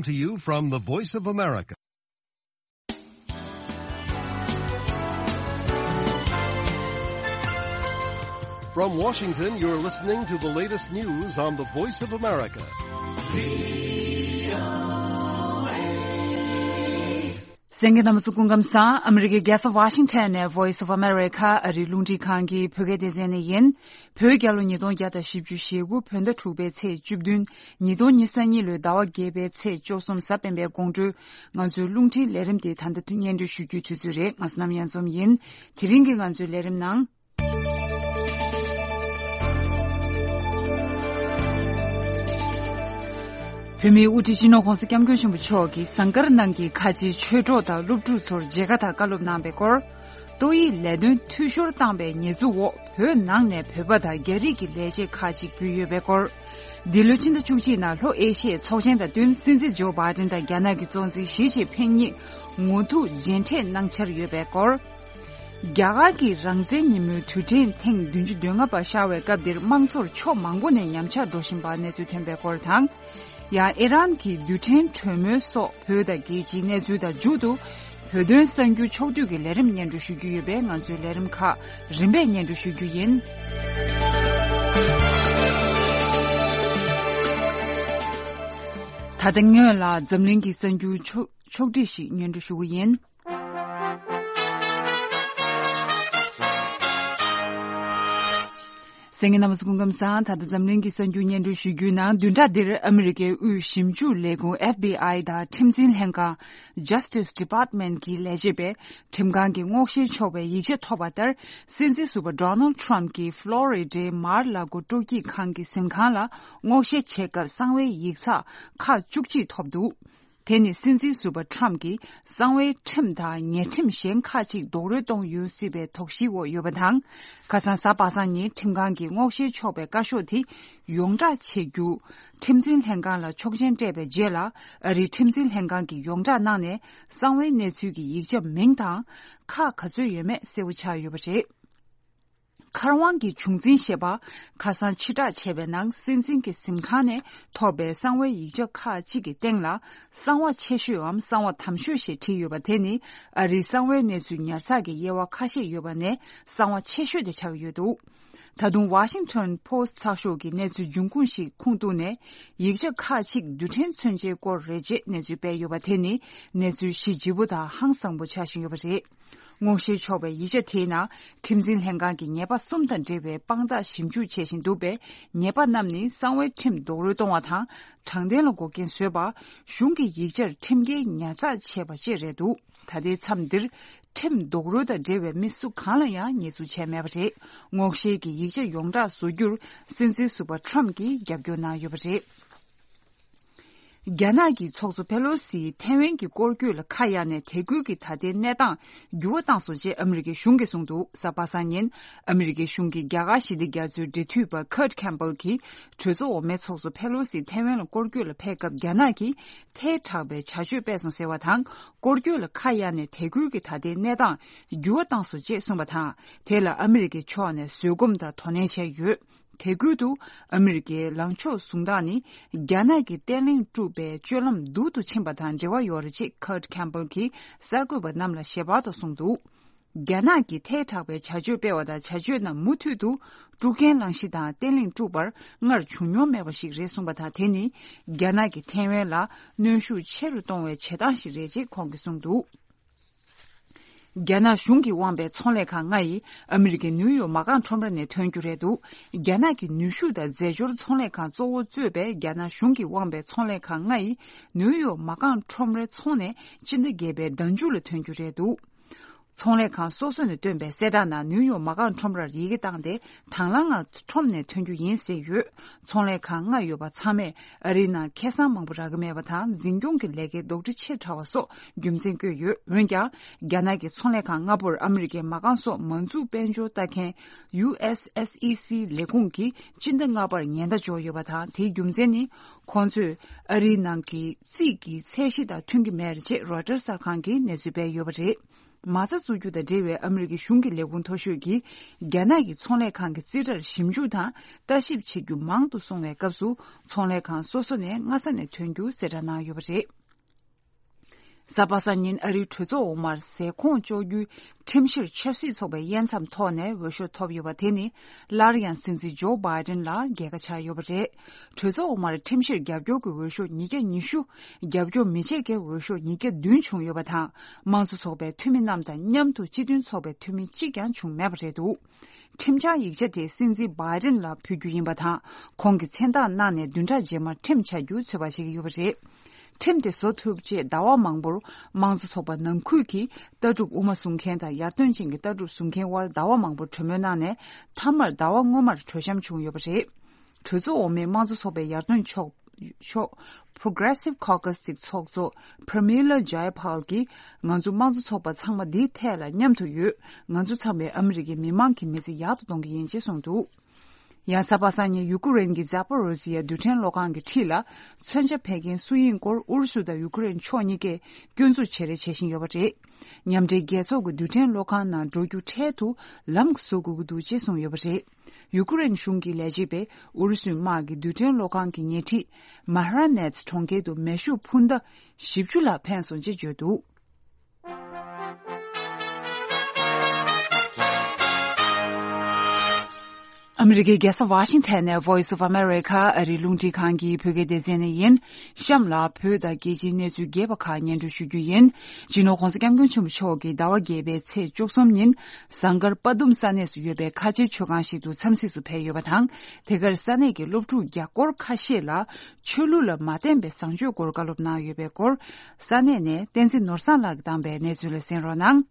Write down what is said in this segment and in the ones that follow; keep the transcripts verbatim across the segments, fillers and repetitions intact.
To you from the Voice of America. From Washington, you're listening to the latest news on the Voice of America. གསན་མཁན་རྣམ་པ་ཚོ་སྐུ་ཁམས་བཟང་། ཨ་མི་རི་ཀའི་རྒྱལ་ས་Washington ནས་Voice of America ཨ་རིའི་རླུང་འཕྲིན་ཁང་གི་བོད་སྐད་སྡེ་ཚན་ནས་ཡིན། བོད་རྒྱལ་ལོ་ཉིས་སྟོང་བརྒྱ་དང་བཞི་བཅུ་ཞེ་དགུ་བོད་ཟླ་དྲུག་པའི་ཚེས་བཅུ་བདུན། ཉིས་སྟོང་ཉི་ཤུ་རྩ་གཉིས་ལོའི་ཟླ་བ་བརྒྱད་པའི་ཚེས་བཅུ་གསུམ་གཟའ་སྤེན་པའི་དགོང་དྲོའི་ང་ཚོའི་རླུང་འཕྲིན་ལས་རིམ་དེ་ད་ལྟ་སྙན་སྒྲོན་ཞུ་རྒྱུའི་དུས་ཚོད་རེད། ང་བསོད་ནམས་གཡང་འཛོམས་ཡིན། དེ་རིང་གི་ང་ཚོའི་ལས་རིམ་ནང་། བོད་མིའི་དབུ་ཁྲིད་སྤྱི་ནོར་༧གོང་ས་༧སྐྱབས་མགོན་ཆེན་པོ་མཆོག་གིས་ཟངས་དཀར་ནང་གི་ཁ་ཆེའི་ཆོས་གྲོགས་དང་སློབ་ཕྲུག་ཚོར་མཇལ་ཁ་དང་བཀའ་སློབ་གནང་པའི་སྐོར། ཏོག་དབྱིབས་ལས་དོན་འཐུས་ཤོར་བཏང་པའི་ཉེས་འཛུགས་འོག་བོད་ནང་ནས་བོད་པ་དང་རྒྱ་རིགས་ཀྱི་ལས་བྱེད་ཁག་ཅིག་འབུད་ཡོད་པའི་སྐོར། འདི་ལོའི་ཕྱི་ཟླ་བཅུ་གཅིག་ནང་ལྷོ་ཨེ་ཤི་ཡའི་ཚོགས་ཆེན་དང་བསྟུན་སྲིད་འཛིན་ཇོ་བྷའི་ཏིན་དང་རྒྱ་ནག་གི་གཙོ་འཛིན་ཞི་ཅིན་ཕིང་གཉིས་ངོ་ཐུག་མཇལ་འཕྲད་གནང་འཆར་ཡོད་པའི་སྐོར། རྒྱ་གར་གྱི་རང་བཙན་ཉིན་མོའི་དུས་དྲན་ཐེངས་བདུན་ཅུ་དོན་ལྔ་པ་ཤར་བའི་སྐབས་འདིར་དམངས་འཚོར་ཕྱོགས་མང་པོ་ནས་ཉམས་ཆག་འགྲོ་བཞིན་པ་གནས་ཚུལ་ཐོན་པའི་སྐོར་དང་། ཡང་ཨི་རན་གྱི་རྡུལ་ཕྲན་གྲོས་མོལ་སོགས་བོད་དང་རྒྱལ་སྤྱིའི་གནས་ཚུལ་དང་མཇུག་ཏུ་བོད་དོན་གསར་འགྱུར་ཕྱོགས་བསྡུས་ཀྱི་ལས་རིམ་སྙན་སྒྲོན་ཞུ་རྒྱུ་ཡོད་པས་ང་ཚོའི་ལས་རིམ་ཁག་རིམ་པས་སྙན་སྒྲོན་ཞུ་རྒྱུ་ཡིན། ད་ལྟ་སྔོན་ལ་འཛམ་གླིང་གི་གསར་འགྱུར་ཕྱོགས་ཕྱོགས་བསྒྲིགས་ཤིག་སྙན་སྒྲོན་ཞུ་གི་ཡིན། གསན་མཁན་རྣམ་པ་ཚོ་སྐུ་ཁམས་བཟང་། ད་ལྟ་འཛམ་གླིང་གི་གསར་འགྱུར་སྙན་སྒྲོན་ཞུ་རྒྱུའི་ནང་བདུན་ཕྲག་འདིར་ཨ་མི་རི་ཀའི་དབུས་ཞིབ་འཇུག་ལས་ཁུངས་F B I དང་ཁྲིམས་འཛིན་ལྷན་ཁང་Justice Department གྱི་ལས་བྱེད་པས་ཁྲིམས་ཁང་གིས་སྔོག་བཤེར་ཆོག་པའི་ཡིག་ཆ་ཐོབ་པ་ལྟར། སྲིད་འཛིན་ཟུར་པ་Donald Trump གྱིས་ཕློ་རི་ཌའི་མར་ལ་གོ་སྤྲོ་སྐྱིད་ཁང་གི་གཟིམ་ཁང་ལ་སྔོག་བཤེར་བྱེད་སྐབས་གསང་བའི་ཡིག་ཚགས་ཁག་བཅུ་གཅིག་ཐོབ་འདུག། དེ་ནི་སྲིད་འཛིན་ཟུར་པ་Trump གྱིས་གསང་བའི་ཁྲིམས་དང་ཉེས་ཁྲིམས་གཞན་ཁག་ཅིག་རྡོག་རོལ་གཏོང་ཡོང་སྲིད་པའི་དོགས་གཞིའི་འོག་ཡོད་པ་དང་། ཁ་སང་གཟའ་པ་སངས་ཉིན་ཁྲིམས་ཁང་གིས་སྔོག་བཤེར་ཆོག་པའི་བཀའ་ཤོག་དེ་ཡོངས་བསྒྲགས་བྱེད་རྒྱུ། ཁྲིམས་འཛིན་ལྷན་ཁང་ལ་ཆོག་མཆན་སྤྲད་པའི་རྗེས་ལ། ཨ་རིའི་ཁྲིམས་འཛིན་ལྷན་ཁང་གིས་ཡོངས་བསྒྲགས་གནང་ནས། གསང་བའི་གནས་ཚུལ་གྱི་ཡིག་ཆ་མིང་དང་། ཁག་ག་ཚོད་ཡོད་མེད་གསལ་པོ་ཆགས་ཡོད་པ་རེད། མཁར་དབང་གི་བྱུང་འཛིན་ཞེས་པ། ཁ་སང་ཕྱིར་བསྒྲགས་བྱས་པའི་ནང་། སྲིད་འཛིན་གྱི་གཟིམ་ཁང་ནས་ཐོབ་པའི་གསང་བའི་ཡིག་ཆ་ཁག་ཅིག་གི་སྟེང་ལ། གསང་བ་ཆེ་ཤོས་འམ་གསང་བ་དམ་ཤོས་ཞེས་བྲིས་ཡོད་པ་དེ་ནི། ཨ་རིའི་གསང་བའི་གནས་ཚུལ་ཉར་ཚགས་ཀྱི་དབྱེ་བ་ཁ་ཤས་ཡོད་པ་ནས། གསང་བ་ཆེ་ཤོས་དེ་ཆགས་ཀྱི་ཡོད་འདུག། ད་དུང་Washington Post ཚགས་ཤོག་གིས་གནས་ཚུལ་འབྱུང་ཁུངས་ཤིག་ཁུངས་གཏུགས་ནས། ཡིག་ཆ་ཁག་ཅིག་རྡུལ་ཕྲན་མཚོན་ཆའི་སྐོར་རེད་ཅེས་གནས་ཚུལ་སྤེལ་ཡོད་པ་དེ་ནི། གནས་ཚུལ་གཞི་ལྗིད་པོ་དང་ཧང་སངས་པོ་ཆགས་བཞིན་ཡོད་པ་རེད། སྔོག་བཤེར་ཆོག་པའི་ཡིག་ཆ་དེའི་ནང་། ཁྲིམས་འཛིན་ལྷན་ཁང་གིས་ཉེས་པ་གསུམ་དང་འབྲེལ་བའི་དཔང་རྟགས་ཞིབ་འཇུག་བྱེད་བཞིན་འདུག་པས། ཉེས་པ་རྣམས་ནི། གསང་བའི་ཁྲིམས་རྡོག་རོལ་གཏོང་བ་དང་། དྲང་བདེན་ལ་འགོག་རྐྱེན་བཟོས་པ། གཞུང་གི་ཡིག་ཆར་ཁྲིམས་འགལ་ཉར་ཚགས་བྱས་པ་བཅས་རེད་འདུག། ད་ལྟའི་མཚམས་འདིར། ཁྲིམས་རྡོག་རོལ་དང་འབྲེལ་བའི་མི་སུ་གང་ལ་ཡང་ཉེས་འཛུགས་བྱས་མེད་པ་རེད། སྔོག་བཤེར་གྱི་ཡིག་ཆ་ཡོངས་བསྒྲགས་བཟོ་རྒྱུར། སྲིད་འཛིན་ཟུར་པ་Trump གྱིས་རྒྱབ་སྐྱོར་གནང་ཡོད་པ་རེད། རྒྱ་ནག་གི་ཚོགས་གཙོ་ཕེ་ལོ་སིས་ཐའེ་ཝན་གྱི་སྐོར་སྐྱོད་ལ་ཁ་གཡར་ནས། དེ་ཁུལ་གྱི་ད་ལྟའི་གནས་སྟངས་འགྱུར་བ་བཏང་སོང་ཅེས་ཨ་མི་རི་ཀའི་གཞུང་གིས་གསུངས་འདུག། གཟའ་པ་སངས་ཉིན་ཨ་མི་རི་ཀའི་གཞུང་གི་རྒྱ་གར་ཞི་བདེ་རྒྱ་མཚོའི་འབྲེལ་མཐུད་པ་Kurt Campbell གྱིས། གྲོས་ཚོགས་འོག་མའི་ཚོགས་གཙོ་ཕེ་ལོ་སི་ཐའེ་ཝན་ལ་སྐོར་སྐྱོད་ལ་ཕེབས་སྐབས། རྒྱ་ནག་གིས་ཐལ་དྲགས་པའི་བྱ་སྤྱོད་སྤེལ་སོང་ཟེར་བ་དང་། སྐོར་སྐྱོད་ལ་ཁ་གཡར་ནས་དེ་ཁུལ་གྱི་ད་ལྟའི་གནས་སྟངས་འགྱུར་བ་བཏང་སོང་ཅེས་གསུངས་པ་དང་། དེ་ལ་ཨ་མི་རི་ཀའི་ཕྱོགས་ནས་བཟོད་སྒོམ་དང་དོ་ནན་བྱས་ཡོད། དེ་ཁུལ་དུ་ཨ་མི་རི་ཀའི་ལངས་ཕྱོགས་བཟུང་སྟངས་ནི། རྒྱ་ནག་གིས་བརྟན་ལྷིང་དཀྲུགས་པའི་སྤྱོད་ལམ་སྡུག་ཏུ་ཕྱིན་པ་དང་འབྲེལ་བ་ཡོད་རེད་ཅེས་Kurt Campbell གྱིས་གསར་འགོད་པ་རྣམས་ལ་ཞལ་པར་དུ་གསུངས་འདུག། རྒྱ་ནག་གིས་ཐལ་དྲགས་པའི་བྱ་སྤྱོད་སྤེལ་བ་དང་། བྱ་སྤྱོད་རྣམས་མུ་མཐུད་དུ་དཀྲུག་རྐྱེན་བསླངས་གཞི་དང་བརྟན་ལྷིང་དཀྲུག་པར་སྔར་བྱུང་མྱོང་མེད་པ་ཞིག་རེད་གསུངས་པ་དང་། དེ་ནི་རྒྱ་ནག་གིས་ཐའེ་ཝན་ལ་གནོན་ཤུགས་ཆེ་རུ་གཏོང་བའི་བྱེད་སྟངས་ཤིག་རེད་ཅེས་ཁོང་གིས་གསུངས་འདུག། རྒྱ་ནག་གཞུང་གིས་དབང་པའི་ཚོང་ལས་ཁང་ལྔ་ཡིས་ཨ་མི་རི་ཀའི་ནིའུ་ཡོག་མ་རྐང་ཁྲོམ་ར་ནས་ཐོན་རྒྱུ་རེད་འདུག། རྒྱ་ནག་གི་ནུས་ཤུགས་དང་རྫས་སྦྱོར་ཚོང་ལས་ཁང་གཙོ་བོ་གཙོས་པའི་རྒྱ་ནག་གཞུང་གིས་དབང་པའི་ཚོང་ལས་ཁང་ལྔ་ཡིས་ནིའུ་ཡོག་མ་རྐང་ཁྲོམ་རའི་ཚོང་ནས་སྤྱི་ཟླ་བརྒྱད་པའི་ཟླ་མཇུག་ལ་ཐོན་རྒྱུ་རེད་འདུག། ཚོང་ལས་ཁང་སོ་སོ་ནས་བཏོན་པའི་གསལ་བསྒྲགས་ནང་། ནིའུ་ཡོག་མ་རྐང་ཁྲོམ་རར་ཡི་གེ་བཏང་སྟེ། དང་བླངས་ངང་ཁྲོམ་ནས་ཐོན་རྒྱུ་ཡིན་ཟེར་ཡོད། ཚོང་ལས་ཁང་ལྔ་ཡོད་པ་ཚང་མས་ཨ་རིའི་ནང་ཁེ་བཟང་མང་པོ་རག་གི་མེད་པ་དང་། འཛིན་སྐྱོང་གི་ལས་ཀའི་ལྡོག་འཕྲི་ཆེ་དྲགས་པ་སོགས་རྒྱུ་མཚན་བཀོད་ཡོད། འོན་ཀྱང་། རྒྱ་ནག་གི་ཚོང་ལས་ཁང་ལྔ་པོར་ཨ་མི་རི་ཀའི་མ་རྐང་སོགས་མ་འཛུགས་དཔལ་འབྱོར་ལྟ་མཁན་ཡུ་ཨེས་ཨེས་ཨི་སི་ལས་ཁུངས་ཀྱིས་སྤྱི་ཟླ་ལྔ་པར་ཉེན་བརྡ་འབྱོར་ཡོད་པ་དང་། དེའི་རྒྱུ་མཚན་ནི། ཁོང་ཚོས་ཨ་རིའི་ནང་གི་རྩིས་ཀྱི་ཚད་གཞི་དང་མཐུན་གྱི་མེད་ཅེས་Reuters གསར་ཁང་གིས་གནས་ཚུལ་སྤེལ་ཡོད་པ་རེད། མ་རྩ་བཙུགས་རྒྱུ་དང་འབྲེལ་བའི་ཨ་མི་རི་ཀའི་གཞུང་གི་ལས་ཁུངས་མཐོ་ཤོས་ཀྱིས་རྒྱ་ནག་གི་ཚོང་ལས་ཁང་གི་རྩིས་ཁྲར་ཞིབ་འཇུག་དང་ལྟ་ཞིབ་བྱེད་རྒྱུ་མང་དུ་སོང་བའི་སྐབས་སུ། ཚོང་ལས་ཁང་སོ་སོ་ནས་སྔ་ས་ནས་ཐོན་རྒྱུ་གསལ་བསྒྲགས་གནང་ཡོད་པ་རེད། གཟའ་པ་སངས་ཉིན་ཨ་རིའི་གྲོས་ཚོགས་འོག་མར་ཟས་ཁོངས་གཅོག་རྒྱུའི་ཁྲིམས་གཞིར་ཆབ་སྲིད་ཚོགས་པའི་དབྱེ་མཚམས་ཐོག་ནས་འོས་ཤོག་ཐོབ་ཡོད་པ་དེ་ནི་སླར་ཡང་སྲིད་འཛིན་ཇོ་བྷའི་ཏིན་ལ་རྒྱལ་ཁ་ཆགས་ཡོད་པ་རེད། གྲོས་ཚོགས་འོག་མར་ཁྲིམས་གཞིར་རྒྱབ་སྐྱོར་གྱི་འོས་ཤོག་ཉིས་བརྒྱ་ཉི་ཤུ། རྒྱབ་སྐྱོར་མི་བྱེད་མཁན་འོས་ཤོག་ཉིས་བརྒྱ་བདུན་བྱུང་ཡོད་པ་དང་། དམངས་གཙོ་ཚོགས་པའི་འཐུས་མི་རྣམས་དང་མཉམ་དུ་སྤྱི་མཐུན་ཚོགས་པའི་འཐུས་མི་གཅིག་ཀྱང་བྱུང་མེད་པ་རེད་འདུག་ཁྲིམས་འཆར་ཡིག་ཆ་དེ་སྲིད་འཛིན་བྷའི་ཏིན་ལ་ཕུལ་རྒྱུ་ཡིན་པ་དང་། ཁོང་གིས་མཚན་རྟགས་གནང་ནས་བདུན་ཕྲག་རྗེས་མར་ཁྲིམས་འཆར་རྒྱུ་ཚོད་དཔག་བྱེད་ཀྱི་ཡོད་པ་རེད། ཁྲིམས་དེ་བཟོ་ཐུབ་ཆེད་ཟླ་བ་མང་པོར་དམངས་གཙོ་ཚོགས་པ་ནང་ཁུལ་གྱི་ལྟ་གྲུབ་དབུ་མ་བཟུང་མཁན་དང་ཡར་ཐོན་ཅན་གྱི་ལྟ་གྲུབ་བཟུང་མཁན་དབར་ཟླ་བ་མང་པོར་གྲོས་མོལ་གནང་ནས། མཐའ་མར་ཟླ་བ་སྔོན་མར་གྲོས་འཆམ་བྱུང་ཡོད་པ་རེད། གྲོས་ཚོགས་འོག་མའི་དམངས་གཙོ་ཚོགས་པའི་ཡར་ཐོན་ཕྱོགས་ཕྱོགས་Progressive Caucus གྱི་ཚོགས་གཙོ་Pramila Jayapal གྱིས། ང་ཚོ་དམངས་གཙོ་ཚོགས་པ་ཚང་མ་འདིའི་ཐད་ལ་མཉམ་དུ་ཡོད། ང་ཚོ་ཚང་མས་ཨ་མི་རི་ཀའི་མི་མང་གི་མི་ཚེ་ཡག་ཏུ་གཏོང་གི་ཡིན་ཅེས་གསུངས་འདུག་ཡང་གཟའ་པ་སངས་ཉིན་ཡུ་ཀུ་རེན་གྱི་ཛ་པོ་རོ་ཟི་ཡ་རྡུལ་ཕྲན་གློག་ཁང་གི་འཁྲིས་ལ་མཚོན་ཆ་འཕེན་མཁན་སུ་ཡིན་སྐོར་ཨུ་རུ་སུ་དང་ཡུ་ཀུ་རེན་ཕྱོགས་གཉིས་ཀས་སྐྱོན་འཛུགས་བྱེད་རེས་བྱེད་བཞིན་ཡོད་པ་རེད། མཉམ་འབྲེལ་རྒྱལ་ཚོགས་ཀྱི་རྡུལ་ཕྲན་གློག་ཁང་ནང་འགྲོ་རྒྱུ་འཕྲལ་དུ་ལམ་བཟོ་དགོས་ཀྱི་འདུག་ཅེས་གསུངས་ཡོད་པ་རེད། ཡུ་ཀུ་རེན་གཞུང་གི་ལས་བྱེད་པས་ཨུ་རུ་སུའི་དམག་གིས་རྡུལ་ཕྲན་གློག་ཁང་གི་ཉེ་འཁྲིས་མཱ་ཧ་ར་ནེ་ཚི་གྲོང་ཁྱེར་དུ་མེ་ཤུགས་འཕུར་མདའ་བཞི་བཅུ་ལྷག་འཕེན་སོང་ཅེས་བརྗོད་འདུག་ཨ་མི་རི་ཀའི་རྒྱལ་ས་ཝ་ཤིང་ཐན་ནས་Voice of America ཨ་རིའི་རླུང་འཕྲིན་ཁང་གི་བོད་སྐད་སྡེ་ཚན་ནས་ཡིན། གཤམ་ལ་བོད་དང་རྒྱལ་སྤྱིའི་གནས་ཚུལ་རྒྱས་པ་ཁག་སྙན་སྒྲོན་ཞུ་རྒྱུ་ཡིན། སྤྱི་ནོར་༸གོང་ས་༸སྐྱབས་མགོན་ཆེན་པོ་མཆོག་གིས་ཟླ་བ་བརྒྱད་པའི་ཚེས་བཅུ་གསུམ་ཉིན་ཟངས་དཀར་དཔའ་གཏུམ་ས་གནས་སུ་ཡོད་པའི་ཁ་ཆེའི་མཆོད་ཁང་ཞིག་ཏུ་འཚམས་གཟིགས་སུ་ཕེབས་ཡོད་པ་དང་། དེ་གར་ས་གནས་ཀྱི་སློབ་ཕྲུག་བརྒྱ་སྐོར་ཁ་ཤས་ལ་ཆོས་ལུགས་ལ་མ་བརྟེན་པའི་བཟང་སྤྱོད་སྐོར་བཀའ་སློབ་གནང་ཡོད་པའི་སྐོར། ས་གནས་ནས་བསྟན་འཛིན་ནོར་བཟང་ལགས་ཀྱིས་བཏང་པའི་གནས་ཚུལ་ལ་གསན་རོགས་གནང་།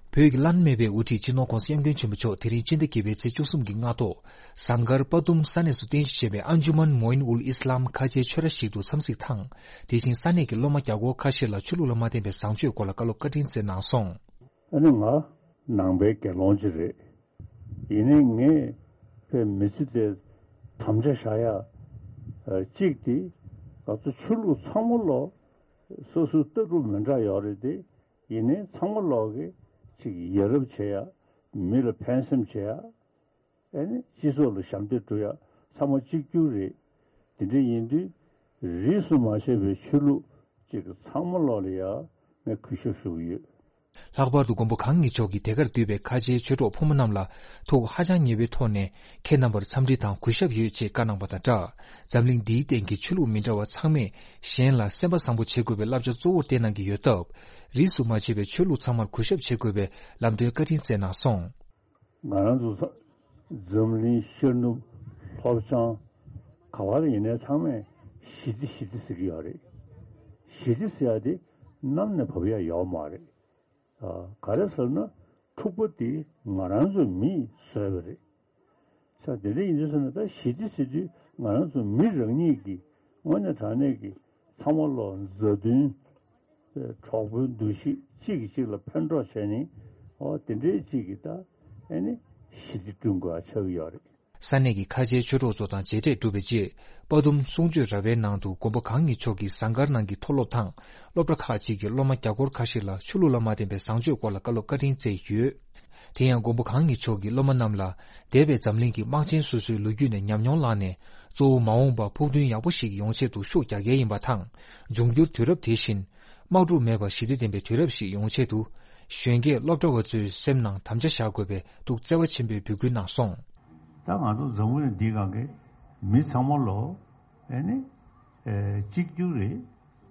བོད་ཀྱི་བླ་ན་མེད་པའི་དབུ་ཁྲིད་སྤྱི་ནོར་༸གོང་ས་༸སྐྱབས་མགོན་ཆེན་པོ་མཆོག་དེ་རིང་སྤྱི་ཟླ་བརྒྱད་པའི་ཚེས་བཅུ་གསུམ་གྱི་སྔ་དྲོ། ཟངས་དཀར་དཔའ་གཏུམ་ས་གནས་སུ་རྟེན་གཞི་བྱས་པའི་ཨན་ཇུ་མན་མོ་ཨིན་ཨུལ་ཨིས་ལམ་ཁ་ཆེའི་ཆོས་ར་ཞིག་ཏུ་འཚམས་གཟིགས་དང་། དེ་བཞིན་ས་གནས་ཀྱི་སློབ་མ་བརྒྱ་སྐོར་ཁ་ཤས་ལ་ཆོས་ལུགས་ལ་མ་བརྟེན་པའི་བཟང་སྤྱོད་སྐོར་ལ་བཀའ་སློབ་བཀའ་དྲིན་སྩལ་གནང་སོང་། ཨ་ནི་ང་ནང་པའི་དགེ་སློང་ཅིག་རེད། ཡིན་ནའི་ངས་དཔེ་མི་ཚེ་དེ་དམ་བཅའ་བཞག་ཡ་གཅིག་དེ། ང་ཚོ་ཆོས་ལུགས་ཚང་མ་ལོ་སོ་སོའི་ལྟ་གྲུབ་མི་འདྲ་ཡོད་རེད་དེ། ཡིན་ནའི་ཚང་མ་ལོག་གི་ཅིག་ཡ་རབས་བྱེད་ཡ། མི་ལ་ཕན་སེམས་བྱེད་ཡ། ཨ་ནི་སྤྱི་ཚོགས་ལ་ཞབས་འདེགས་སྒྲུབ་ཡ་ཚང་མ་གཅིག་གྱུར་རེད། དེ་འདྲ་ཡིན་དུས་རིས་སུ་མ་ཆད་པའི་ཆོས་ལུགས་ཅིག་ཚང་མ་ལོག་ལ་ཡ་ངས་གུས་ཞབས་ཞུ་གི་ཡོད། ལྷག་པར་དུ་མགོན་པོ་གང་ཉིད་མཆོག་གིས་དེ་གར་འདུས་པའི་ཁ་ཆེའི་ཆོས་གྲོགས་ཕོ་མོ་རྣམས་ལ་ཐུགས་ཧ་ཅང་མཉེས་པོའི་ཐོག་ནས་ཁྱེད་རྣམ་པར་འཚམས་འདྲི་དང་གུས་ཞབས་ཡོད་ཅེས་བཀའ་གནང་པ་དང་སྦྲགས། འཛམ་གླིང་འདིའི་སྟེང་གི་ཆོས་ལུགས་མི་འདྲ་བ་ཚང་མས་གཞན་ལ་སེམས་པ་བཟང་པོ་བྱེད་དགོས་པའི་བསླབ་བྱ་གཙོ་བོར་བསྟན་གནང་གི་ཡོད་སྟབས། རིས་སུ་མ་ཆད་པའི་ཆོས་ལུགས་ཚང་མར་གུས་ཞབས་བྱེད་དགོས་པའི་ལམ་སྟོན་བཀའ་དྲིན་སྩལ་གནང་སོང་། ང་རང་ཚོ་ས་འཛམ་གླིང་ཤར་ནུབ་ལྷོ་བྱང་ག་བར་ཡིན་ནའི་ཚང་མས་ཞི་བདེ་ཞི་བདེ་ཟེར་གྱི་ཡོད་རེད། ཞི་བདེ་ཟེར་ཡ་དེ་གནམ་ནས་བབས་ཡ་ཡོད་མ་རེད། ཨ། ག་རེ་ཟེར་ན་འཁྲུག་པ་དེ་ང་རང་ཚོ་མིས་བཟོས་པ་རེད། ས་དེ་འདྲ་ཡིན་དུས་ཟེར་ན་ད་ཞི་བདེ་ཟེར་དུས་ང་རང་ཚོ་མི་རང་ཉིད་ཀྱིས་དངོས་གནས་དྲང་གནས་ཀྱི་ཚང་མ་ལོ་མཛའ་མཐུན། གྲོགས་པོའི་འདུ་ཤེས་གཅིག་གིས་གཅིག་ལ་ཕན་གྲོགས་བྱས་ནས། འོ་དེ་འདྲའི་གཅིག་གིས་ད་ཨེ་ནི་ཞི་བདེ་བསྐྲུན་དགོས་ཆགས་ཀྱི་ཡོད་རེད། ས་གནས་ཀྱི་ཁ་ཆེའི་ཆོས་གྲོགས་ཚོ་དང་མཇལ་འཕྲད་གྲུབ་པའི་རྗེས། དཔའ་གཏུམ་གསུང་ཆོས་ར་བའི་ནང་དུ་མགོན་པོ་གང་ཉིད་མཆོག་གིས་ཟངས་དཀར་ནང་གི་མཐོ་སློབ་དང་སློབ་གྲྭ་ཁག་ཅིག་གི་སློབ་མ་བརྒྱ་སྐོར་ཁ་ཤས་ལ་ཆོས་ལུགས་ལ་མ་བརྟེན་པའི་བཟང་སྤྱོད་སྐོར་ལ་བཀའ་སློབ་བཀའ་དྲིན་སྩལ་ཡོད། དེ་ཡང་མགོན་པོ་གང་ཉིད་མཆོག་གིས་སློབ་མ་རྣམས་ལ་འདས་པའི་འཛམ་གླིང་གི་དམག་ཆེན་སོ་སོའི་ལོ་རྒྱུས་ནས་ཉམས་མྱོང་བླངས་ནས། གཙོ་བོ་མ་འོངས་པར་ཕུགས་འདུན་ཡག་པོ་ཞིག་ཡོང་ཆེད་དུ་ཤུགས་རྒྱག་གལ་ཡིན་པ་དང་། འབྱུང་འགྱུར་དུས་རབས་དེ་བཞིན་དམག་འཁྲུག་མེད་པར་ཞི་བདེ་ལྡན་པའི་དུས་རབས་ཤིག་ཡོང་ཆེད་དུ། གཞོན་སྐྱེས་སློབ་གྲྭ་བ་ཚོའི་སེམས་ནང་དམ་བཅའ་བཞག་དགོས་པའི་ཐུགས་བརྩེ་བ་ཆེན་པོས་འབོད་སྐུལ་གནང་སོང་། ད་ང་ཚོ་འཛམ་བུ་གླིང་འདིའི་སྒང་གི་མི་ཚང་མ་ལོ། ཨེ་ནི། ཨེ། གཅིག་གྱུར་རེད།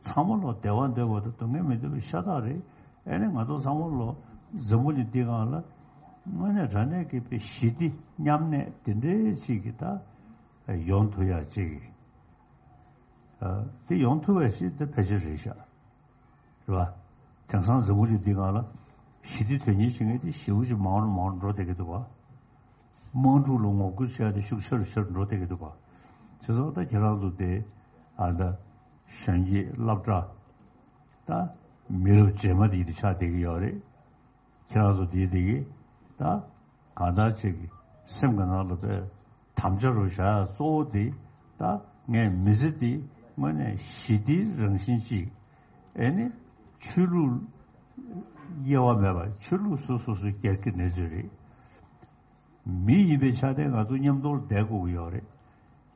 ཚང་མ་ལོ་བདེ་བ་འདོད་པ་དང་སྡུག་བསྔལ་མི་འདོད་པའི་ཤ་སྟག་རེད། ཨེ་ནི་ང་ཚོ་ཚང་མ་ལོ་འཛམ་བུ་གླིང་འདིའི་སྒང་ལ་དངོས་གནས་དྲང་གནས་ཀྱི་དཔེ་ཞི་བདེ་མཉམ་གནས་དེ་འདྲའི་ཅིག་གི་ད་ཡོང་ཐུབ་ཡ་ཅིག་ཨ། དེ་ཡོང་ཐུབ་པ་ཞིག་དེ་ཕལ་ཆེར་རེད་ཤག་རེད་བ། དེང་སང་འཛམ་བུ་གླིང་འདིའི་སྒང་ལ་ཞི་བདེ་དོན་གཉེར་བྱེད་མཁན་དེ་ཞེ་པོ་ཅིག་མང་རུ་མང་རུ་འགྲོ་བསྡད་ཀྱི་འདུག་བ། དམག་འཁྲུག་ལ་ངོ་རྒོལ་བྱས་ཏེ་ཤུགས་ཆེ་རུ་ཆེ་རུ་འགྲོ་བསྡད་ཀྱི་འདུག་ག་བྱས་ཙང་ད་ཁྱེད་རང་ཚོ་དེ་ཨ་ད་གཞོན་སྐྱེས་སློབ་གྲྭ་ད་མི་རབས་རྗེས་མ་དེ་ཡིན་དུ་ཆགས་བསྡད་ཀྱི་ཡོད་རེད། ཁྱེད་རང་ཚོ་དེ་དེ་གི་ད་གང་ལྟར་ཅིག་གི་སེམས་ཀྱི་ནང་ལ་དེ་དམ་བཅའ་རུ་བཞག་ཡ་གཙོ་བོ་དེ་ད་ངས་མི་ཚེ་འདི་དངོས་གནས་ཞི་བདེའི་རང་བཞིན་ཅིག་ཨེ་ནི་ཆོས་ལུགས་ དབྱེ་བ་མེད་པར་ཆོས་ལུགས་སོ་སོ་སོའི་སྒེར་གྱི་གནས་ཚུལ་རེད། མི་ཡིན་པའི་ཆ་ནས་ང་ཚོ་མཉམ་དུ་བསྡད་དགོས་ཀྱི་ཡོད་རེད།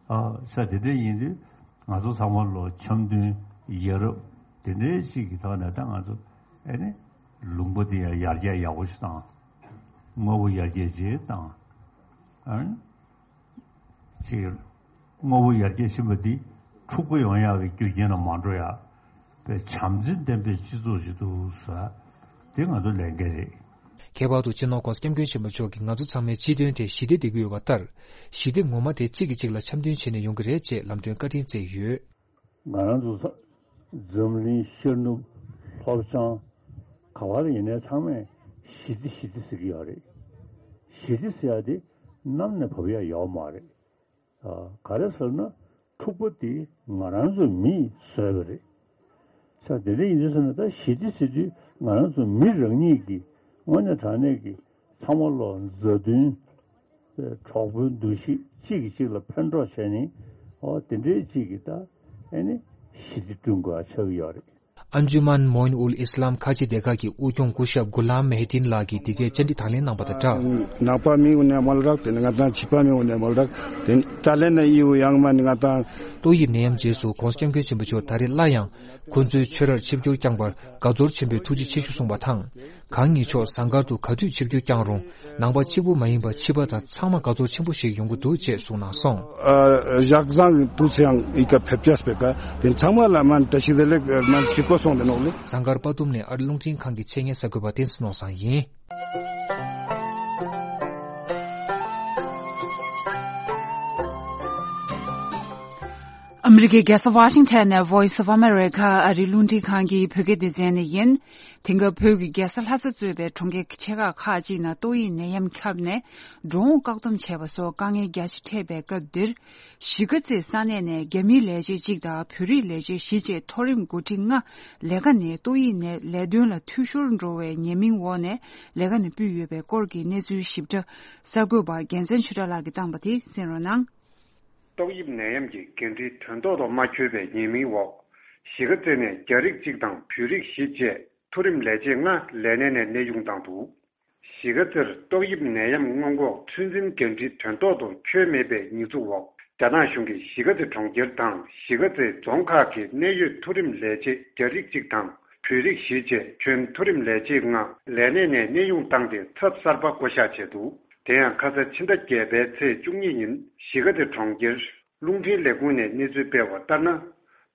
ཨ་ས་དེ་འདྲ་ཡིན་དུས་ང་ཚོ་ཚང་མ་ལོ་འཆམ་མཐུན་ཡ་རབས་དེ་འདྲའི་ཞིག་གི་ཐོག་ནས་ད་ང་ཚོ་ཨེ་ནི་ལུང་པ་དེ་ཡང་ཡར་རྒྱས་ཡག་པོ་ཞིག་བཏང་། དངོས་པོ་ཡར་རྒྱས་ཅིག་བཏང་། ཨ་ནི་ཅིག་དངོས་པོ་ཡར་རྒྱས་ཕྱིན་པ་འདི་འཁྲུག་པ་ཡོང་ཡག་གི་རྒྱུ་རྐྱེན་ལ་མ་འགྲོ་ཡག་པའི་བྱམས་བརྩེ་ལྡན་པའི་སྤྱི་ཚོགས་ཤིག་འདུག་ཟེར། དེ་ང་ཚོ་ལས་འགན་རེད། ཁྱད་པར་དུ་སྤྱི་ནོར་༸གོང་ས་༸སྐྱབས་མགོན་ཆེན་པོ་མཆོག་གིས་ང་ཚོ་ཚང་མའི་སྤྱི་དོན་དེ་ཞི་བདེ་འདོད་ཀྱི་ཡོད་པ་ལྟར། ཞི་བདེ་ངོ་མ་དེ་གཅིག་གིས་གཅིག་ལ་འཆམ་མཐུན་བྱས་ནས་ཡོང་གི་རེད་ཅེས་ལམ་སྟོན་བཀའ་དྲིན་བསྩལ་ཡོད། ང་རང་ཚོ་ས་འཛམ་གླིང་ཤར་ནུབ་ལྷོ་བྱང་ག་བར་ཡིན་ནའི་ཚང་མས་ཞི་བདེ་ཞི་བདེ་ཟེར་གྱི་ཡོད་རེད། ཞི་བདེ་ཟེར་ཡ་དེ་གནམ་ནས་བབས་ཡ་ཡོད་མ་རེད། ཨ། ག་རེ་ཟེར་ན་འཁྲུག་པ་དེ་ང་རང་ཚོ་མིས་བཟོས་པ་རེད། ས་དེ་འདྲ་ཡིན་དུས་ཟེར་ན་ད་ཞི་བདེ་ཟེར་དུས་ང་རང་ཚོ་མི་རང་ཉིད་ཀྱི་དངོས་གནས་དྲང་གནས་ཀྱི་ཚང་མ་ལོ་མཛའ་མཐུན། གྲོགས་པོའི་འདུ་ཤེས་གཅིག་གིས་གཅིག་ལ་ཕན་གྲོགས་བྱས་ནས་ཨོ་དེ་འདྲའི་གཅིག་གིས་ད་ཨེ་ནི་ཞི་བདེ་བསྐྲུན་དགོས་ཆགས་ཀྱི་ཡོད་རེད། ཨན་ཇུ་མན་མོ་ཨིན་ཨུལ་ཨིས་ལམ་ཁ་ཆེ་སྡེ་ཁག་གི་དབུ་སྐྱོང་སྐུ་ཞབས་གུ་ལམ་མེ་ཧེ་ཏིན་ལགས་ཀྱིས་འདི་གའི་བཅར་འདྲི་དང་ལེན་གནང་བ་དང་སྦྲགས། ནག་པ་མི་ཡོང་ནས་མོལ་རག་དེ་ནི་ང་དང་བྱིས་པ་མི་ཡོང་ནས་མོལ་རག་དེ་ནི་ཏཱ་ལེ་ནས་ཡིའུ་ཡང་མ་ནི་ང་དང་། ཏོག་དབྱིབས་ནད་ཡམས་རྗེས་སུ་༸གོང་ས་༸སྐྱབས་མགོན་ཆེན་པོ་མཆོག་ད་རེས་སླར་ཡང་ཁོ་ཚོའི་ཆོས་རར་ཆིབས་བསྒྱུར་བསྐྱངས་པར་དགའ་ཚོར་ཆེན་པོས་ཐུགས་རྗེ་ཆེ་ཞུ་གསུངས་པ་དང་། གང་ཉིད་མཆོག་ཟངས་དཀར་དུ་ག་དུས་ཆིབས་བསྒྱུར་བསྐྱངས་རུང་ནང་པ་གཅིག་པུ་མ་ཡིན་པར་ཕྱི་པ་དང་ཚང་མ་དགའ་ཚོར་ཆེན་པོ་ཞིག་ཡོང་གི་འདུག་ཅེས་གསུངས་གནང་སོང་། ཨ། ཞག་བཟང་དུ་ཚེ་ཡང་ཨི་ཀ་ཕེབས་ཅེས་པའི་ཀ་དེ་ཚང་མ་ལ་མན་བཀྲ་ཤིས་བདེ་ལེགས་མན་ཞིག་པོ་སོང་དེ་ནོག་ལེ། ཟངས་དཀར་དཔའ་གཏུམ་ནས་ཨར་རླུང་འཕྲིན་ཁང་གི་ཆེད་གཉེར་གསར་འགོད་པ་བསྟན་འཛིན་ནོར་བཟང་ཡིན། ཨ་མི་རི་ཀའི་རྒྱལ་ས་ཝ་ཤིང་ཊོན་ནས་Voice of America ཨ་རིའི་རླུང་འཕྲིན་ཁང་གི་བོད་སྐད་སྡེ་ཚན་ནས་ཡིན། དེང་སྐབས་བོད་ཀྱི་རྒྱལ་ས་ལྷ་ས་གཙོས་པའི་གྲོང་ཁྱེར་ཆེ་ཁག་ཁག་ཅིག་ནང་ཏོག་དབྱིབས་ནད་ཡམས་ཁྱབ་ནས་འགྲོ་འོང་བཀག་སྡོམ་བྱས་པ་སོགས་དཀའ་ངལ་རྒྱ་ཆེ་འཕྲད་པའི་སྐབས་འདིར། གཞིས་ཀ་རྩེའི་ས་གནས་ནས་རྒྱ་མིའི་ལས་བྱེད་གཅིག་དང་བོད་རིགས་ལས་བྱེད་བཞི་བཅས་མཐོ་རིམ་འགོ་ཁྲིད་ལྔ་ལས་ཀ་ནས་ཏོག་དབྱིབས་ནད་ལས་དོན་ལ་འཐུས་ཤོར་འགྲོ་བའི་ཉེས་མིང་འོག་ནས་ལས་ཀ་ནས་ཕུད་ཡོད་པའི་སྐོར་གྱི་གནས་ཚུལ་ཞིབ་ཕྲ་གསར་འགོད་པ་རྒྱལ་མཚན་ཆོས་གྲགས་ལགས་ཀྱིས་བཏང་བ་དེ་གསན་རོགས་གནང་། ཏོག་དབྱིབས་ནད་ཡམས་ཀྱི་འགན་འཁྲི་དོན་ཐོག་ཏུ་མ་འཁྱོལ་བའི་ཉེས་མིང་འོག་གཞིས་ཀ་རྩེ་ནས་རྒྱ་རིགས་གཅིག་དང་བོད་རིགས་བཞི་བཅས་མཐོ་རིམ་ལས་བྱེད་ལྔ་ལས་གནས་ནས་གནས་དབྱུང་བཏང་འདུག་གཞིས་ཀ་རྩེར་ཏོག་དབྱིབས་ནད་ཡམས་སྔོན་འགོག་ཚོད་འཛིན་འགན་འཁྲི་དོན་ཐོག་ཏུ་འཁྱོལ་མེད་པའི་ཉེས་འཛུགས་འོག་རྒྱ་ནག་གཞུང་གིས་གཞིས་ཀ་རྩེ་གྲོང་ཁྱེར་དང་གཞིས་ཀ་རྩེ་རྫོང་ཁག་གི་གནད་ཡོད་མཐོ་རིམ་ལས་བྱེད་རྒྱ་རིགས་གཅིག་དང་བོད་རིགས་བཞི་བཅས་ཁྱོན་མཐོ་རིམ་ལས་བྱེད་ལྔ་ལས་གནས་ནས་གནས་དབྱུང་བཏང་སྟེ་ཚབ་གསར་པ་བསྐོ་གཞག་བྱས་འདུག་དེ་ཡང་ཁ་ས་ཕྱི་ཟླ་བརྒྱད་པའི་ཚེས་བཅུ་གཉིས་ཉིན་གཞིས་ཀ་རྩེ་གྲོང་ཁྱེར་རླུང་འཕྲིན་ལས་ཁུངས་ནས་གནས་ཚུལ་སྤེལ་བ་ལྟར་ན།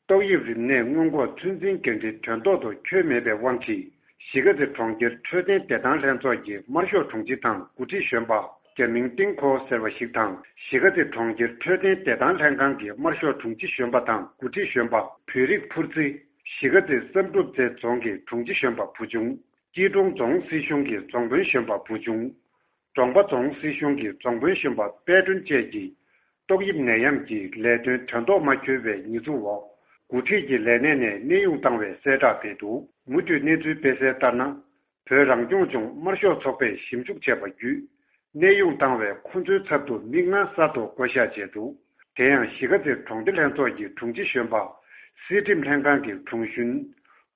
ཏོག་དབྱིབས་རིམས་ནད་སྔོན་འགོག་ཚོད་འཛིན་འགན་འཁྲི་དོན་ཐོག་ཏུ་འཁྱོལ་མེད་པའི་དབང་གིས་གཞིས་ཀ་རྩེ་གྲོང་ཁྱེར་འཕྲོད་བསྟེན་བདེ་ཐང་ལྷན་ཚོགས་ཀྱི་དམར་ཤོག་དྲུང་ཆེ་དང་འགོ་ཁྲིད་གཞོན་པ་རྒྱ་མིང་ཏིང་ཁོ་ཟེར་བ་ཞིག་དང་གཞིས་ཀ་རྩེ་གྲོང་ཁྱེར་འཕྲོད་བསྟེན་བདེ་ཐང་ལྷན་ཁང་གི་དམར་ཤོག་དྲུང་ཆེ་གཞོན་པ་དང་འགོ་ཁྲིད་གཞོན་པ་བོད་རིགས་ཕུར་རྩེ། གཞིས་ཀ་རྩེ་བསམ་གྲུབ་རྩེ་རྫོང་གི་དྲུང་ཆེ་གཞོན་པ་བུ་ཆུང་། སྐྱིད་གྲོང་རྫོང་སྲིད་གཞུང་གི་རྫོང་དཔོན་གཞོན་པ་བུ་ཆུང་། གྲོང་པ་རྫོང་སྲིད་གཞུང་གི་རྫོང་དཔོན་གཞོན་པ་དཔལ་སྒྲོན་བཅས་ཀྱིས། ཏོག་དབྱིབས་ནད་ཡམས་ཀྱི་ལས་དོན་དོན་ཐོག་མ་འཁྱོལ་བའི་ཉེས་འཛུགས་འོག་འགོ་ཁྲིད་ཀྱི་ལས་གནས་ནས་གནས་དབྱུང་བཏང་བའི་གསལ་བསྒྲགས་སྤེལ་འདུག་མུ་མཐུད་གནས་ཚུལ་སྤེལ་གསལ་ལྟར་ན། བོད་རང་སྐྱོང་ལྗོངས་དམར་ཤོག་ཚོགས་པས་ཞིབ་འཇུག་བྱས་པ་བརྒྱུད། གནས་དབྱུང་བཏང་བའི་ཁོ་ཚོའི་ཚབ་ཏུ་མི་ལྔ་གསར་དུ་བསྐོ་གཞག་བྱས་འདུག་དེ་ཡང་གཞིས་ཀ་རྩེ་གྲོང་སྡེ་ལྷན་ཚོགས་ཀྱི་དྲུང་ཆེ་གཞོན་པ། སྲིད་ཁྲིམས་ལྷན་ཁང་གི་དྲུང་གཞོན།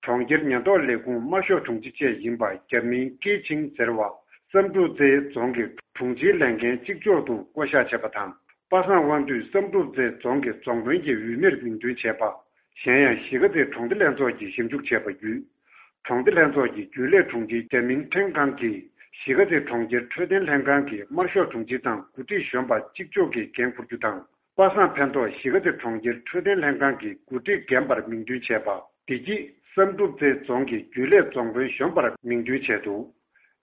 གྲོང་ཁྱེར་ཉེན་རྟོག་ལས་ཁུངས་དམར་ཤོག་དྲུང་ཆེ་བཅས་ཡིན་པ་རྒྱ་མིང་ཀེ་ཆིང་ཟེར་བ། བསམ་གྲུབ་རྩེ་རྫོང་གི་དྲུང་ཆེའི་ལས་འགན་གཅིག་ལྕོགས་ཏུ་བསྐོ་གཞག་བྱས་པ་དང་། པ་སངས་དབང་འདུས་བསམ་གྲུབ་རྩེ་རྫོང་གི་རྫོང་དཔོན་གྱི་འོས་མིར་མིང་འདོན་བྱས་པ། གཞན་ཡང་གཞིས་ཀ་རྩེ་གྲོང་སྡེ་ལྷན་ཚོགས་ཀྱིས་ཞིབ་འཇུག་བྱས་པ་བརྒྱུད། གྲོང་སྡེ་ལྷན་ཚོགས་ཀྱི་རྒྱུན་ལས་དྲུང་ཆེ་རྒྱ་མིང་ཁྲེང་ཁང་གིས་གཞིས་ཀ་རྩེ་གྲོང་ཁྱེར་འཕྲོད་བསྟེན་ལྷན་ཁང་གི་དམར་ཤོག་དྲུང་ཆེ་དང་འགོ་ཁྲིད་གཞོན་པ་གཅིག་ལྕོགས་ཀྱི་འགན་འཁུར་རྒྱུ་དང་། པ་སངས་ཕན་ཐོགས་གཞིས་ཀ་རྩེ་གྲོང་ཁྱེར་འཕྲོད་བསྟེན་ལྷན་ཁང་གི་འགོ་ཁྲིད་རྒན་པར་མིང་འདོན་བྱས་པ། བདེ་སྐྱིད་བསམ་གྲུབ་རྩེ་རྫོང་གི་རྒྱུན་ལས་རྫོང་དཔོན་གཞོན་པར་མིང་འདོན་བྱས་འདུག་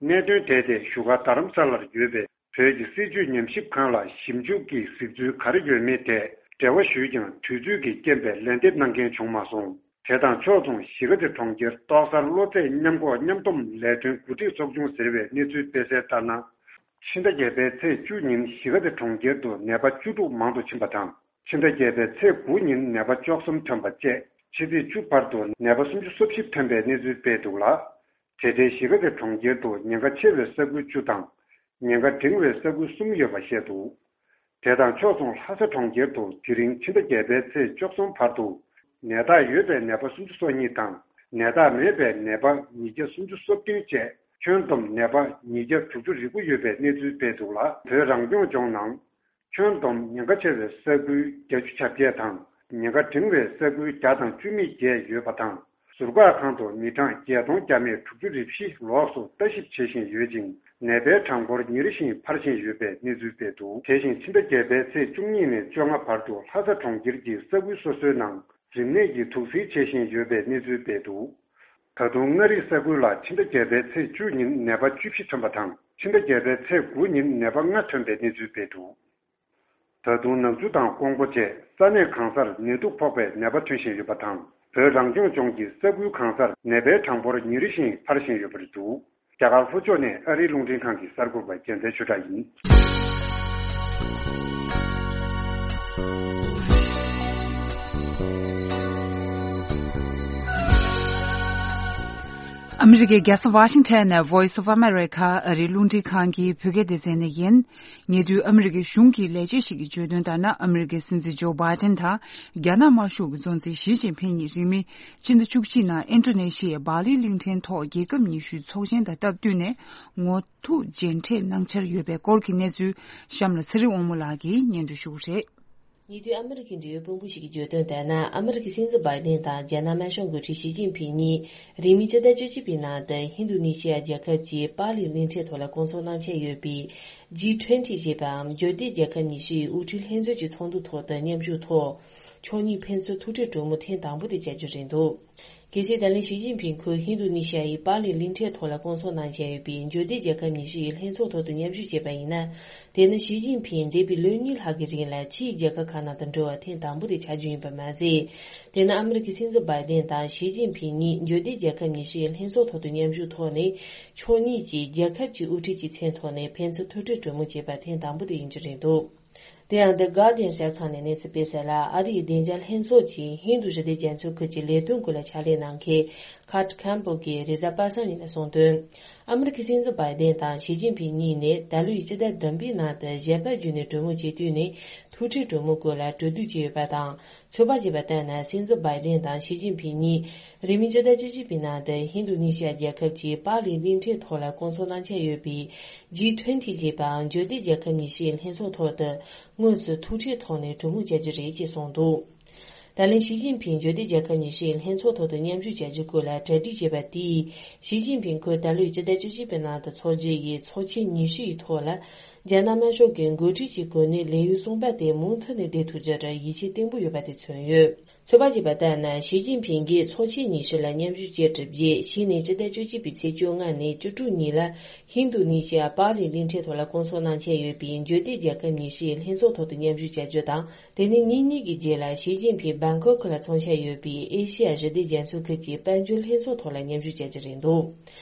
གནད་དོན་དེ་དེ་བཞུགས་སྒར་རྡ་རམ་ས་ལར་ཡོད་པའི་བོད་ཀྱི་སྲིད་བྱུས་ཉམས་ཞིབ་ཁང་ལ་ཞིབ་འཇུག་གི་གཟིགས་ཚུལ་ག་རེ་ཡོད་མེད་ཐད་འབྲེལ་བ་ཞུས་ཀྱང་དུས་ཚོད་ཀྱི་རྐྱེན་པས་ལན་འདེབས་གནང་མཁན་བྱུང་མ་སོང་། དེ་དང་ཕྱོགས་མཚུངས་གཞིས་ཀ་རྩེ་གྲོང་ཁྱེར་ཏོག་གསར་གློ་ཚད་མཉམ་འགོག་མཉམ་སྡོམ་ལས་དོན་འགོ་ཁྲིད་ཚོགས་ཆུང་ཟེར་བས་གནས་ཚུལ་སྤེལ་གསལ་ལྟར་ན། ཕྱི་ཟླ་བརྒྱད་པའི་ཚེས་བཅུ་ཉིན་གཞིས་ཀ་རྩེ་གྲོང་ཁྱེར་དུ་ནད་པ་བཅུ་དྲུག་མང་དུ་ཕྱིན་པ་དང་། ཕྱི་ཟླ་བརྒྱད་པའི་ཚེས་དགུ་ཉིན་ནད་པ་བཅུ་གསུམ་ཐོན་པ་བཅས་ཕྱི་ཚེས་བཅུ་བར་དུ་ནད་པ་སུམ་ཅུ་སོ་བཞི་ཐོན་པའི་གནས་ཚུལ་སྤེལ་འདུག་ལ། དེ་འབྲེལ་གཞིས་ཀ་རྩེ་གྲོང་ཁྱེར་དུ་ཉེན་ཁ་ཆེ་བའི་ས་ཁུལ་བཅུ་དང་། ཉེན་ཁ་འབྲིང་བའི་ས་ཁུལ་གསུམ་ཡོད་པ་བཤད་འདུག་དེ་དང་ཕྱོགས་མཚུངས་ལྷ་ས་གྲོང་ཁྱེར་དུ་དེ་རིང་ཕྱི་ཟླ་བརྒྱད་པའི་ཚེས་བཅུ་གསུམ་བར་དུ་ནད་རྟགས་ཡོད་པའི་ནད་པ་སུམ་ཅུ་སོ་གཉིས་དང་ ནད་རྟགས་མེད་པའི་ནད་པ་ཉིས་བརྒྱ་སུམ་ཅུ་སོ་བདུན་བཅས་ཁྱོན་བསྡོམས་ནད་པ་ཉིས་བརྒྱ་དྲུག་ཅུ་རེ་དགུ་ཡོད་པའི་གནས་ཚུལ་སྤེལ་འདུག་ལ། བོད་རང་སྐྱོང་ལྗོངས་ནང་ཁྱོན་བསྡོམས་ཉེན་ཁ་ཆེ་བའི་ས་ཁུལ་བརྒྱད་ཅུ་གྱ་བརྒྱད་དང་། ཉེན་ཁ་འབྲིང་བའི་ས་ཁུལ་བརྒྱ་དང་བཅུ་མེད་བརྒྱད་ཡོད་པ་དང་། ཟུར་བཀག་ཁང་དུ་མི་གྲངས་བརྒྱད་སྟོང་བརྒྱ་མེད་དྲུག་ཅུ་རེ་བཞི་ལོགས་སུ་ལྟ་ཞིབ་བྱེད་བཞིན་ཡོད་ཅིང་། ནད་པའི་གྲངས་འབོར་ཉིན་རེ་བཞིན་འཕར་བཞིན་ཡོད་པའི་གནས་ཚུལ་སྤེལ་འདུག་དེ་བཞིན་ཕྱི་ཟླ་བརྒྱད་པའི་ཚེས་བཅུ་གཉིས་ནས་བཅོ་ལྔ་བར་དུ་ལྷ་ས་གྲོང་ཁྱེར་གྱི་ས་ཁུལ་སོ་སོའི་ནང་རིམས་ནད་ཀྱི་དུག་སེལ་བྱེད་བཞིན་ཡོད་པའི་གནས་ཚུལ་སྤེལ་འདུག་ད་དུང་མངའ་རིས་ས་ཁུལ་ལ་ཕྱི་ཟླ་བརྒྱད་པའི་ཚེས་བཅུ་ཉིན་ནད་པ་བཅུ་བཞི་ཐོན་པ་དང་། ཕྱི་ཟླ་བརྒྱད་པའི་ཚེས་དགུ་ཉིན་ནད་པ་ལྔ་ཐོན་པའི་གནས་ཚུལ་སྤེལ་འདུག་ད་དུང་ནག་ཆུ་དང་ཀོང་པོ་བཅས་ས་གནས་གང་སར་ནད་དུག་ཕོག་པའི་ནད་པ་ཐོན་བཞིན་ཡོད་པ་དང་། བོད་རང་སྐྱོང་ལྗོངས་ཀྱི་ས་ཁུལ་གང་སར་ནད་པའི་གྲངས་འབོར་ཉིན་རེ་བཞིན་འཕར་བཞིན་ཡོད་པ་རེད་འདུག་རྒྱ་གར་ལྷོ་ཕྱོགས་ནས་ཨ་རིའི་རླུང་འཕྲིན་ཁང་གི་གསར་འགོད་པ་རྒྱལ་མཚན་ཆོས་གྲགས་ཡིན། ཨ་མི་རི་ཀའི་རྒྱལ་ས་ཝ་ཤིང་ཊོན་ནས་Voice of America ཨ་རིའི་རླུང་འཕྲིན་ཁང་གི་བོད་སྐད་སྡེ་ཚན་ནས་ཡིན། ཉེ་དུས་ཨ་མི་རི་ཀའི་གཞུང་གི་ལས་བྱེད་ཞིག་གིས་བརྗོད་དོན་ལྟར་ན། ཨ་མི་རི་ཀའི་སྲིད་འཛིན་ཇོ་བྷའི་ཏན་དང་རྒྱ་ནག་དམར་ཤོག་གི་གཙོ་འཛིན་ཞི་ཅིན་ཕིན་གཉིས་རིང་མིན་ཕྱི་ཟླ་བཅུ་གཅིག་ནང་ཨིན་ཌོ་ནེ་ཤི་ཡའི་སྦ་ལི་གླིང་ཕྲན་ཐོག་རྒྱལ་ཁབ་ཉི་ཤུའི་ཚོགས་ཆེན་དང་སྟབས་བསྟུན་ནས་ངོ་ཐུག་མཇལ་འཕྲད་གནང་འཆར་ཡོད་པའི་སྐོར་གྱི་གནས་ཚུལ། གཤམ་ལ་ཚེ་རིང་དབང་མོ་ལགས་ཀྱིས་སྙན་སྒྲོན་ཞུ་གི་རེད། ཉེ་དུས་ཨ་མི་རི་ཀའི་འབྲེལ་ཡོད་དཔོན་པོ་ཞིག་གིས་བརྗོད་དོན་ལྟར་ན། ཨ་མི་རི་ཀའི་སྲིད་འཛིན་བྷའི་ཏན་དང་རྒྱ་ནག་དམར་ཤོག་འགོ་ཁྲིད་ཞི་ཅིན་ཕིན་གཉིས་རིང་མིན་ཕྱི་ཟླ་བཅུ་གཅིག་པའི་ནང་དུ་ཧིན་རྡུ་ནི་ཤི་ཡ་རྒྱལ་ཁབ་ཀྱི་པཱ་ལི་གླིང་ཕྲན་ཐོག་ལ་སྐོང་ཚོགས་གནང་འཆར་ཡོད་པའི་ཇི་ཊུ་ཝེན་ཊི་ཞེས་པའམ་འབྱོར་ལྡན་རྒྱལ་ཁབ་ཉི་ཤུ་ཡི་དབུ་ཁྲིད་ལྷན་ཚོགས་ཀྱི་ཚོགས་འདུ་ཐོག་ཏུ་མཉམ་ཞུགས་ཐོག་ཕྱོགས་གཉིས་ཕན་ཚུན་ཐུག་འཕྲད་གྲོས་མོལ་ཐེངས་དང་པོ་དེ་བྱ་རྒྱུ་རེད་འདུག་གལ་སྲིད་ད་ལན་ཞི་ཅིན་ཕིན་ཁོས་ཧིན་རྡུ་ནི་ཤི་ཡ་ཡི་པཱ་ལི་གླིང་ཕྲན་ཐོག་ལ་སྐོང་ཚོགས་གནང་འཆར་ཡོད་པའི་འབྱོར་ལྡན་རྒྱལ་ཁབ་ཉི་ཤུ་ཡི་ལྷན་ཚོགས་ཐོག་ཏུ་མཉམ་ཞུགས་བྱས་པ་ཡིན་ན། དེ་ནི་ཞི་ཅིན་ཕིན་འདས་པའི་ལོ་གཉིས་ལྷག་གི་རིང་ལ་ཕྱིའི་རྒྱལ་ཁབ་ཁག་ནང་དུ་འགྲོ་བ་ཐེངས་དང་པོ་དེ་ཆགས་རྒྱུ་ཡིན་པ་མ་ཟད། དེ་ནི་ཨ་མི་རི་ཀའི་སྲིད་འཛིན་བྷའི་ཏན་དང་ཞི་ཅིན་ཕིན་གཉིས་འབྱོར་ལྡན་རྒྱལ་ཁབ་ཉི་ཤུ་ཡི་ལྷན་ཚོགས་ཐོག་ཏུ་མཉམ་ཞུགས་ཐོག་ནས་ཕྱོགས་གཉིས་ཀྱིས་རྒྱལ་ཁབ་ཀྱི་དབུ་ཁྲིད་ཀྱི་མཚན་ཐོག་ནས་ཕན་ཚུན་ཐུག་འཕྲད་གྲོས་མོལ་བྱས་པ་ཐེངས་དང་པོ་དེ་ཡིན་རྒྱུ་རེད་འདུག་དེ་ཡང་The Guardian གསར་ཁང་ནས་གནས་ཚུལ་སྤེལ་གསལ་ལ། ཨ་རིའི་བདེ་འཇགས་ལྷན་ཚོགས་ཀྱི་ཧིན་རྡུ་ཞི་བདེ་རྒྱ་མཚོའི་ཁུལ་གྱི་ལས་དོན་སྐོར་ལ་ཕྱག་ལས་གནང་མཁན་Kurt Campbell གྱིས་རེས་གཟའ་པ་སངས་ཉིན་གསུངས་དོན། ཨ་མི་རི་ཀའི་སྲིད་འཛིན་བྷའི་ཏན་དང་ཞི་ཅིན་ཕིན་གཉིས་ནས་ད་ལོའི་སྤྱི་ཟླ་བདུན་པའི་ནང་དུ་ཞལ་པར་བརྒྱུད་ནས་གྲོས་མོལ་བྱེད་དུས་ནས་ཐུག་འཕྲད་གྲོས་མོལ་སྐོར་ལ་གྲོས་བསྡུར་བྱས་ཡོད་པ་དང་། ཚོད་དཔག་བྱས་པ་ལྟར་ན། སྲིད་འཛིན་བྷའི་ཏན་དང་ཞི་ཅིན་ཕིན་གཉིས་རིང་མིན་སྤྱི་ཟླ་བཅུ་གཅིག་པའི་ནང་དུ་ཧིན་རྡུ་ནི་ཤི་ཡ་རྒྱལ་ཁབ་ཀྱི་པཱ་ལི་གླིང་ཕྲན་ཐོག་ལ་སྐོང་ཚོགས་གནང་འཆར་ཡོད་པའི་ཇི་ཊུ་ཝེན་ཊི་ཞེས་པའམ་འབྱོར་ལྡན་རྒྱལ་ཁབ་ཉི་ཤུའི་ལྷན་ཚོགས་ཐོག་ཏུ་དངོས་སུ་ཐུག་འཕྲད་ཐོག་ནས་གྲོས་མོལ་བྱ་རྒྱུ་རེད་ཅེས་གསུངས་འདུག་ད་ལན་ཞི་ཅིན་ཕིང་འབྱོར་ལྡན་རྒྱལ་ཁབ་ཉི་ཤུའི་ལྷན་ཚོགས་ཐོག་ཏུ་མཉམ་ཞུགས་བྱ་རྒྱུ་སྐོར་ལ་གྲ་སྒྲིག་བྱས་པ་དེས། ཞི་ཅིན་ཕིང་ཁོས་ད་ལོའི་སྤྱི་ཟླ་བཅུ་གཅིག་པའི་ནང་དུ་འཚོགས་རྒྱུ་ཡི་ཚོགས་ཆེན་ཉི་ཤུ་ཡི་ཐོག་ལ། རྒྱ་ནག་དམར་ཤོག་གི་འགོ་ཁྲིད་ཀྱི་གོ་གནས་ལེན་ཡུལ་གསུངས་པ་དེ་མུ་མཐུད་ནས་བསྡད་ཐུབ་རྒྱུར་ཡིད་ཆེས་བརྟན་པོ་ཡོད་པ་དེ་མཚོན་ཡོད། ཚོད་དཔག་བྱས་པ་ལྟར་ན། ཞི་ཅིན་ཕིང་གིས་ཚོགས་ཆེན་ཉི་ཤུ་ལ་མཉམ་ཞུགས་བྱས་གྲུབ་རྗེས། གཞི་ནས་སྤྱི་ཟླ་བཅུ་གཅིག་པའི་ཚེས་བཅོ་ལྔ་ནས་བཅུ་དྲུག་ཉིན་ལ་ཧིན་རྡུ་ནི་ཤི་ཡ་པཱ་ལི་གླིང་ཕྲན་ཐོག་ལ་སྐོང་ཚོགས་གནང་འཆར་ཡོད་པའི་འབྱོར་ལྡན་རྒྱལ་ཁབ་ཉི་ཤུ་ཡི་ལྷན་ཚོགས་ཐོག་ཏུ་མཉམ་ཞུགས་བྱ་རྒྱུ་དང་། དེ་ནས་ཉིན་གཉིས་ཀྱི་རྗེས་ལ་ཞི་ཅིན་ཕིང་སྦང་ཀོག་ལ་འཚོགས་འཆར་ཡོད་པའི་ཨེ་ཤི་ཡ་ཞི་བདེ་རྒྱ་མཚོའི་ཁུལ་གྱི་དཔལ་འབྱོར་ལྷན་ཚོགས་ཐོག་ལ་མཉམ་ཞུགས་བྱ་རྒྱུ་རེད་འདུག་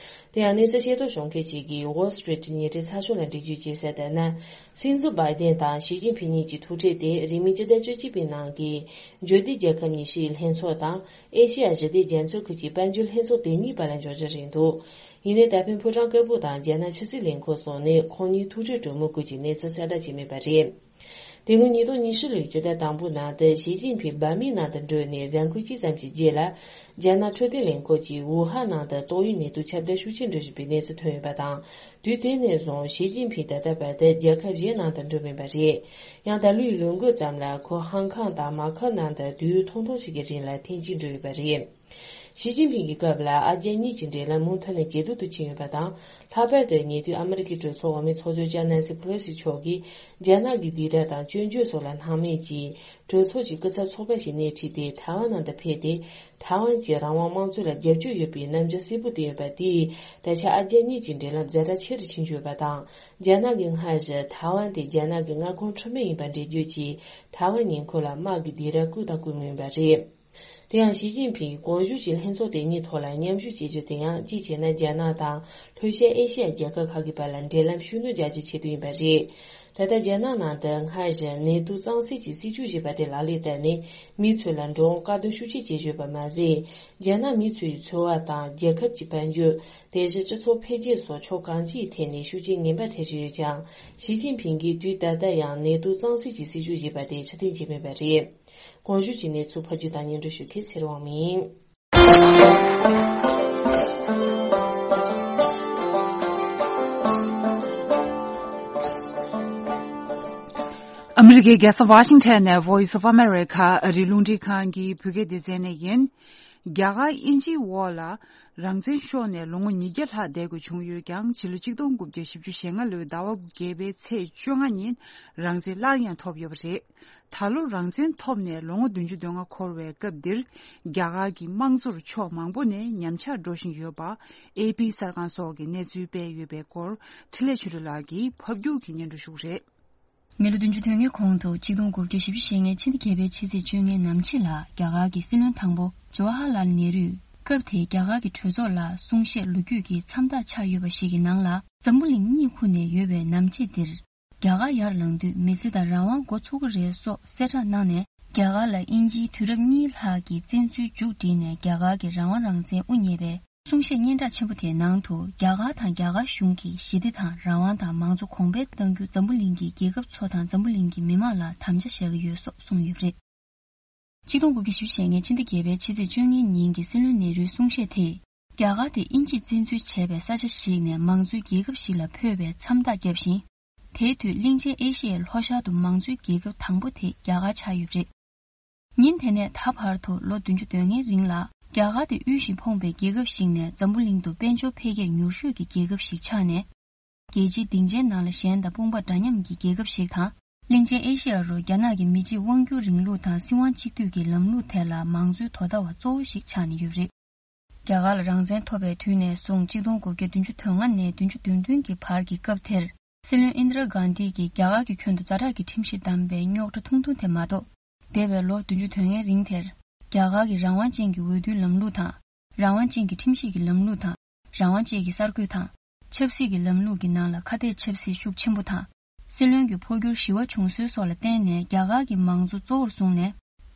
དེ་ཡང་གནས་ཚུལ་ཤེས་རྟོགས་བྱུང་མཁན་ཞིག་གིས་Wall Street ཉིན་རེའི་ཚགས་ཤོག་ལ་འགྲེལ་བརྗོད་བྱས་གསལ་ལྟར་ན། སྲིད་འཛིན་བྷའི་ཏན་དང་ཞི་ཅིན་ཕིང་གཉིས་ཀྱི་ཐུག་འཕྲད་དེ་རིང་མིན་སྤྱི་ཟླ་བཅུ་གཅིག་པའི་ནང་གི་འབྱོར་ལྡན་རྒྱལ་ཁབ་ཉི་ཤུ་ཡི་ལྷན་ཚོགས་དང་། ཨེ་ཤེ་ཡ་ཞི་བདེ་རྒྱ་མཚོའི་ཁུལ་གྱི་དཔལ་འབྱོར་དེ་གཉིས་བར་ལ་འབྱོར་རྒྱུ་རེད་འདུག་ཡིན་ནའི་ད་ཕན་ཕོ་བྲང་དཀར་པོ་དང་རྒྱ་ནག་ཕྱི་སྲིད་ལས་ཁུངས་སོགས་ནས་ཁོང་གཉིས་ཐུག་འཕྲད་གྲོས་མོལ་སྐོར་གྱི་གནས་ཚུལ་གསལ་བསྒྲགས་བྱས་མེད་པ་རེད། དེ་སྔོན་ཉིས་སྟོང་ཉི་ཤུ་ལོའི་སྤྱི་ཟླ་དང་པོའི་ནང་དུ་ཞི་ཅིན་ཕིང་འབར་མའི་ནང་དུ་འགྲོ་ནས་གཟའ་འཁོར་གཅིག་ཙམ་གྱི་རྗེས་ལ། རྒྱ་ནག་འཕྲོད་བསྟེན་ལས་ཁུངས་ཀྱིས་ཝུ་ཧན་ནང་དུ་ཏོག་དབྱིབས་ནད་དུག་ཁྱབ་གདལ་ཤུགས་ཆེན་འགྲོ་བཞིན་པའི་གནས་ཚུལ་ཐོན་ཡོད་པ་དང་། དུས་དེ་ནས་བཟུང་ཞི་ཅིན་ཕིང་ད་ལྟ་བར་དུ་རྒྱལ་ཁབ་གཞན་ནང་དུ་འགྲོ་མེད་པ་རེད། ཡང་ད་ལོའི་ལོ་འགོ་ཙམ་ལ་ཁོ་ཧང་ཀང་དང་མ་ཁའོ་ནང་དུ་དུས་ཡུན་ཐུང་ཐུང་ཞིག་གི་རིང་ལ་ཐེངས་གཅིག་འགྲོ་ཡོད་པ་རེད། ཞི་ཅིན་ཕིང་གི་སྐབས་ལ་ཨ་རྒྱ་གཉིས་ཀྱི་འབྲེལ་ལམ་མུ་མཐུད་ནས་ཇེ་སྡུག་ཏུ་ཕྱིན་ཡོད་པ་དང་། ལྷག་པར་དུ་ཉེ་དུས་ཨ་མི་རི་ཀའི་གྲོས་ཚོགས་འོག་མའི་ཚོགས་གཙོ་ལྕམ་ནན་སི་ཕེ་ལོ་སི་མཆོག་གིས་རྒྱ་ནག་གི་སྡིགས་ར་དང་སྐྱོན་བརྗོད་སོགས་ལ་སྣང་མེད་ཀྱིས། གྲོས་ཚོགས་ཀྱི་སྐུ་ཚབ་ཚོགས་པ་ཞིག་སྣེ་ཁྲིད་དེ་ཐའེ་ཝན་ནང་དུ་ཕེབས་ཏེ། ཐའེ་ཝན་གྱི་རང་དབང་དམངས་གཙོ་ལ་རྒྱབ་སྐྱོར་ཡོད་པའི་རྣམ་འགྱུར་གསལ་པོ་བསྟན་ཡོད་པ་དེས། ད་ཆ་ཨ་རྒྱ་གཉིས་ཀྱི་འབྲེལ་ལམ་ཛ་དྲག་ཆེ་རུ་ཕྱིན་ཡོད་པ་དང་། རྒྱ་ནག་གིས་སྔར་བཞིན་ཐའེ་ཝན་དེ་རྒྱ་ནག་གི་མངའ་ཁོངས་འཕྲོད་མིན་ཡིན་པ་འགྲེལ་བརྗོད་ཀྱིས། ཐའེ་ཝན་ཉེ་འཁོར་ལ་དམག་གི་སྡིགས་ར་བསྐུལ་དང་བསྐུལ་མུས་ཡིན་པ་རེད། དེ་ཡང་ཞི་ཅིན་ཕིང་གིས་གོང་ཞུས་ཀྱི་ལྷན་ཚོགས་དེ་གཉིས་ཐོག་ལ་མཉམ་ཞུགས་བྱེད་རྒྱུ་དེ་ཡང་། གཅིག་བྱས་ན་རྒྱ་ནག་དང་ལྷོ་ཤར་ཨེ་ཤེ་ཡ་རྒྱལ་ཁབ་ཁག་གི་བར་ལ་འབྲེལ་ལམ་ཤུགས་སྣོན་རྒྱག་རྒྱུའི་ཆེད་དུ་ཡིན་པ་རེད། ད་ལྟ་རྒྱ་ནག་ནང་དུ་སྔར་བཞིན་ནད་དུག་གཙང་སེལ་གྱི་སྲིད་ཇུས་ཞེས་པ་དེ་ལག་ལེན་བསྟར་ནས། མི་ཚོ་ལ་འགྲོ་འོང་དཀའ་སྡུག་ཤུགས་ཆེ་སྐྱེལ་བཞིན་ཡོད་པ་མ་ཟད། རྒྱ་ནག་མི་ཚོའི་འཚོ་བ་དང་རྒྱལ་ཁབ་ཀྱི་དཔལ་འབྱོར། དེ་བཞིན་སྤྱི་ཚོགས་འཕེལ་རྒྱས་སོགས་ཕྱོགས་གང་ཅིའི་ཐད་ནས་ཤུགས་རྐྱེན་ངན་པ་ཐེབས་བཞིན་ཡོད་ཀྱང་། ཞི་ཅིན་ཕིང་གིས་དུས་ད་ལྟ་ཡང་ནད་དུག་གཙང་སེལ་གྱི་སྲིད་ཇུས་ཞེས་པ་དེ་ཕྱིར་འཐེན་བྱས་མེད་པ་རེད། གོང་ཞུས་ཀྱི་གནས་ཚུལ་ཕབ་སྒྱུར་དང་སྙན་སྒྲོན་ཞུ་མཁན་ཚེ་རིང་དབང་མོ་ཡིན། རྒྱལ་ས་ཝ་ཤིང་ཊོན་ནས་Voice of America ཨ་རིའི་རླུང་འཕྲིན་ཁང་གི་བོད་སྐད་སྡེ་ཚན་ནས་ཡིན། རྒྱ་གར་དབྱིན་ཇིའི་འོག་ལ་རང་བཙན་ཤོར་ནས་ལོ་ངོ་ཉིས་བརྒྱ་ལྷག་བསྡད་དགོས་བྱུང་ཡོད་ཀྱང་ཕྱི་ལོ་ཆིག་སྟོང་དགུ་བརྒྱ་བཞི་བཅུ་ཞེ་ལྔ་ལོའི་ཟླ་བ་བརྒྱད་པའི་ཚེས་བཅོ་ལྔ་ཉིན་རང་བཙན་སླར་ཡང་ཐོབ་ཡོད་པ་རེད། ད་ལོ་རང་བཙན་ཐོབ་ནས་ལོ་ངོ་བདུན་ཅུ་དོན་ལྔ་འཁོར་བའི་སྐབས་འདིར་རྒྱ་གར་གྱི་དམངས་གཙོར་ཕྱོགས་མང་པོ་ནས་ཉམས་ཆག་འགྲོ་བཞིན་ཡོད་པ་ཨེ་པི་གསར་ཁང་སོགས་ཀྱིས་གནས་ཚུལ་སྤེལ་ཡོད་པའི་སྐོར་འཕྲིན་ལས་ཆོས་སྒྲོན་ལགས་ཀྱིས་ཕབ་སྒྱུར་གྱིས་སྙན་སྒྲོན་ཞུ་གི་རེད། མི་ལོ་བདུན་ཅུ་དོན་ལྔའི་གོང་དུ་ཆིག་སྟོང་དགུ་བརྒྱ་བཞི་བཅུ་ཞེ་ལྔའི་ཕྱི་ཟླ་བརྒྱད་པའི་ཕྱི་ཚེས་བཅོ་ལྔའི་ནམ་ཕྱེད་ལ་རྒྱ་གར་གྱི་སྲིད་བློན་དང་པོ་ཇ་ཝ་ཧར་ལཱལ་ནེ་རུས་སྐབས་དེའི་རྒྱ་གར་གྱི་གྲོས་ཚོགས་ལ་གསུང་བཤད་ལོ་རྒྱུས་ཀྱི་མཚམས་རྟགས་ཆགས་ཡོད་པ་ཞིག་གི་ནང་ལ་འཛམ་བུ་གླིང་གཉིད་ཁུག་ནས་ཡོད་པའི་ནམ་ཕྱེད་འདིར། རྒྱ་གར་ཡར་ལངས་དུས་མི་ཚེ་དང་རང་དབང་འགོ་ཚུགས་ཀྱི་རེད་སོགས་གསལ་བསྒྲགས་གནང་ནས་རྒྱ་གར་ལ་དབྱིན་ཇིའི་དུས་རབས་གཉིས་ལྷག་གི་བཙན་འཛུལ་མཇུག་བསྒྲིལ་ནས་རྒྱ་གར་གྱི་རང་དབང་རང་བཙན་དབུ་བརྙེས་པའི་གསུང་བཤད་སྙན་གྲགས་ཆེན་པོ་དེའི་ནང་དུ་རྒྱ་གར་དང་རྒྱ་གར་གཞུང་གིས་ཞི་བདེ་དང་རང་དབང་དང་མང་གཙོ་གོང་འཕེལ་གཏང་རྒྱུ་འཛམ་བུ་གླིང་གི་རྒྱལ་ཁབ་ཚོ་དང་འཛམ་བུ་གླིང་གི་མི་མང་ལ་དམ་བཅའ་བཞག་གི་ཡོད་སོགས་གསུངས་ཡོད་པ་རེད། ཆིག་སྟོང་དགུ་བརྒྱ་བཞི་བཅུ་ཞེ་ལྔའི་ཕྱི་ཟླ་བརྒྱད་པའི་ཕྱི་ཚེས་བཅོ་ལྔའི་ཉིན་གྱི་སྲིད་བློན་ནེ་རུའི་གསུང་བཤད་དེས་རྒྱ་གར་དེ་དབྱིན་ཇིས་བཙན་འཛུལ་བྱས་པའི་ས་ཆ་ཞིག་ནས་མང་གཙོའི་རྒྱལ་ཁབ་ཞིག་ལ་འཕོས་པའི་མཚམས་རྟགས་བརྒྱབ་ཤིང་། དེའི་དུས་གླིང་ཆེན་ཨེ་ཤི་ཡའི་ལྷོ་ཤར་དུ་མང་གཙོའི་རྒྱལ་ཁབ་དང་པོ་དེ་རྒྱ་གར་ཆགས་ཡོད་པ་རེད། ཉིན་དེ་ནས་ད་བར་དུ་ལོ་བདུན་ཅུ་དོན་ལྔའི་རིང་ལ་རྒྱ་གར་དེ་དབུལ་ཞིང་ཕོངས་པའི་རྒྱལ་ཁབ་ཞིག་ནས་འཛམ་བུ་གླིང་དུ་དཔལ་འབྱོར་འཕེལ་རྒྱས་མྱུར་ཤོས་ཀྱི་རྒྱལ་ཁབ་ཞིག་ཆགས་ནས། རྒྱལ་སྤྱིའི་སྡིངས་ཆའི་ནང་ལ་གཞན་དང་དཔུང་པ་འདྲ་མཉམ་གྱི་རྒྱལ་ཁབ་ཞིག་དང་། གླིང་ཆེན་ཨེ་ཤེ་ཡ་རུ་རྒྱ་ནག་གི་མི་གཅིག་དབང་སྒྱུར་རིང་ལུགས་དང་སྲིད་དབང་གཅིག་སྡུད་ཀྱི་ལམ་ལུགས་དེ་ལ་མང་གཙོའི་དོ་ཟླ་བ་གཙོ་བོ་ཞིག་ཆགས་ནས་ཡོད་པ་རེད། རྒྱ་གར་ལ་རང་བཙན་ཐོབ་པའི་དུས་ནས་བཟུང་ཆིག་སྟོང་དགུ་བརྒྱ་བདུན་ཅུ་དོན་ལྔ་ནས་བདུན་ཅུ་དོན་བདུན་གྱི་བར་གྱི་སྐབས་དེར། སྲིད་བློན་ཨིན་དྲ་གྷན་དྷི་གིས་རྒྱ་གར་གྱི་ཁྱོན་དུ་ཛ་དྲག་གི་ཁྲིམས་གཞི་བསྡམས་པའི་རྙོག་དྲ་ཐུང་ཐུང་དེ་མ་གཏོགས། འདས་པའི་ལོ་བདུན་ཅུ་དོན་ལྔའི་རིང་དེར། རྒྱ་གར་གྱི་རང་དབང་ཅན་གྱི་འོས་བསྡུའི་ལམ་ལུགས་དང་། རང་དབང་ཅན་གྱི་ཁྲིམས་ཞིབ་ཀྱི་ལམ་ལུགས་དང་། རང་དབང་བཅས་ཀྱི་གསར་འགོད་དང་། ཆབ་སྲིད་ཀྱི་ལམ་ལུགས་ཀྱི་ནང་ལ་ཁ་གཏད་ཆབ་སྲིད་ཤུགས་ཆེན་པོ་དང་། སྲིད་བློན་གྱི་འཕོ་འགྱུར་ཞི་བ་བྱུང་སྲོལ་སོགས་ལ་བརྟེན་ནས་རྒྱ་གར་གྱི་མང་གཙོ་གཙོ་བོར་བཟུང་ནས།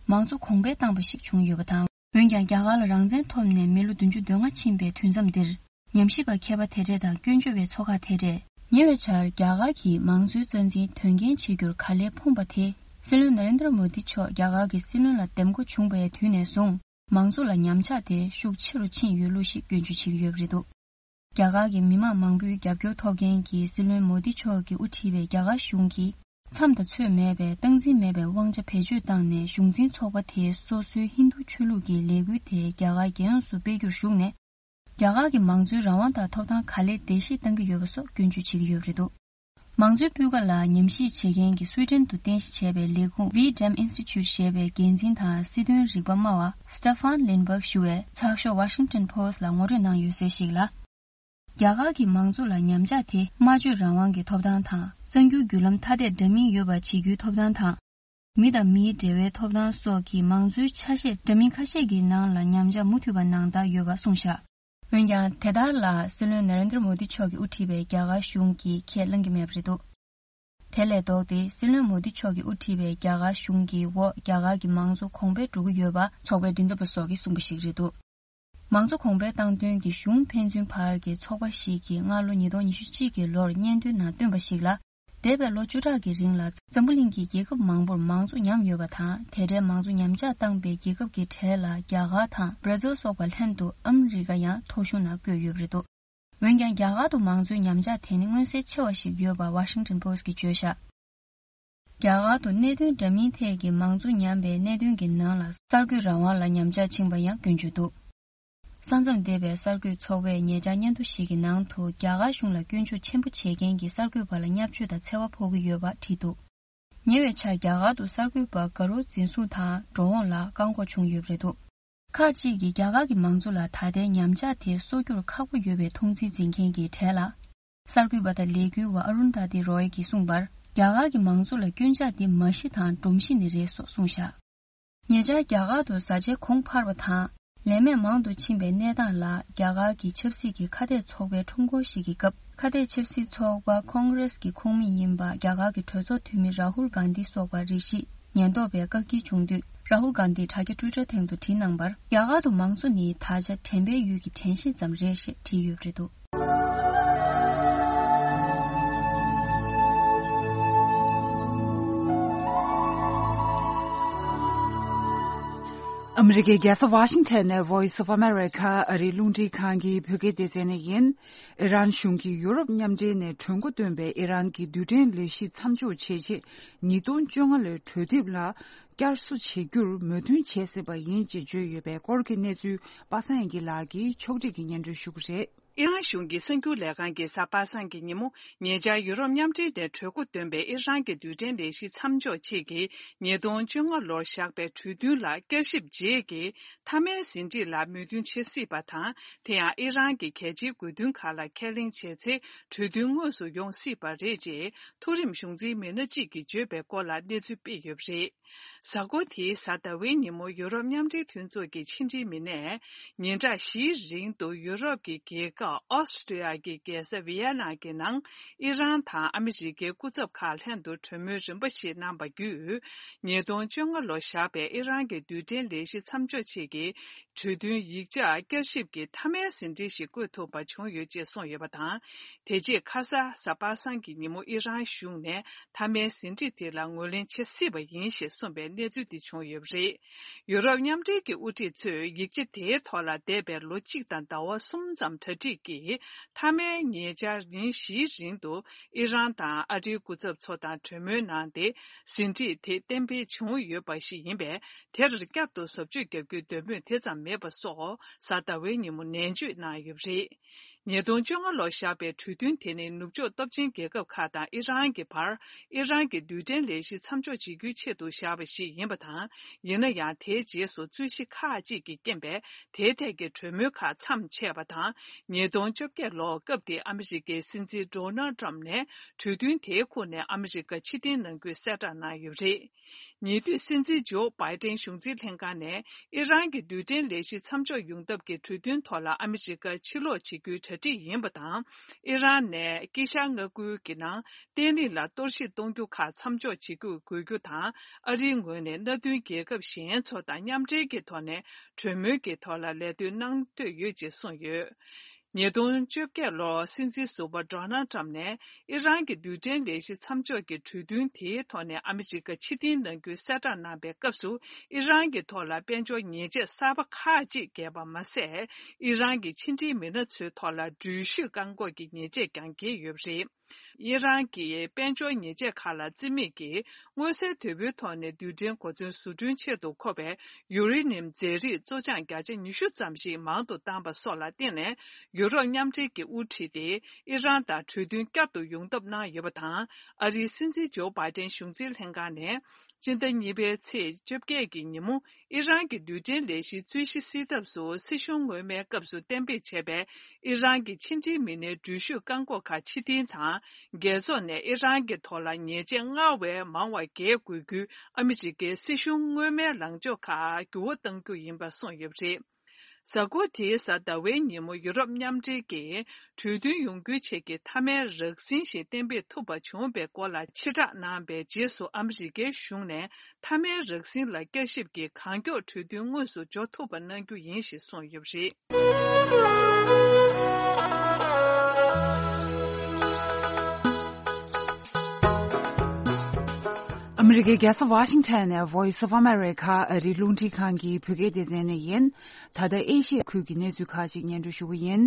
མང་གཙོ་གོང་འཕེལ་བཏང་བ་ཞིག་བྱུང་ཡོད་པ་དང་། འོན་ཀྱང་རྒྱ་གར་ལ་རང་བཙན་ཐོབ་ནས་མི་ལོ་བདུན་ཅུ་དོན་ལྔ་ཕྱིན་པའི་དུས་མཚམས་འདིར། ཉམས་ཞིབ་པ་མཁས་པ་དེ་གྲས་དང་སྐྱོན་བརྗོད་པའི་ཚོགས་ཁག་དེ་གྲས། ཉེ་བའི་ཆར་རྒྱ་གར་གྱིས་མང་གཙོའི་རྩ་འཛིན་དོན་རྐྱེན་བྱེད་རྒྱུར་ག་ལེར་ཕོངས་པ་དེ། སྲིད་བློན་ན་རེན་དྲ་མོ་དི་མཆོག་རྒྱ་གར་གྱི་སྲིད་བློན་ལ་འདེམས་བསྐོ་བྱུང་བའི་དུས་ནས་བཟུང་། མང་གཙོ་ལ་ཉམས་ཆག་དེ་ཤུགས་ཆེ་རུ་ཕྱིན་ཡོད་ལུགས་ཤིག་སྐྱོན་བརྗོད་བྱེད་ཀྱི་ཡོད་པ་རེད་འདུག་རྒྱ་གར་གྱི་མི་མང་མང་པོའི་རྒྱབ་སྐྱོར་ཐོབ་མཁན་གྱི་སྲིད་བློན་མོ་དི་མཆོག་གིས་དབུ་ཁྲིད་པའི་རྒྱ་གར་གཞུང་གིས་མཚམས་དང་ཚོད་མེད་པའི་སྟངས་འཛིན་མེད་པའི་དབང་ཆ་བེད་སྤྱོད་བཏང་ནས་གཞུང་འཛིན་ཚོགས་པ་དེས་སོ་སོའི་ཧིན་རྡུ་ཆོས་ལུགས་ཀྱི་ལས་འགུལ་དེ་རྒྱ་གར་རྒྱལ་ཡོངས་སུ་སྤེལ་རྒྱུར་ཞུགས་ནས། རྒྱ་གར་གྱི་མང་གཙོའི་རང་དབང་དང་ཐོབ་ཐང་ག་ལེར་བརྡལ་བཤིག་བཏང་གི་ཡོད་པ་སོགས་སྐྱོན་བརྗོད་བྱེད་ཀྱི་ཡོད་པ་རེད་འདུག་མང་གཙོའི་སྤུས་ཀ་ལ་ཉམས་ཞིབ་བྱེད་མཁན་གྱི་སུའི་ཌེན་དུ་རྟེན་གཞི་བྱས་པའི་ལས་ཁུངས་V dem Institute ཞེས་པའི་འགན་འཛིན་དང་སྲིད་དོན་རིག་པ་སྨྲ་བ་Stefan Lindberg ཞུ་བས་ཚགས་ཤོག་Washington Post ལ་ངོ་སྤྲོད་གནང་ཡོད་ཚུལ་ཞིག་ལ། རྒྱ་གར་གྱི་མང་གཙོ་ལ་ཉམས་ཆག་དེ་སྨྲ་བརྗོད་རང་དབང་གི་ཐོབ་ཐང་དང་། གསར་འགྱུར་བརྒྱུད་ལམ་ཐ་དད་འདྲ་མིན་ཡོད་པ་བྱེད་རྒྱུའི་ཐོབ་ཐང་དང་། མི་དང་མིའི་འབྲེལ་བའི་ཐོབ་ཐང་སོགས་ཀྱི་མང་གཙོའི་ཆ་ཤས་འདྲ་མིན་ཁ་ཤས་ཀྱི་ནང་ལ་ཉམས་ཆག་མུ་མཐུད་པ་ནང་ལྟར་ཡོད་པ་གསུངས་བཞག་འོན་ཀྱང་དེ་ལྟར་ལ་སྲིད་བློན་ན་རེན་དྲ་མོ་དི་མཆོག་གིས་དབུ་ཁྲིད་པའི་རྒྱ་གར་གཞུང་གིས་ཁས་བླངས་ཀྱི་མེད་པ་རེད་འདུག་དེ་ལས་ལྡོག་སྟེ་སྲིད་བློན་མོ་དི་མཆོག་གིས་དབུ་ཁྲིད་པའི་རྒྱ་གར་གཞུང་གི་འོག་རྒྱ་གར་གྱི་མང་གཙོ་གོང་འཕེལ་འགྲོ་གི་ཡོད་པ་ཚོགས་པའི་མགྲིན་ཚབ་པ་སོགས་ཀྱིས་གསུངས་པ་ཞིག་རེད་འདུག་མང་གཙོ་གོང་འཕེལ་བཏང་དོན་གྱི་གཞུང་ཕན་ཚུན་བར་གྱི་ཚོགས་པ་ཞིག་གིས་སྔ་ལོ་ཉིས་སྟོང་ཉི་ཤུ་གཅིག་གི་ལོར་སྙན་ཐོའི་ནང་བཏོན་པ་ཞིག་ལ། འདས་པའི་ལོ་བཅུ་ཕྲག་གི་རིང་ལ་འཛམ་བུ་གླིང་གི་རྒྱལ་ཁབ་མང་པོར་མང་གཙོ་ཉམས་ཡོད་པ་དང་། དེ་འདྲའི་མང་གཙོ་ཉམས་ཆག་བཏང་པའི་རྒྱལ་ཁབ་ཀྱི་གྲས་ལ་རྒྱ་གར་དང་བྷར་ཛིལ་སོགས་པ་ལྷན་དུ་ཨ་མི་རི་ཀ་ཡང་ཐོ་གཞུང་ནང་བཀོད་ཡོད་པ་རེད་འདུག་འོན་ཀྱང་རྒྱ་གར་དུ་མང་གཙོའི་ཉམས་ཆག་དེ་ནི་མངོན་གསལ་ཆེ་བ་ཞིག་ཡོད་པ་Washington Post གིས་བརྗོད་བཞག་རྒྱ་གར་དུ་གནད་དོན་འདྲ་མིན་ཐད་ཀྱི་མང་གཙོ་ཉམས་པའི་གནད་དོན་གྱི་ནང་ལ་གསར་འགོད་རང་དབང་ལ་ཉམས་ཆག་ཕྱིན་པ་ཡང་སྐྱོན་བརྗོད་འདུག་ས་མཚམས་འདས་པའི་གསར་འགོད་ཚོགས་པས་ཉེ་ཆར་སྙན་ཐོ་ཞིག་གི་ནང་དུ་རྒྱ་གར་གཞུང་ལ་སྐྱོན་བརྗོད་ཆེན་པོ་བྱེད་མཁན་གྱི་གསར་འགོད་པ་ལ་བརྙས་བཅོས་དང་འཚེ་བ་ཕོག་གི་ཡོད་པ་བྲིས་འདུག་ཉེ་བའི་ཆར་རྒྱ་གར་དུ་གསར་འགོད་པ་དགའ་རོགས་འཛིན་བཟུང་དང་འགྲོ་འོང་ལ་བཀག་འགོག་བྱུང་ཡོད་པ་རེད་འདུག་ཁག་ཅིག་གིས་རྒྱ་གར་གྱི་མང་གཙོ་ལ་ད་ལྟའི་ཉམས་ཆག་དེ་གསོ་རྒྱུར་ཁག་པོ་ཡོད་པའི་མཐོང་ཚུལ་འཛིན་མཁན་གྱི་གྲས་ལ། གསར་འགོད་པ་དང་ལས་འགུལ་བ་ཨ་རུན་དྷ་ཏི་རོའི་གིས་གསུངས་པར། རྒྱ་གར་གྱི་མང་གཙོ་ལ་སྐྱོན་ཆ་དེ་མ་གཞི་དང་སྒྲོམ་གཞི་ནས་རེད་སོགས་གསུངས་བཞག་ཉེ་ཆར་རྒྱ་གར་དུ་བཟའ་བཅའི་གོང་འཕར་བ་དང་། ལས་མེད་མང་དུ་ཕྱིན་པའི་གནས་སྟངས་ལ་རྒྱ་གར་གྱི་ཆབ་སྲིད་ཀྱི་ཁ་གཏད་ཚོགས་པའི་ཁྲོམ་སྐོར་ཞིག་གི་སྐབས། ཁ་གཏད་ཆབ་སྲིད་ཚོགས་པ་ཁོང་རེས་ཀྱི་ཁོངས་མི་ཡིན་པ་རྒྱ་གར་གྱི་གྲོས་ཚོགས་འཐུས་མི་རཱ་ཧུལ་གྷན་དྷི་སོགས་པར་རེ་ཞིག་ཉེན་རྟོག་པས་བཀག་སྐྱིལ་བྱུང་དུས། རཱ་ཧུལ་གྷན་དྷིས་དྲ་རྒྱ་ཊུའི་ཊར་སྟེང་དུ་བྲིས་གནང་བར། རྒྱ་གར་དུ་མང་གཙོ་ནི་ད་ཆ་དྲན་པའི་ཡུལ་གྱི་དྲན་ཤེས་ཙམ་རེད་ཞེས་བྲིས་ཡོད་པ་རེད་འདུག་ཨ་མི་རི་ཀའི་རྒྱལ་ས་ཝ་ཤིང་ཊོན་ནས་Voice of America ཨ་རིའི་རླུང་འཕྲིན་ཁང་གི་བོད་སྐད་སྡེ་ཚན་ནས་ཡིན། ཨི་རན་གཞུང་གིས་ཡུ་རོབ་མཉམ་འབྲེལ་ནས་གྲོས་འགོ་བཏོན་པའི་ཨི་རན་གྱི་རྡུལ་ཕྲན་ལས་གཞི་མཚམས་འཇོག་བྱེད་ཆེད་ཉིས་སྟོང་བཅོ་ལྔ་ལོའི་གྲོས་འདེབས་ལ་བསྐྱར་གསོ་བྱེད་རྒྱུར་མོས་མཐུན་བྱས་ཟིན་པ་ཡིན་ཅེས་བརྗོད་ཡོད་པའི་སྐོར་གྱི་གནས་ཚུལ་པ་སངས་དབྱངས་སྐྱིད་ལགས་ཀྱིས་ཕྱོགས་སྒྲིག་གིས་སྙན་སྒྲོན་ཞུ་གི་རེད། ཨི་རན་གཞུང་གི་གསར་འགྱུར་ལས་ཁང་གིས་གཟའ་པ་སངས་ཀྱི་ཉིན་མོ་ཉེ་ཆར་ཡུ་རོབ་མཉམ་འབྲེལ་ནས་གྲོས་འགོ་བཏོན་པའི་ཨི་རན་གྱི་རྡུལ་ཕྲན་ལས་གཞི་མཚམས་འཇོག་ཆེད་ཀྱི་ཉིས་སྟོང་བཅོ་ལྔ་ལོར་བཞག་པའི་གྲོས་མཐུན་ལ་བསྐྱར་ཞིབ་རྗེས་ཀྱི་མཐའ་མའི་ཟིན་བྲིས་ལ་མོས་མཐུན་བྱེད་སྲིད་པ་དང་། དེ་ཡང་ཨི་རན་གྱི་གལ་ཆེའི་དགོས་འདུན་ཁག་ལ་ཁས་ལེན་བྱས་ཚེ་གྲོས་མཐུན་དངོས་སུ་ཡོང་སྲིད་པ་རེད་ཅེས་མཐོ་རིམ་གཞུང་འཛིན་མི་སྣ་གཅིག་གིས་བརྗོད་པའི་སྐོར་ལ་གནས་ཚུལ་སྤེལ་ཡོད་པ་རེད། གཟའ་འཁོར་དེའི་གཟའ་ཟླ་བའི་ཉིན་མོ་ཡུ་རོབ་མཉམ་འབྲེལ་མཐུན་ཚོགས་ཀྱི་ཕྱི་འབྲེལ་མི་སྣས་ཉིན་གྲངས་བཞིའི་རིང་དུ་ཡུ་རོབ་ཀྱི་རྒྱལ་ཁབ་ཨོ་སི་ཀྲི་ཡ་གི་རྒྱལ་ས་ཝི་ཡ་ན་གྱི་ནང་ཨི་རན་དང་ཨ་མི་རི་ཀའི་སྐུ་ཚབ་ཁག་ལྷན་དུ་གྲོས་མོལ་རིམ་པ་ཞིག་གནང་བ་བརྒྱུད། ཉིས་སྟོང་བཅོ་ལྔ་ལོར་བཞག་པའི་ཨི་རན་གྱི་རྡུལ་ཕྲན་ལས་གཞི་མཚམས་འཇོག་ཆེད་ཀྱི་གྲོས་མཐུན་ཡིག་ཆ་བསྐྱར་ཞིབ་ཀྱི་མཐའ་མའི་ཟིན་བྲིས་ཤིག་བཀོད་ཐུབ་པ་བྱུང་ཡོད་ཅེས་གསུངས་ཡོད་པ་དང་། དེ་རྗེས་ཁ་ས་གཟའ་པ་སངས་ཀྱི་ཉིན་མོ་ཨི་རན་གཞུང་ནས་མཐའ་མའི་ཟིན་བྲིས་དེ་ལ་ངོས་ལེན་བྱེད་སྲིད་པ་ཡིན་ཞེས་གསུངས་པའི་གནས་ཚུལ་འདི་བྱུང་ཡོད་པ་རེད། ཡུ་རོབ་མཉམ་འབྲེལ་གྱི་དབུ་ཁྲིད་ཚོས་ཡིག་ཆ་དེའི་ཐོག་ལ་འདས་པའི་ལོ་གཅིག་དང་ཟླ་བ་གསུམ་ཙམ་གྲ་སྒྲིག་གིས་མཐའ་མའི་ཉེ་ཆར་ཉིན་བཞིའི་རིང་དུ་ཨི་རན་དང་ཨ་རིའི་སྐུ་ཚབ་ཚོ་དང་གྲོས་མོལ་གནང་སྟེ་ཟིན་བྲིས་དེ་གཏན་འབེབས་བྱུང་ཡོད་པ་ཞིག་ཡིན་པས། དེར་བསྐྱར་དུ་བཟོ་བཅོས་བརྒྱབ་རྒྱུའི་འདོད་མོས་དེ་ཙམ་མེད་པ་སོགས་གཟའ་ཟླ་བའི་ཉིན་མོ་ནན་བརྗོད་གནང་ཡོད་པ་རེད། ཉིས་སྟོང་བཅོ་ལྔ་ལོར་བཞག་པའི་གྲོས་མཐུན་དེ་ནི་ནུབ་ཕྱོགས་སྟོབས་ཆེན་རྒྱལ་ཁབ་ཁག་དང་ཨི་རན་གྱི་བར་ཨི་རན་གྱི་རྡུལ་ཕྲན་ལས་གཞི་མཚམས་འཇོག་བྱེད་རྒྱུའི་ཆེད་དུ་བཞག་པ་ཞིག་ཡིན་པ་དང་། ཡིན་ན་ཡང་དེའི་རྗེས་སུ་རྩོད་གཞི་ཁག་ཅིག་གི་རྐྱེན་པས་དེའི་ཐད་ཀྱི་གྲོས་མོལ་ཁག་མཚམས་ཆད་པ་དང་། ཉིས་སྟོང་བཅོ་བརྒྱད་ལོར་སྐབས་དེའི་ཨ་མི་རི་ཀའི་སྲིད་འཛིན་ཌོ་ནལ་ཊམ་ནས་གྲོས་མཐུན་དེའི་ཁོངས་ནས་ཨ་མི་རི་ཀ་ཕྱིར་འཐེན་གནང་རྒྱུའི་གསལ་བསྒྲགས་གནང་ཡོད་པ་རེད། ཉེ་དུས་སྲིད་འཛིན་ཇོ་བྷའི་ཏན་གཞུང་འཛིན་ལྷན་ཁང་ནས་ཨི་རན་གྱི་རྡུལ་ཕྲན་ལས་གཞི་མཚམས་འཇོག་ཡོང་ཐབས་ཀྱི་གྲོས་མཐུན་ཐོག་ལ་ཨ་མི་རི་ཀ་ཕྱིར་ལོག་བྱེད་རྒྱུའི་གྲ་སྒྲིག་ཡིན་པ་དང་། ཨི་རན་ནས་དཀྱིལ་ཤར་མངའ་ཁུལ་གྱི་ནང་བརྟན་ལྷིང་ལ་གཏོར་བཤིག་གཏོང་རྒྱུ་ཁག་མཚམས་འཇོག་བྱེད་རྒྱུ་དགོས་རྒྱུ་དང་། ཨ་རིའི་ངོས་ནས་མནའ་མཐུན་རྒྱལ་ཁབ་གཞན་ཚོ་དང་མཉམ་འབྲེལ་གྱི་ཐོག་ནས་གྲོས་མོལ་གྱི་ཐོག་ལ་ལས་དོན་གནང་འདོད་ཡོད་ཅེས་གསུངས་ཡོད། ཉིས་སྟོང་བཅོ་བརྒྱད་ལོར་སྲིད་འཛིན་ཟུར་པ་ཌོ་ནལ་ཊམ་ནས་ཨི་རན་གྱི་རྡུལ་ཕྲན་ལས་གཞི་མཚམས་འཇོག་གི་གྲོས་མཐུན་དེའི་ཐོག་ནས་ཨ་མི་རི་ཀ་ཕྱིར་འཐེན་གནང་རྒྱུའི་གསལ་བསྒྲགས་གནང་པའི་སྐབས་སུ། ཨི་རན་གྱི་ཐོག་ལ་དཔལ་འབྱོར་ཉེས་ཆད་གསར་པ་ཁག་ཅིག་བཀལ་བ་མ་ཟད། ཨི་རན་གྱི་ཕྱི་འབྲེལ་མི་སྣ་ཚོའི་ཐོག་ལ་འགྲུལ་བཞུད་བཀག་འགོག་གི་ཉེས་ཆད་ཀྱང་བཀལ་ཡོད་པ་རེད། ཨི་རན་གྱི་དཔལ་འབྱོར་ཉེས་ཆད་ཁག་ལ་རྩིས་མེད་ཀྱིས་མངོན་གསལ་དོད་པོའི་ཐོག་ནས་རྡུལ་ཕྲན་གོ་མཚོན་བཟོ་སྐྲུན་ཆེད་དུ་མཁོ་བའི་ཡུ་རེ་ནི་ཡམ་རྫས་རིགས་བཙོ་སྦྱང་བརྒྱ་ཆ་ཉི་ཤུ་ཙམ་ཞིག་མང་དུ་བཏང་པ་སོགས་ལ་བརྟེན་ནས། ཡུ་རོབ་མཉམ་འབྲེལ་གྱི་དབུ་ཁྲིད་དེ་ཨི་རན་དང་གྲོས་མཐུན་བསྐྱར་དུ་ཡོང་ཐབས་གནང་ཡོད་པ་དང་། ཨ་རིའི་སྲིད་འཛིན་ཇོ་བྷའི་ཏན་གཞུང་འཛིན་ལྷན་ཁང་ནས་སྤྱི་ཟླ་གཉིས་པའི་ཚེས་བཅོ་བརྒྱད་ཀྱི་ཉིན་མོ། ཨི་རན་གྱི་རྡུལ་ཕྲན་ལས་གཞིའི་རྩོད་གཞི་སེལ་ཐབས་སུ་སྲིད་གཞུང་སྔོན་མའི་སྐབས་སུ་གཏན་འབེབས་བྱས་པའི་ཨི་རན་གྱི་ཕྱི་འབྲེལ་མི་སྣའི་འགྲུལ་བཞུད་བཀག་འགོག་ཁག་ཕྱིར་འཐེན་དང་། རྒྱལ་ཚོགས་ནས་ཨི་རན་གྱི་ཐོག་ལ་ཉེས་ཆད་སྔར་བས་མང་བ་འགེལ་དགོས་རྒྱུའི་ཨ་མི་རི་ཀའི་སྲིད་གཞུང་སྔོན་མའི་ལངས་ཕྱོགས་ཁག་འགྱུར་བ་གཏང་རྒྱུ་ཡིན་པ་གསུངས་ཡོད་པ་རེད། གཟའ་འཁོར་དེའི་གཟའ་ཟླ་བའི་ཉིན་མོ་ཡུ་རོབ་མཉམ་འབྲེལ་གྱིས་གྲོས་མཐུན་ཡོང་རྒྱུའི་ཆེད་ཀྱི་མཐའ་མའི་རགས་ཟིན་ཞིག་གཏན་འབེབས་ཐུབ་པ་བྱུང་བའི་སྐོར་ལ་ཕྱིར་བསྒྲགས་གནང་བའི་རྗེས་སུ། ཨ་མི་རི་ཀའི་གཞུང་ནས་མཐའ་མའི་རགས་ཟིན་ལ་བསྐྱར་ཞིབ་ཀྱིས་གང་མགྱོགས་གྲོས་མཐུན་དངོས་སུ་འཇོག་ཐུབ་པ་གནང་རྒྱུ་ཡིན་ཞེས་གསུངས་ཡོད་པ་རེད། ཨ་མི་རི་ཀའི་རྒྱལ་ས་ཝ་ཤིང་ཊོན་ནས་Voice of America ཨ་རིའི་རླུང་འཕྲིན་ཁང་གི་བོད་སྐད་སྡེ་ཚན་ནས་ཡིན། ད་ལྟ་ཨེ་ཤི་ཡ་ཁུལ་གྱི་གནས་ཚུལ་ཁག་ཅིག་སྙན་སྒྲོན་ཞུ་གི་ཡིན།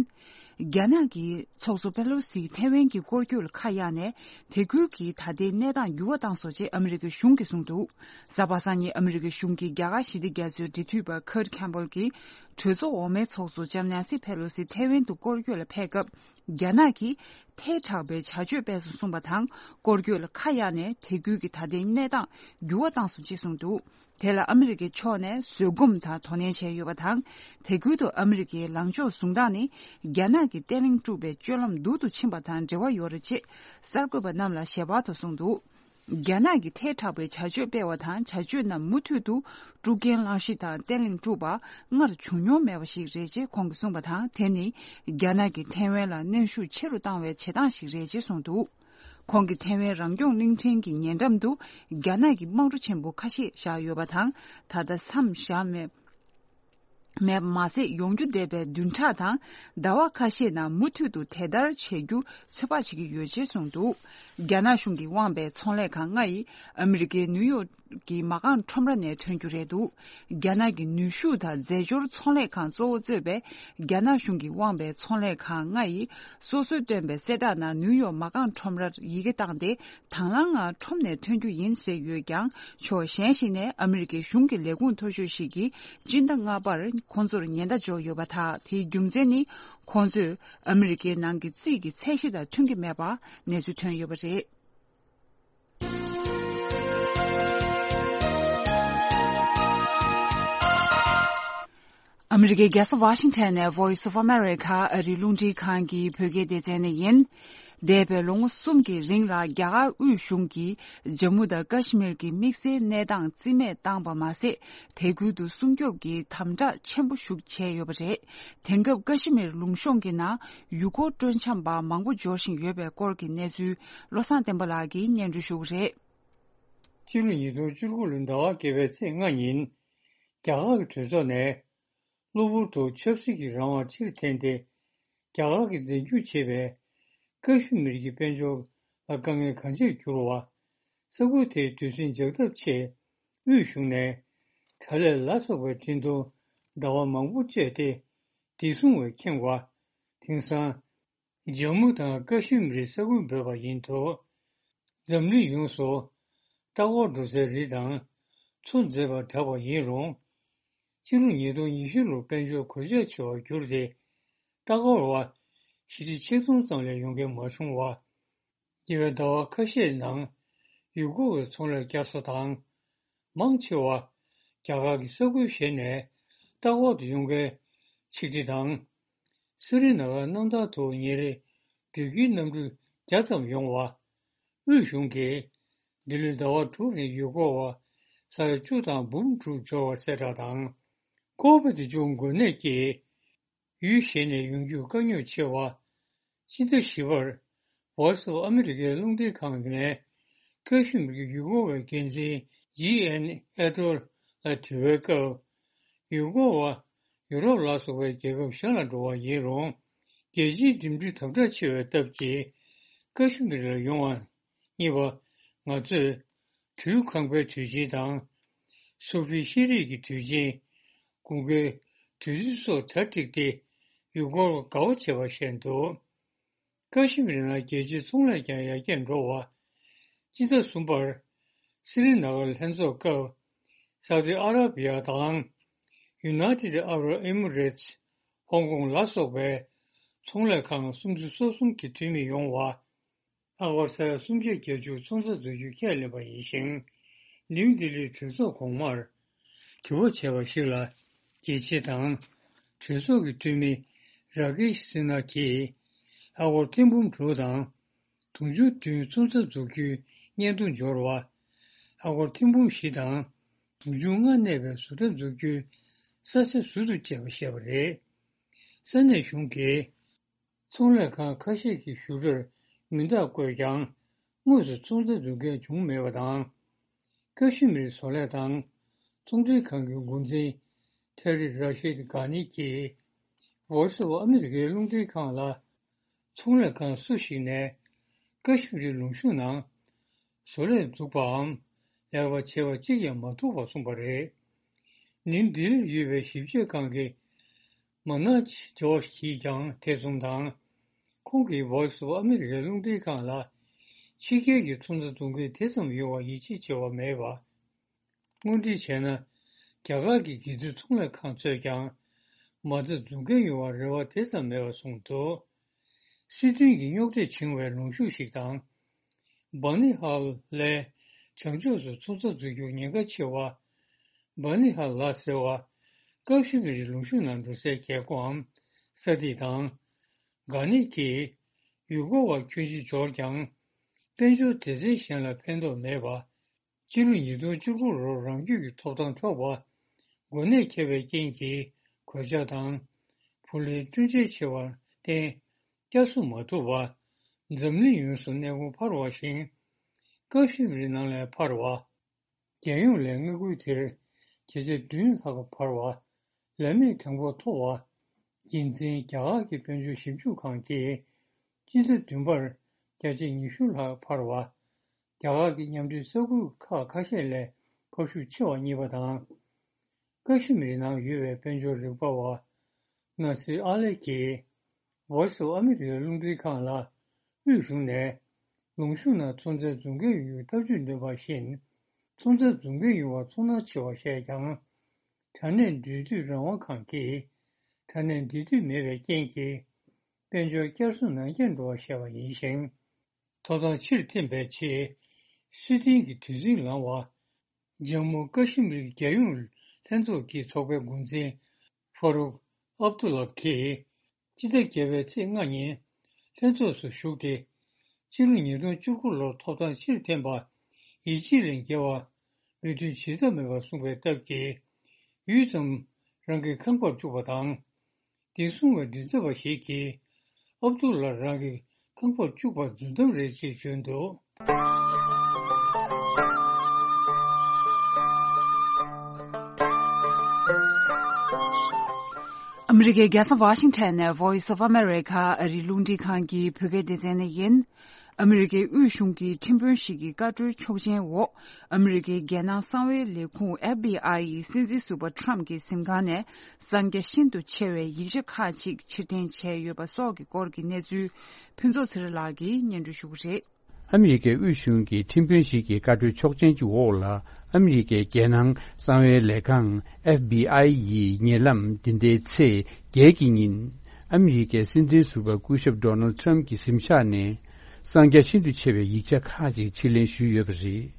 རྒྱ་ནག་གི་ཚོགས་གཙོ་པེ་ལོ་སིས་ཐེ་ཝན་གྱི་སྐོར་སྐྱོད་ལ་ཁ་གཡར་ནས། དེ་ཁུལ་གྱི་ད་ལྟའི་གནས་སྟངས་འགྱུར་བ་བཏང་སོང་ཅེས་ཨ་མི་རི་ཀའི་གཞུང་གིས་གསུངས་འདུག་གཟའ་པ་སངས་ཉིན་ཨ་མི་རི་ཀའི་གཞུང་གི་རྒྱ་གར་ཞི་བདེ་རྒྱ་མཚོའི་འབྲེལ་མཐུད་པ་Kurt Campbell གྱིས། གྲོས་ཚོགས་འོག་མའི་ཚོགས་གཙོ་ལྕམ་ནན་སི་ཕེ་ལོ་སི་ཐེ་ཝན་དུ་སྐོར་སྐྱོད་ལ་ཕེབས་སྐབས། རྒྱ་ནག་གིས་ཐལ་དྲགས་པའི་བྱ་སྤྱོད་སྤེལ་སོང་གསུངས་པ་དང་། སྐོར་སྐྱོད་ལ་ཁ་གཡར་ནས་དེ་ཁུལ་གྱི་ད་ལྟའི་གནས་སྟངས་འགྱུར་བ་བཏང་སོང་ཅེས་གསུངས་འདུག་དེ་ལ་ཨ་མི་རི་ཀའི་ཕྱོགས་ནས་བཟོད་སྒོམ་དང་དོ་ནན་བྱས་ཡོད་པ་དང་། དེ་ཁུལ་དུ་ཨ་མི་རི་ཀའི་ལངས་ཕྱོགས་བཟུང་སྟངས་ནི། རྒྱ་ནག་གིས་བརྟན་ལྷིང་དཀྲུགས་པའི་སྤྱོད་ལམ་སྡུག་ཏུ་ཕྱིན་པ་དང་འབྲེལ་བ་ཡོད་རེད་ཅེས་གསར་འགོད་པ་རྣམས་ལ་ཞལ་པར་དུ་གསུངས་འདུག་རྒྱ་ནག་གིས་ཐལ་དྲགས་པའི་བྱ་སྤྱོད་སྤེལ་བ་དང་། བྱ་སྤྱོད་རྣམས་མུ་མཐུད་དུ་དཀྲུག་རྐྱེན་བསླངས་གཞི་དང་བརྟན་ལྷིང་དཀྲུགས་པ་སྔར་བྱུང་མྱོང་མེད་པ་ཞིག་རེད་ཅེས་ཁོང་གིས་གསུངས་པ་དང་། དེ་ནི་རྒྱ་ནག་གིས་ཐེ་ཝན་ལ་གནོན་ཤུགས་ཆེ་རུ་བཏང་བའི་བྱེད་སྟངས་ཤིག་རེད་ཅེས་གསུངས་འདུག་ཁོང་གིས་ཐེ་ཝན་རང་སྐྱོང་གླིང་ཕྲན་གྱི་ཉེ་འགྲམ་དུ་རྒྱ་ནག་གི་དམག་གྲུ་ཆེན་པོ་ཁ་ཤས་བཞག་ཡོད་པ་དང་། ད་ལྟ་མཚམས་བཞག་མེད། མེད་མ་ཟད། ཡོང་རྒྱུ་འདས་པའི་བདུན་ཕྲག་དང་ཟླ་བ་ཁ་ཤས་ནང་མུ་མཐུད་དུ་དེ་ལྟར་བྱེད་རྒྱུ་ཚོད་དཔག་བྱེད་ཀྱི་ཡོད་ཅེས་གསུངས་འདུག་རྒྱ་ནག་གཞུང་གིས་དབང་བའི་ཚོང་ལས་ཁང་ལྔ་ཡིས་ཨ་མི་རི་ཀའི་ནིའུ་ཡོག་གྱི་མ་རྐང་ཁྲོམ་ར་ནས་ཐོན་རྒྱུ་རེད་འདུག་རྒྱ་ནག་གི་ནུས་ཤུགས་དང་རྫས་སྦྱོར་ཚོང་ལས་ཁང་གཙོ་བོ་གཙོས་པའི་རྒྱ་ནག་གཞུང་གིས་དབང་བའི་ཚོང་ལས་ཁང་ལྔ་ཡིས་སོ་སོས་བཏོན་པའི་གསལ་བསྒྲགས་ནང་ནིའུ་ཡོག་མ་རྐང་ཁྲོམ་རར་ཡི་གེ་བཏང་སྟེ། དང་བླངས་ངང་ཁྲོམ་ནས་ཐོན་རྒྱུ་ཡིན་ཟེར་ཡོད་ཀྱང་། ཕྱོགས་གཞན་ཞིག་ནས་ཨ་མི་རི་ཀའི་གཞུང་གི་ལས་ཁུངས་མཐོ་ཤོས་ཤིག་གིས་སྤྱི་ཟླ་ལྔ་པར་ཁོང་ཚོར་ཉེན་བརྡ་འཇོག་ཡོད་པ་དང་། དེའི་རྒྱུ་མཚན་ནི། ཁོང་ཚོས་ཨ་མི་རི་ཀའི་ནང་གི་རྩིས་ཀྱི་ཚད་གཞི་དང་མཐུན་གྱི་མེད་པ་གནས་ཚུལ་ཐོན་ཡོད་པ་རེད། ཨ་མི་རི་ཀའི་རྒྱལ་ས་ཝ་ཤིང་ཊོན་ནས་Voice of America ཨ་རིའི་རླུང་འཕྲིན་ཁང་གི་བོད་སྐད་སྡེ་ཚན་ནས་ཡིན། འདས་པའི་ལོ་ངོ་གསུམ་གྱི་རིང་ལ་རྒྱ་གར་དབུས་གཞུང་གིས་ཇམ་མུ་དང་ཀ་ཤི་མིར་གྱི་དམིགས་བསལ་གནས་སྟངས་རྩིས་མེད་བཏང་པ་མ་ཟད། དེ་ཁུལ་དུ་སྲུང་སྐྱོབ་ཀྱི་དམ་དྲག་ཆེན་པོ་ཞིག་བྱས་ཡོད་པ་རེད། དེང་སྐབས་ཀ་ཤི་མིར་ལུང་གཤོང་གི་ནང་ཡུལ་སྐོར་སྤྲོ་འཆམ་པ་མང་པོ་འབྱོར་བཞིན་ཡོད་པའི་སྐོར་གྱི་གནས་ཚུལ་བློ་བཟང་བསྟན་པ་ལགས་ཀྱིས་སྙན་སྒྲོན་ཞུ་གི་རེད། སྤྱི་ལོ་ཉིས་སྟོང་བཅུ་དགུ་ལོའི་ཟླ་བ་བརྒྱད་པའི་ཚེས་ལྔ་ཉིན། རྒྱ་གར་གྱི་གྲོས་ཚོགས་ནས། གློ་བུར་དུ་ཆབ་སྲིད་ཀྱི་རང་དབང་ཕྱིར་འཐེན་ཏེ། རྒྱ་གར་གྱིས་འཛིན་སྐྱོང་བྱེད་པའི་ཀ་ཤི་མིར་གྱི་དཔལ་འབྱོར་ལ་དཀའ་ངལ་གང་ཆེར་གྱུར་བ། ས་ཁུལ་དེའི་དུས་ཟིང་འཇགས་ཐབས་ཆེད་དབུས་གཞུང་ནས་གྲྭ་ལས་ལ་སོགས་པའི་འཕྲིན་ཐུང་ཟླ་བ་མང་པོ་སྤྲད་དེ། བདེ་སྲུང་བས་ཁེངས་པ། དེང་སང་། ཇམ་མུ་དང་ཀ་ཤི་མིར་ས་ཁུལ་འབོད་པ་ཡིན་འདུག་འཛམ་གླིང་ཡོངས་སུ་ལྟ་སྐོར་འགྲོ་སའི་རི་དང་མཚོ་མཛེས་པར་གྲགས་པ་ཡིན་རུང་། སྤྱི་ལོ་ཉིས་སྟོང་ཉི་ཤུ་ལོར་དཔལ་འབྱོར་གོད་ཆག་ཆེ་བར་གྱུར་ཏེ། ལྟ་སྐོར་བ་ཞི་ཁྲི་ཆིག་སྟོང་ཙམ་ལས་ཡོང་མཁན་མ་བྱུང་བ། ཉེ་བའི་ཟླ་བ་ཁ་ཤས་ནང་ཡུལ་སྐོར་བའི་ཚོང་ལས་བསྐྱར་གསོ་དང་། མང་ཆེ་བ་རྒྱ་གར་གྱི་ས་ཁུལ་གཞན་ནས་ལྟ་སྐོར་དུ་ཡོང་མཁན་ཆིག་ཁྲི་དང་། སི་རི་ན་གར་གནམ་ཐང་དུ་ཉིན་རེ་འགྲུལ་སྐྱེལ་གནམ་གྲུ་བརྒྱ་ཙམ་ཡོང་བ། དབུས་གཞུང་གིས་འདི་ལོའི་ཟླ་བ་དྲུག་རིང་ཡུལ་སྐོར་བ་ས་ཡ་བཅུ་དང་འབུམ་དྲུག་འབྱོར་བ་གསལ་བསྒྲགས་དང་། ཀོ་བེད་བཅུ་འགོས་ནད་ཀྱིས་ཡུལ་གཞན་ནས་ཡོང་རྒྱུར་དཀའ་རྙོག་ཆེ་བ། སྤྱི་ཟླ་བཞི་པར་Voice of America རླུང་འཕྲིན་ཁང་ནས་ཀ་ཤི་མིར་གྱི་ཡུལ་སྐོར་བའི་འགན་འཛིན་ཇི་ཨེན་ཨེ་ཏོར་ལ་དྲི་བའི་སྐབས། ཡུལ་སྐོར་བ་ཡུ་རོབ་ལ་སོགས་པའི་རྒྱལ་ཁབ་གཞན་ལ་འགྲོ་བ་ཡིན་རུང་། རྒྱལ་སྤྱིའི་འགྲིམ་འགྲུལ་དམ་དྲག་ཆེ་བའི་སྟབས་ཀྱིས་ཀ་ཤི་མིར་ལ་ཡོང་བ་གཉིས་པ། ང་ཚོས་དུས་ཁང་པའི་དུས་ཆེན་དང་། སུ་ཧྥི་ཤེས་རིག་གི་དུས་ཆེན། དགུན་ཁའི་དུས་ཚོད་སོགས་གྲ་སྒྲིག་སྟེ་ཡུལ་སྐོར་བ་དགའ་བ་བྱེད་པ་བཤད་འདུག་ཀ་ཤི་མིར་ནང་རྒྱལ་སྤྱིའི་ཚོང་ལས་ཀྱང་ཡར་རྒྱས་འགྲོ་བ། སྤྱི་ཟླ་གསུམ་པར་སི་རི་ན་གར་ལྷན་ཚོགས་སྐབས། སའུ་ཏི་ཨ་ར་བི་ཡ་དང་United Arab Emirates ཧོང་ཀོང་ལ་སོགས་པའི་ཚོང་ལས་ཁང་སུམ་ཅུ་སོ་གསུམ་གྱི་འཐུས་མི་ཡོང་བ། ཨ་སྒོར་ས་ཡ་སུམ་བརྒྱ་བརྒྱད་ཅུ་ཚོང་རྩ་འཛུགས་རྒྱུ་ཁས་ལེན་པ་ཡིན་ཞིང་། ནིའུ་ལྡི་ལིའི་གྲོས་ཚོགས་གོང་མར་དྲི་བ་བྱས་པ་ཞིག་ལ། རྒྱལ་སྤྱི་དང་གྲོས་ཚོགས་ཀྱི་འཐུས་མི་ར་ཀེཤ་སི་ན་གིས་ཨ་སྒོར་ཐེར་འབུམ་དྲུག་དང་དུང་ཕྱུར་བདུན་ཚོང་རྩ་འཛུགས་རྒྱུའི་སྙན་ཐོ་འབྱོར་བ། ཨ་སྒོར་ཐེར་འབུམ་བཞི་དང་དུང་ཕྱུར་ལྔ་གནས་པའི་བཟོ་གྲྭ་འཛུགས་རྒྱུའི་ས་ཆ་ཟུར་དུ་བཅད་པ་བཤད་པ་རེད། ས་གནས་གཞུང་གིས། ཚོང་ལས་ཁང་ཁ་ཤས་ཀྱིས་ཞུ་སྒྲར་མིང་རྟགས་བཀོད་ཀྱང་དངོས་སུ་ཚོང་རྩ་འཛུགས་མཁན་བྱུང་མེད་པ་དང་། ཀ་ཤི་མིར་བཟོ་ལས་དང་ཚོང་འབྲེལ་ཁང་གི་འགོ་འཛིན་ཁྲ་རི་ར་ཤིད་གྷ་ནི་གྱིས་Voice of America རླུང་འཕྲིན་ཁང་ལ། ཚོང་ལས་ཁང་སུ་ཞིག་ནས་ཀ་ཤི་མིར་ལུང་གཤོང་ནང་བཟོ་ལས་འཛུགས་པའམ་ལས་ཀ་བྱེད་པ་གཅིག་ཀྱང་མ་ཐུག་པར་གསུངས་པ་རེད། ནིའུ་ལྡི་ལིར་ཡོད་པའི་ཞིབ་དཔྱོད་ཁང་གི་མ་ན་ཇོ་ཞིས་ཀྱང་དེ་མཚུངས་དང་། ཁོང་གིས་Voice of America རླུང་འཕྲིན་ཁང་ལ། ཕྱི་རྒྱལ་གྱི་ཚོང་རྩ་འཛུགས་མཁན་དེ་ཙམ་ཡོད་པར་ཡིད་ཆེས་བྱེད་པ་མེད་པ། དངོས་འབྲེལ་བྱས་ན། རྒྱ་གར་གྱི་སྒེར་རྩིས་ཚོང་ལས་ཁང་ཚོས་ཀྱང་མ་རྩ་འཛུགས་མཁན་ཡོང་བར་རེ་བ་དེ་ཙམ་མེད་པར་གསུངས་འདུག་སྲིད་དོན་གྱི་རྙོག་དྲས་བྱུང་བའི་ལུང་ཤུགས་ཤིག་དང་། སྦ་ནི་ཧལ་ལའི་བྱང་ཕྱོགས་སུ་ཚོང་རྩ་འཛུགས་རྒྱུར་ཉེན་ཁ་ཆེ་བ། སྦ་ནི་ཧལ་ལ་ཟེར་བ། ཀ་ཤི་མིར་ལུང་ཤུར་ནང་འགྲོ་སའི་རྒྱལ་སྒོའམ་ས་ཐིག་དང་། གྷ་ནི་གིས་ཡུལ་སྐོར་བ་ཁྱོན་ཆེ་འབྱོར་ཀྱང་། དཔལ་འབྱོར་སྡེ་ཚན་གཞན་ལ་ཕན་ཐོགས་མེད་པ། སྤྱི་ལོ་ཉིས་སྟོང་བཅུ་དགུ་ལོར་རང་རྒྱུད་ཀྱི་ཐོབ་ཐང་འཕྲོག་པ། འགོས་ནད་ཁྱབ་པའི་རྐྱེན་གྱིས་གོད་ཆག་དང་། ཕོ་ལུས་སྐྲུན་ཆས་ཆེ་བར་བརྟེན། བསྐྱར་གསོ་མ་ཐུབ་པ། འཛམ་གླིང་ཡོངས་སུ་གནས་ཁོངས་འཕར་བ་བཞིན། ཀ་ཤི་མིར་ནང་ལས་འཕར་བ། རྒྱལ་ཡོངས་ལས་མངའ་ཁུལ་དེར་བརྒྱ་ཆ་བདུན་ལྷག་འཕར་བ། ལམ་མེ་གྲངས་འབོར་མཐོ་བ། རྒྱུན་འཛིན་རྒྱ་གར་གྱི་དཔལ་འབྱོར་ཞིབ་འཇུག་ཁང་གིས། སྤྱི་ཟླ་བདུན་པར་བརྒྱ་ཆ་ཉི་ཤུ་ལྷག་འཕར་བ། རྒྱ་གར་གྱི་མཉམ་འབྲེལ་ས་ཁུལ་ཁག་ཁ་ཤས་ལས་ ཁ་ཤུགས་ཆེ་བ་གཉིས་པ་དང་། ཀ་ཤི་མིར་ནང་ཡོད་པའི་དཔལ་འབྱོར་རིག་པ་བ་ནཱ་སིར་ཨ་ལེ་གྱིས་Voice of America རླུང་འཕྲིན་ཁང་ལ། དབུས་གཞུང་ནས་ལུང་གཤོང་ནང་ཚོང་རྫས་འཛུགས་མཁན་ཡོང་རྒྱུའི་ཐག་གཅོད་བཏོན་པ་བཞིན། ཚོང་རྫས་འཛུགས་མཁན་ཡོང་བར་ཚོར་སྣང་ཆེ་བ་བཤད་ཀྱང་། དྲ་གནས་འབྲེལ་མཐུད་རང་དབང་ཁང་གིས་དྲ་གནས་འབྲེལ་མཐུད་མེད་པའི་རྐྱེན་གྱིས་དཔལ་འབྱོར་བསྐྱར་གསོ་ནང་འཁྱེར་འགྲོ་བ་བཤད་པ་ཡིན་ཞིང་། ཐོབ་ཐང་ཕྱིར་འཐེན་པའི་ཆེད་སྲིད་དོན་གྱི་དུས་ཟིང་ལངས་པ། ཇམ་མུ་ཀ་ཤི་མིར་གྱི་རྒྱལ་ཡོངས་ལྷན་ཚོགས་ཀྱི་ཚོགས་པའི་འགོ་འཛིན་ཧྥ་རུག་ཨབ་ཏུ་ལ་གིས་སྤྱི་ཟླ་བརྒྱད་པའི་ཚེས་ལྔ་ཉིན་ལྷན་ཚོགས་སུ་ཞུགས་ཏེ། ཕྱི་ལོ་ཉིས་སྟོང་བཅུ་དགུ་ལོར་ཐོབ་ཐང་ཕྱིར་འཐེན་པ་ཡིད་ཆེས་ལས་བརྒལ་བ་ལུགས་མཐུན་བྱེད་ཐབས་མེད་པར་གསུངས་པའི་སྟབས་ཀྱིས། ཡུད་ཙམ་རང་གི་ཁང་པར་བཅུག་པ་དང་། དེ་སྲུང་བའི་མགྲིན་ཚབ་པ་ཞིག་གིས་ཨབ་ཏུ་ལ་རང་གི་ཁང་པར་བཅུག་པ་རྫུན་གཏམ་རེད་ཅེས་བརྗོད་འདུག། ཨ་མི་རི་ཀའི་རྒྱལ་ས་ཝ་ཤིང་ཊོན་ནས་Voice of America ཨ་རིའི་རླུང་འཕྲིན་ཁང་གི་བོད་སྐད་སྡེ་ཚན་ནས་ཡིན། ཨ་མི་རི་ཀའི་དབུས་གཞུང་གི་ཁྲིམས་དཔོན་ཞིག་གི་བཀའ་འཁྲོལ་ཆོག་མཆན་འོག་ཨ་མི་རི་ཀའི་རྒྱལ་ནང་གསང་བའི་ལས་ཁུངས་ཨེཕ་བི་ཨའི་ཡིས་སྲིད་འཛིན་ཟུར་པ་ཊམ་གྱི་གཟིམ་ཁང་ནས་གསང་རྒྱ་ཤིན་ཏུ་ཆེ་བའི་ཡིག་ཆ་ཁག་ཅིག་ཕྱིར་འཐེན་བྱས་ཡོད་པ་སོགས་ཀྱི་སྐོར་གྱི་གནས་ཚུལ་ཕུན་ཚོགས་ཚེ་རིང་ལགས་ཀྱིས་སྙན་སྒྲོན་ཞུ་གི་རེད། ཨ་མི་རི་ཀའི་དབུས་གཞུང་གི་ཁྲིམས་དཔོན་ཞིག་གི་བཀའ་འཁྲོལ་ཆོག་མཆན་གྱི་འོག་ལ། ཨ་མི་རི་ཀའི་རྒྱལ་ནང་གསང་བའི་ལས་ཁང་ཨེཕ་བི་ཨའི་ཡིས་ཉེ་ལམ་འདི་ཟླའི་ཚེས་བརྒྱད་ཀྱི་ཉིན། ཨ་མི་རི་ཀའི་སྲིད་འཛིན་ཟུར་པ་སྐུ་ཞབས་ཌོ་ནལ་ཊམ་གྱི་གཟིམ་ཤག་ནས། གསང་རྒྱ་ཤིན་ཏུ་ཆེ་བའི་ཡིག་ཆ་ཁག་ཅིག་ཕྱིར་ལེན་ཞུས་ཡོད་པ་རེད།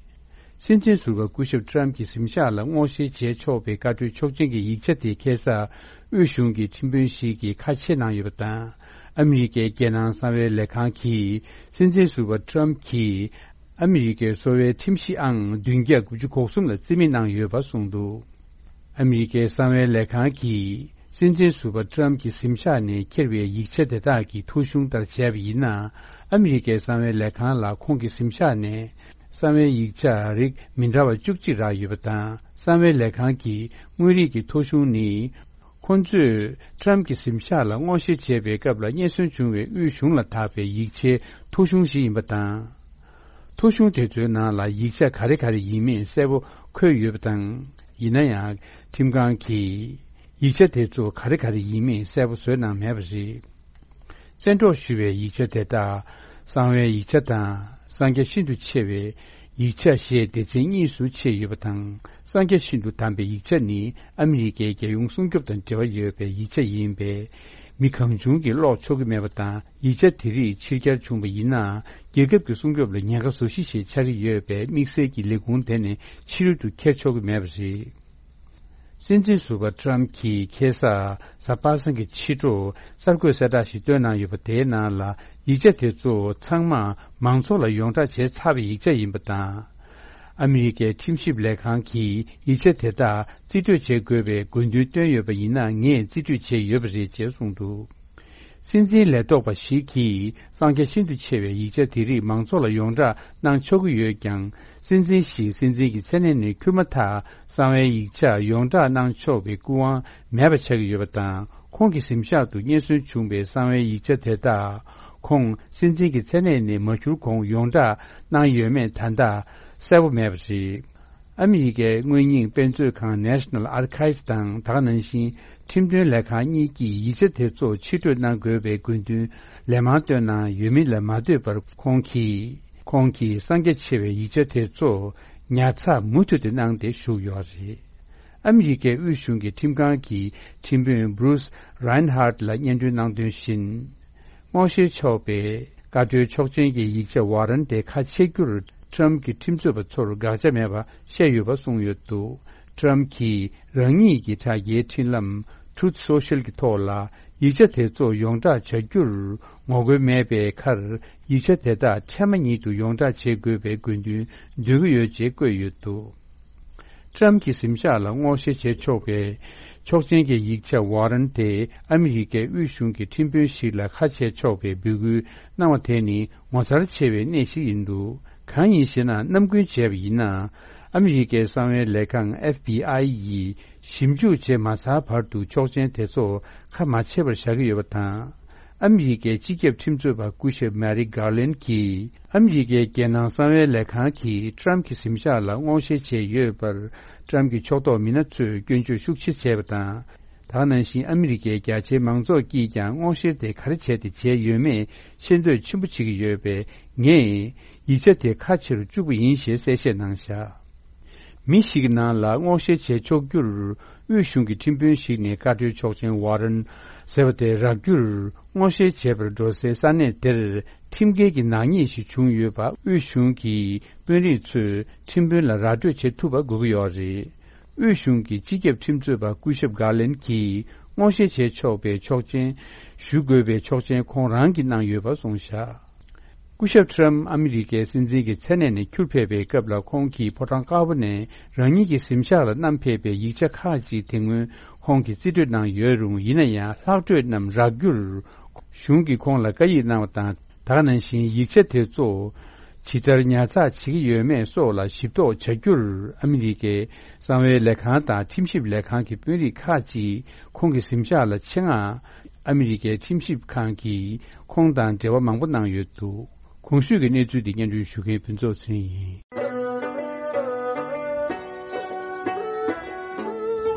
སྲིད་འཛིན་ཟུར་པ་སྐུ་ཞབས་ཊམ་གྱི་གཟིམ་ཤག་ལ་སྔོག་བཤེར་བྱས་ཆོག་པའི་བཀའ་འཁྲོལ་ཆོག་མཆན་གྱི་ཡིག་ཆ་དེ་ཁ་སང་དབུས་གཞུང་གི་ཁྲིམས་དཔོན་ཞིག་གིས་ཁ་ཕྱེ་གནང་ཡོད་པ་དང་། ཨ་མི་རི་ཀའི་རྒྱལ་ནང་གསང་བའི་ལས་ཁང་གིས་སྲིད་འཛིན་ཟུར་པ་ཊམ་གྱིས་ཨ་མི་རི་ཀའི་གསོ་བའི་ཁྲིམས་གཞི་ཨང་བདུན་བརྒྱ་དགུ་བཅུ་གོ་གསུམ་ལ་རྩིས་མེད་གནང་ཡོད་པ་གསུངས་འདུག། ཨ་མི་རི་ཀའི་གསང་བའི་ལས་ཁང་གིས་སྲིད་འཛིན་ཟུར་པ་ཊམ་གྱི་གཟིམ་ཤག་ནས་འཁྱེར་བའི་ཡིག་ཆ་དེ་དག་གི་ཐོ་གཞུང་ལྟར་བྱས་པ་ཡིན་ན། ཨ་མི་རི་ཀའི་གསང་བའི་ལས་ཁང་ལ་ཁོང་གི་གཟིམ་ཤག་ནས་གསང་བའི་ཡིག་ཆ་རིགས་མི་འདྲ་བ་བཅུ་གཅིག་རག་ཡོད་པ་དང་། གསང་བའི་ལས་ཁང་གི་དངོས་རིགས་ཀྱི་ཐོ་གཞུང་ནི། ཁོང་ཚོས་ཊམ་གྱི་གཟིམ་ཤག་ལ་སྔོག་བཤེར་བྱས་པའི་སྐབས་ལ་རྙེད་སོན་བྱུང་བའི་དབུས་གཞུང་ལ་བཏགས་པའི་ཡིག་ཆའི་ཐོ་གཞུང་ཞིག་ཡིན་པ་དང་། ཐོ་གཞུང་དེ་ཚོའི་ནང་ལ་ཡིག་ཆ་ག་རེ་ག་རེ་ཡིན་མིན་གསལ་པོ་འཁོད་ཡོད་པ་དང་། ཡིན་ན་ཡང་། ཁྲིམས་ཁང་གིས་ཡིག་ཆ་དེ་ཚོ་ག་རེ་ག་རེ་ཡིན་མིན་གསལ་པོ་བཟོས་གནང་མེད་པ་རེད། བཙན་འཕྲོག་ཞུ་བའི་ཡིག་ཆ་དེ་དག་གསང་བའི་ཡིག་ཆ་དང་། གསང་རྒྱ་ཤིན་ཏུ་ཆེ་བའི་ཡིག་ཆ་ཞེས་སྡེ་ཚན་གཉིས་སུ་ཕྱེ་ཡོད་པ་དང་། གསང་རྒྱ་ཤིན་ཏུ་དམ་པའི་ཡིག་ཆ་ནི་ཨ་མི་རི་ཀའི་རྒྱལ་ཡོངས་སྲུང་སྐྱོབ་དང་འབྲེལ་བ་ཡོད་པའི་ཡིག་ཆ་ཡིན་པས། མི་གང་བྱུང་གིས་ཀློག་ཆོག་གི་མེད་པ་དང་། ཡིག་ཆ་དེ་རིགས་ཕྱིར་གྱར་བྱུང་བ་ཡིན་ན། རྒྱལ་ཁབ་ཀྱི་སྲུང་སྐྱོབ་ལ་ཉེན་ཁ་བཟོ་གཞི་ཞིག་ཆགས་ཀྱི་ཡོད་པས། དམིགས་བསལ་གྱི་ལས་ཁུངས་དེ་ནས་ཕྱི་རོལ་དུ་འཁྱེར་ཆོག་གི་མེད་པ་རེད། སྲིད་འཛིན་ཟུར་པ་ཊམ་གྱིས་ཁ་སང་གཟའ་པ་སངས་ཀྱི་ཕྱི་དྲོ་གསར་འགོད་གསལ་བསྒྲགས་ཤིག་བཏོན་གནང་ཡོད་པ། དེའི་ནང་ལ་ཡིག་ཆ་དེ་ཚོ་ཚང་མ་མང་ཚོགས་ལ་ཡོངས་བསྒྲགས་བྱས་ཚར་བའི་ཡིག་ཆ་ཡིན་པ་དང་། ཨ་མི་རི་ཀའི་ཁྲིམས་ཞིབ་ལས་ཁང་གིས་ཡིག་ཆ་དེ་དག་རྩིས་སྤྲོད་བྱེད་དགོས་པའི་དགོས་འདུན་བཏོན་ཡོད་པ་ཡིན་ན། ངས་རྩིས་སྤྲོད་བྱས་ཡོད་པ་རེད་ཅེས་གསུངས་འདུག། སྲིད་འཛིན་ལས་ཐོག་པ་ཞིག་གིས་གསང་རྒྱ་ཤིན་ཏུ་ཆེ་བའི་ཡིག་ཆ་དེ་རིགས་མང་ཚོགས་ལ་ཡོངས་བསྒྲགས་གནང་ཆོག་གི་ཡོད་ཀྱང་། སྲིད་འཛིན་ཞིག་སྲིད་འཛིན་གྱི་མཚན་གནས་ནས་འཁུར་མ་ཐག་གསང་བའི་ཡིག་ཆ་ཡོངས་བསྒྲགས་གནང་ཆོག་པའི་སྐུ་དབང་མེད་པ་ཆགས་ཀྱི་ཡོད་པ་དང་། ཁོང་གི་གཟིམ་ཤག་ཏུ་རྙེད་སོན་བྱུང་བའི་གསང་བའི་ཡིག་ཆ་དེ་དག་ཁོང་སྲིད་འཛིན་གྱི་མཚན་གནས་ནས་མ་འཁྱུར་གོང་ཡོངས་བསྒྲགས་གནང་ཡོད་མེད་ད་ལྟ་གསལ་པོ་མེད་པ་རེད། ཨ་མི་རི་ཀའི་དངོས་རྙིང་དཔེ་མཛོད་ཁང་National Archives དང་། ད་ག་ནང་བཞིན་ཁྲིམས་དོན་ལས་ཁང་གཉིས་ཀྱིས་ཡིག་ཆ་དེ་ཚོ་ཕྱིར་སྤྲོད་གནང་དགོས་པའི་དགོས་འདུན་ལན་མང་བཏོན་གནང་ཡོད་མིན་ལ་མ་ལྟོས་པར། ཁོང་གིས་ཁོང་གིས་གསང་རྒྱ་ཆེ་བའི་ཡིག་ཆ་དེ་ཚོ་ཉར་ཚགས་མུ་མཐུད་དུ་གནང་སྟེ་བཞུགས་ཡོད་རེད། ཨ་མི་རི་ཀའི་དབུས་གཞུང་གི་ཁྲིམས་ཁང་གི་ཁྲིམས་དཔོན་Bruce Reinhart ལ་སྙན་སྒྲོན་གནང་དོན་བཞིན། སྔོག་བཤེར་ཆོག་པའི་བཀའ་འཁྲོལ་ཆོག་མཆན་གྱི་ཡིག་ཆ་ཝ་རན་དེ་ཁ་ཕྱེ་རྒྱུར་ཊམ་གྱི་ཁྲིམས་རྩོད་པ་ཚོར་དགག་བྱ་མེད་པ་བཤད་ཡོད་པ་གསུངས་ཡོད་འདུག། ཊམ་གྱིས་རང་ཉིད་ཀྱི་དྲ་རྒྱའི་འཕྲིན་ལམ་Truth Social གྱི་ཐོག་ལ་ཡིག་ཆ་དེ་ཚོ་ཡོངས་བསྒྲགས་བྱ་རྒྱུར་ངོ་རྒོལ་མེད་པའི་ཁར། ཡིག་ཆ་དེ་དག་ཐེངས་མ་ཉིད་དུ་ཡོངས་བསྒྲགས་བྱེད་དགོས་པའི་དགོས་འདུན་འདོན་གྱི་ཡོད་ཅེས་བཀོད་ཡོད་འདུག། ཊམ་གྱི་གཟིམ་ཤག་ལ་སྔོག་བཤེར་བྱེད་ཆོག་པའི་ཆོག་མཆན་གྱི་ཡིག་ཆ་ཝ་རན་དེ་ཨ་མི་རི་ཀའི་དབུས་གཞུང་གི་ཁྲིམས་དཔོན་ཞིག་ལ་ཁ་ཕྱེ་ཆོག་པའི་འབོད་སྐུལ་གནང་བ་དེ་ནི་ངོ་མཚར་ཆེ་བའི་གནས་ཤིག་ཡིན་འདུག། གང་ཡིན་ཞེ་ན། ནམ་རྒྱུན་བྱས་པ་ཡིན་ན། ཨ་མི་རི་ཀའི་གསང་བའི་ལས་ཁང་FBI ཡིས་ཞིབ་འཇུག་བྱེད་མ་ཚར་བར་དུ་ཆོག་མཆན་དེ་ཚོ་ཁ་མ་ཕྱེ་བར་བཞག་གི་ཡོད་པ་དང་། ཨ་མི་རི་ཀའི་སྤྱི་ཁྱབ་ཁྲིམས་རྩོད་པ་སྐུ་ཞབས་མེ་རི་གྷར་ལན་གྱིས་ཨ་མི་རི་ཀའི་རྒྱལ་ནང་གསང་བའི་ལས་ཁང་གིས་ཊམ་གྱི་གཟིམ་ཤག་ལ་སྔོག་བཤེར་བྱས་ཡོད་པར། ཊམ་གྱི་ཕྱོགས་གཏོགས་མི་སྣ་ཚོས་སྐྱོན་བརྗོད་ཤུགས་ཆེ་བྱས་པ་དང་། ད་ག་ནང་བཞིན་ཨ་མི་རི་ཀའི་རྒྱ་ཆེའི་མང་ཚོགས་ཀྱིས་ཀྱང་སྔོག་བཤེར་དེ་ག་རེ་བྱས་ཏེ་བྱས་ཡོད་མེད་ཤེས་འདོད་ཆེན་པོ་བྱེད་ཀྱི་ཡོད་པས། ངས་ཡིག་ཆ་དེ་ཁ་ཕྱེ་རུ་བཅུག་པ་ཡིན་ཞེས་གསལ་བཤད་གནང་བཞག་མི་ཞིག་གི་ནང་ལ་སྔོག་བཤེར་བྱས་ཆོག་རྒྱུར། དབུས་གཞུང་གི་ཁྲིམས་དཔོན་ཞིག་ནས་བཀའ་འཁྲོལ་ཆོག་མཆན་ཝ་རན་ཟེར་བ་དེ་རག་རྒྱུར། སྔོག་བཤེར་བྱེད་པར་འགྲོ་སའི་ས་གནས་དེར་ཁྲིམས་འགལ་གྱི་ནག་ཉེས་ཤིག་བྱུང་ཡོད་པ། དབུས་གཞུང་གི་དཔོན་རིགས་ཚོས་ཁྲིམས་དཔོན་ལ་ར་སྤྲོད་བྱེད་ཐུབ་པ་དགོས་ཀྱི་ཡོད་རེད། དབུས་གཞུང་གི་སྤྱི་ཁྱབ་ཁྲིམས་རྩོད་པ་སྐུ་ཞབས་གྷར་ལན་གྱིས་སྔོག་བཤེར་བྱེད་ཆོག་པའི་ཆོག་མཆན་ཞུ་དགོས་པའི་ཆོག་མཆན་ཁོང་རང་གིས་གནང་ཡོད་པ་གསུངས་བཞག་སྐུ་ཞབས་ཊམ་ཨ་མི་རི་ཀའི་སྲིད་འཛིན་གྱི་མཚན་གནས་ནས་ཁྱུར་ཕེབས་པའི་སྐབས་ལ། ཁོང་གིས་ཕོ་བྲང་དཀར་པོ་ནས་རང་ཉིད་ཀྱི་གཟིམ་ཤག་ལ་བསྣམས་ཕེབས་པའི་ཡིག་ཆ་ཁག་ཅིག་དེ་སྔོན་ཁོང་གིས་རྩིས་སྤྲོད་གནང་ཡོད་རུང་། ཡིན་ན་ཡང་ལྷག་འཕྲོས་རྣམས་རག་རྒྱུར། གཞུང་གིས་ཁོང་ལ་བཀའ་ཡིག་གནང་བ་དང་། ད་ག་ནང་བཞིན་ཡིག་ཆ་དེ་ཚོ་ཇི་ལྟར་ཉར་ཚགས་བྱེད་ཀྱི་ཡོད་མེད་སོགས་ལ་ཞིབ་རྟོག་བྱ་རྒྱུར། ཨ་མི་རི་ཀའི་གསང་བའི་ལས་ཁང་དང་ཁྲིམས་ཞིབ་ལས་ཁང་གི་དཔོན་རིགས་ཁག་ཅིག་ཁོང་གི་གཟིམ་ཤག་ལ་ཆེད་མངགས། ཨ་མི་རི་ཀའི་ཁྲིམས་ཞིབ་ཁང་གིས་ཁོང་དང་འབྲེལ་བ་མང་པོ་གནང་ཡོད་འདུག་གོང་ཞུས་ཀྱི་གནས་ཚུལ་འདི་སྙན་སྒྲོན་ཞུ་མཁན་ཕུན་ཚོགས་ཚེ་རིང་ཡིན།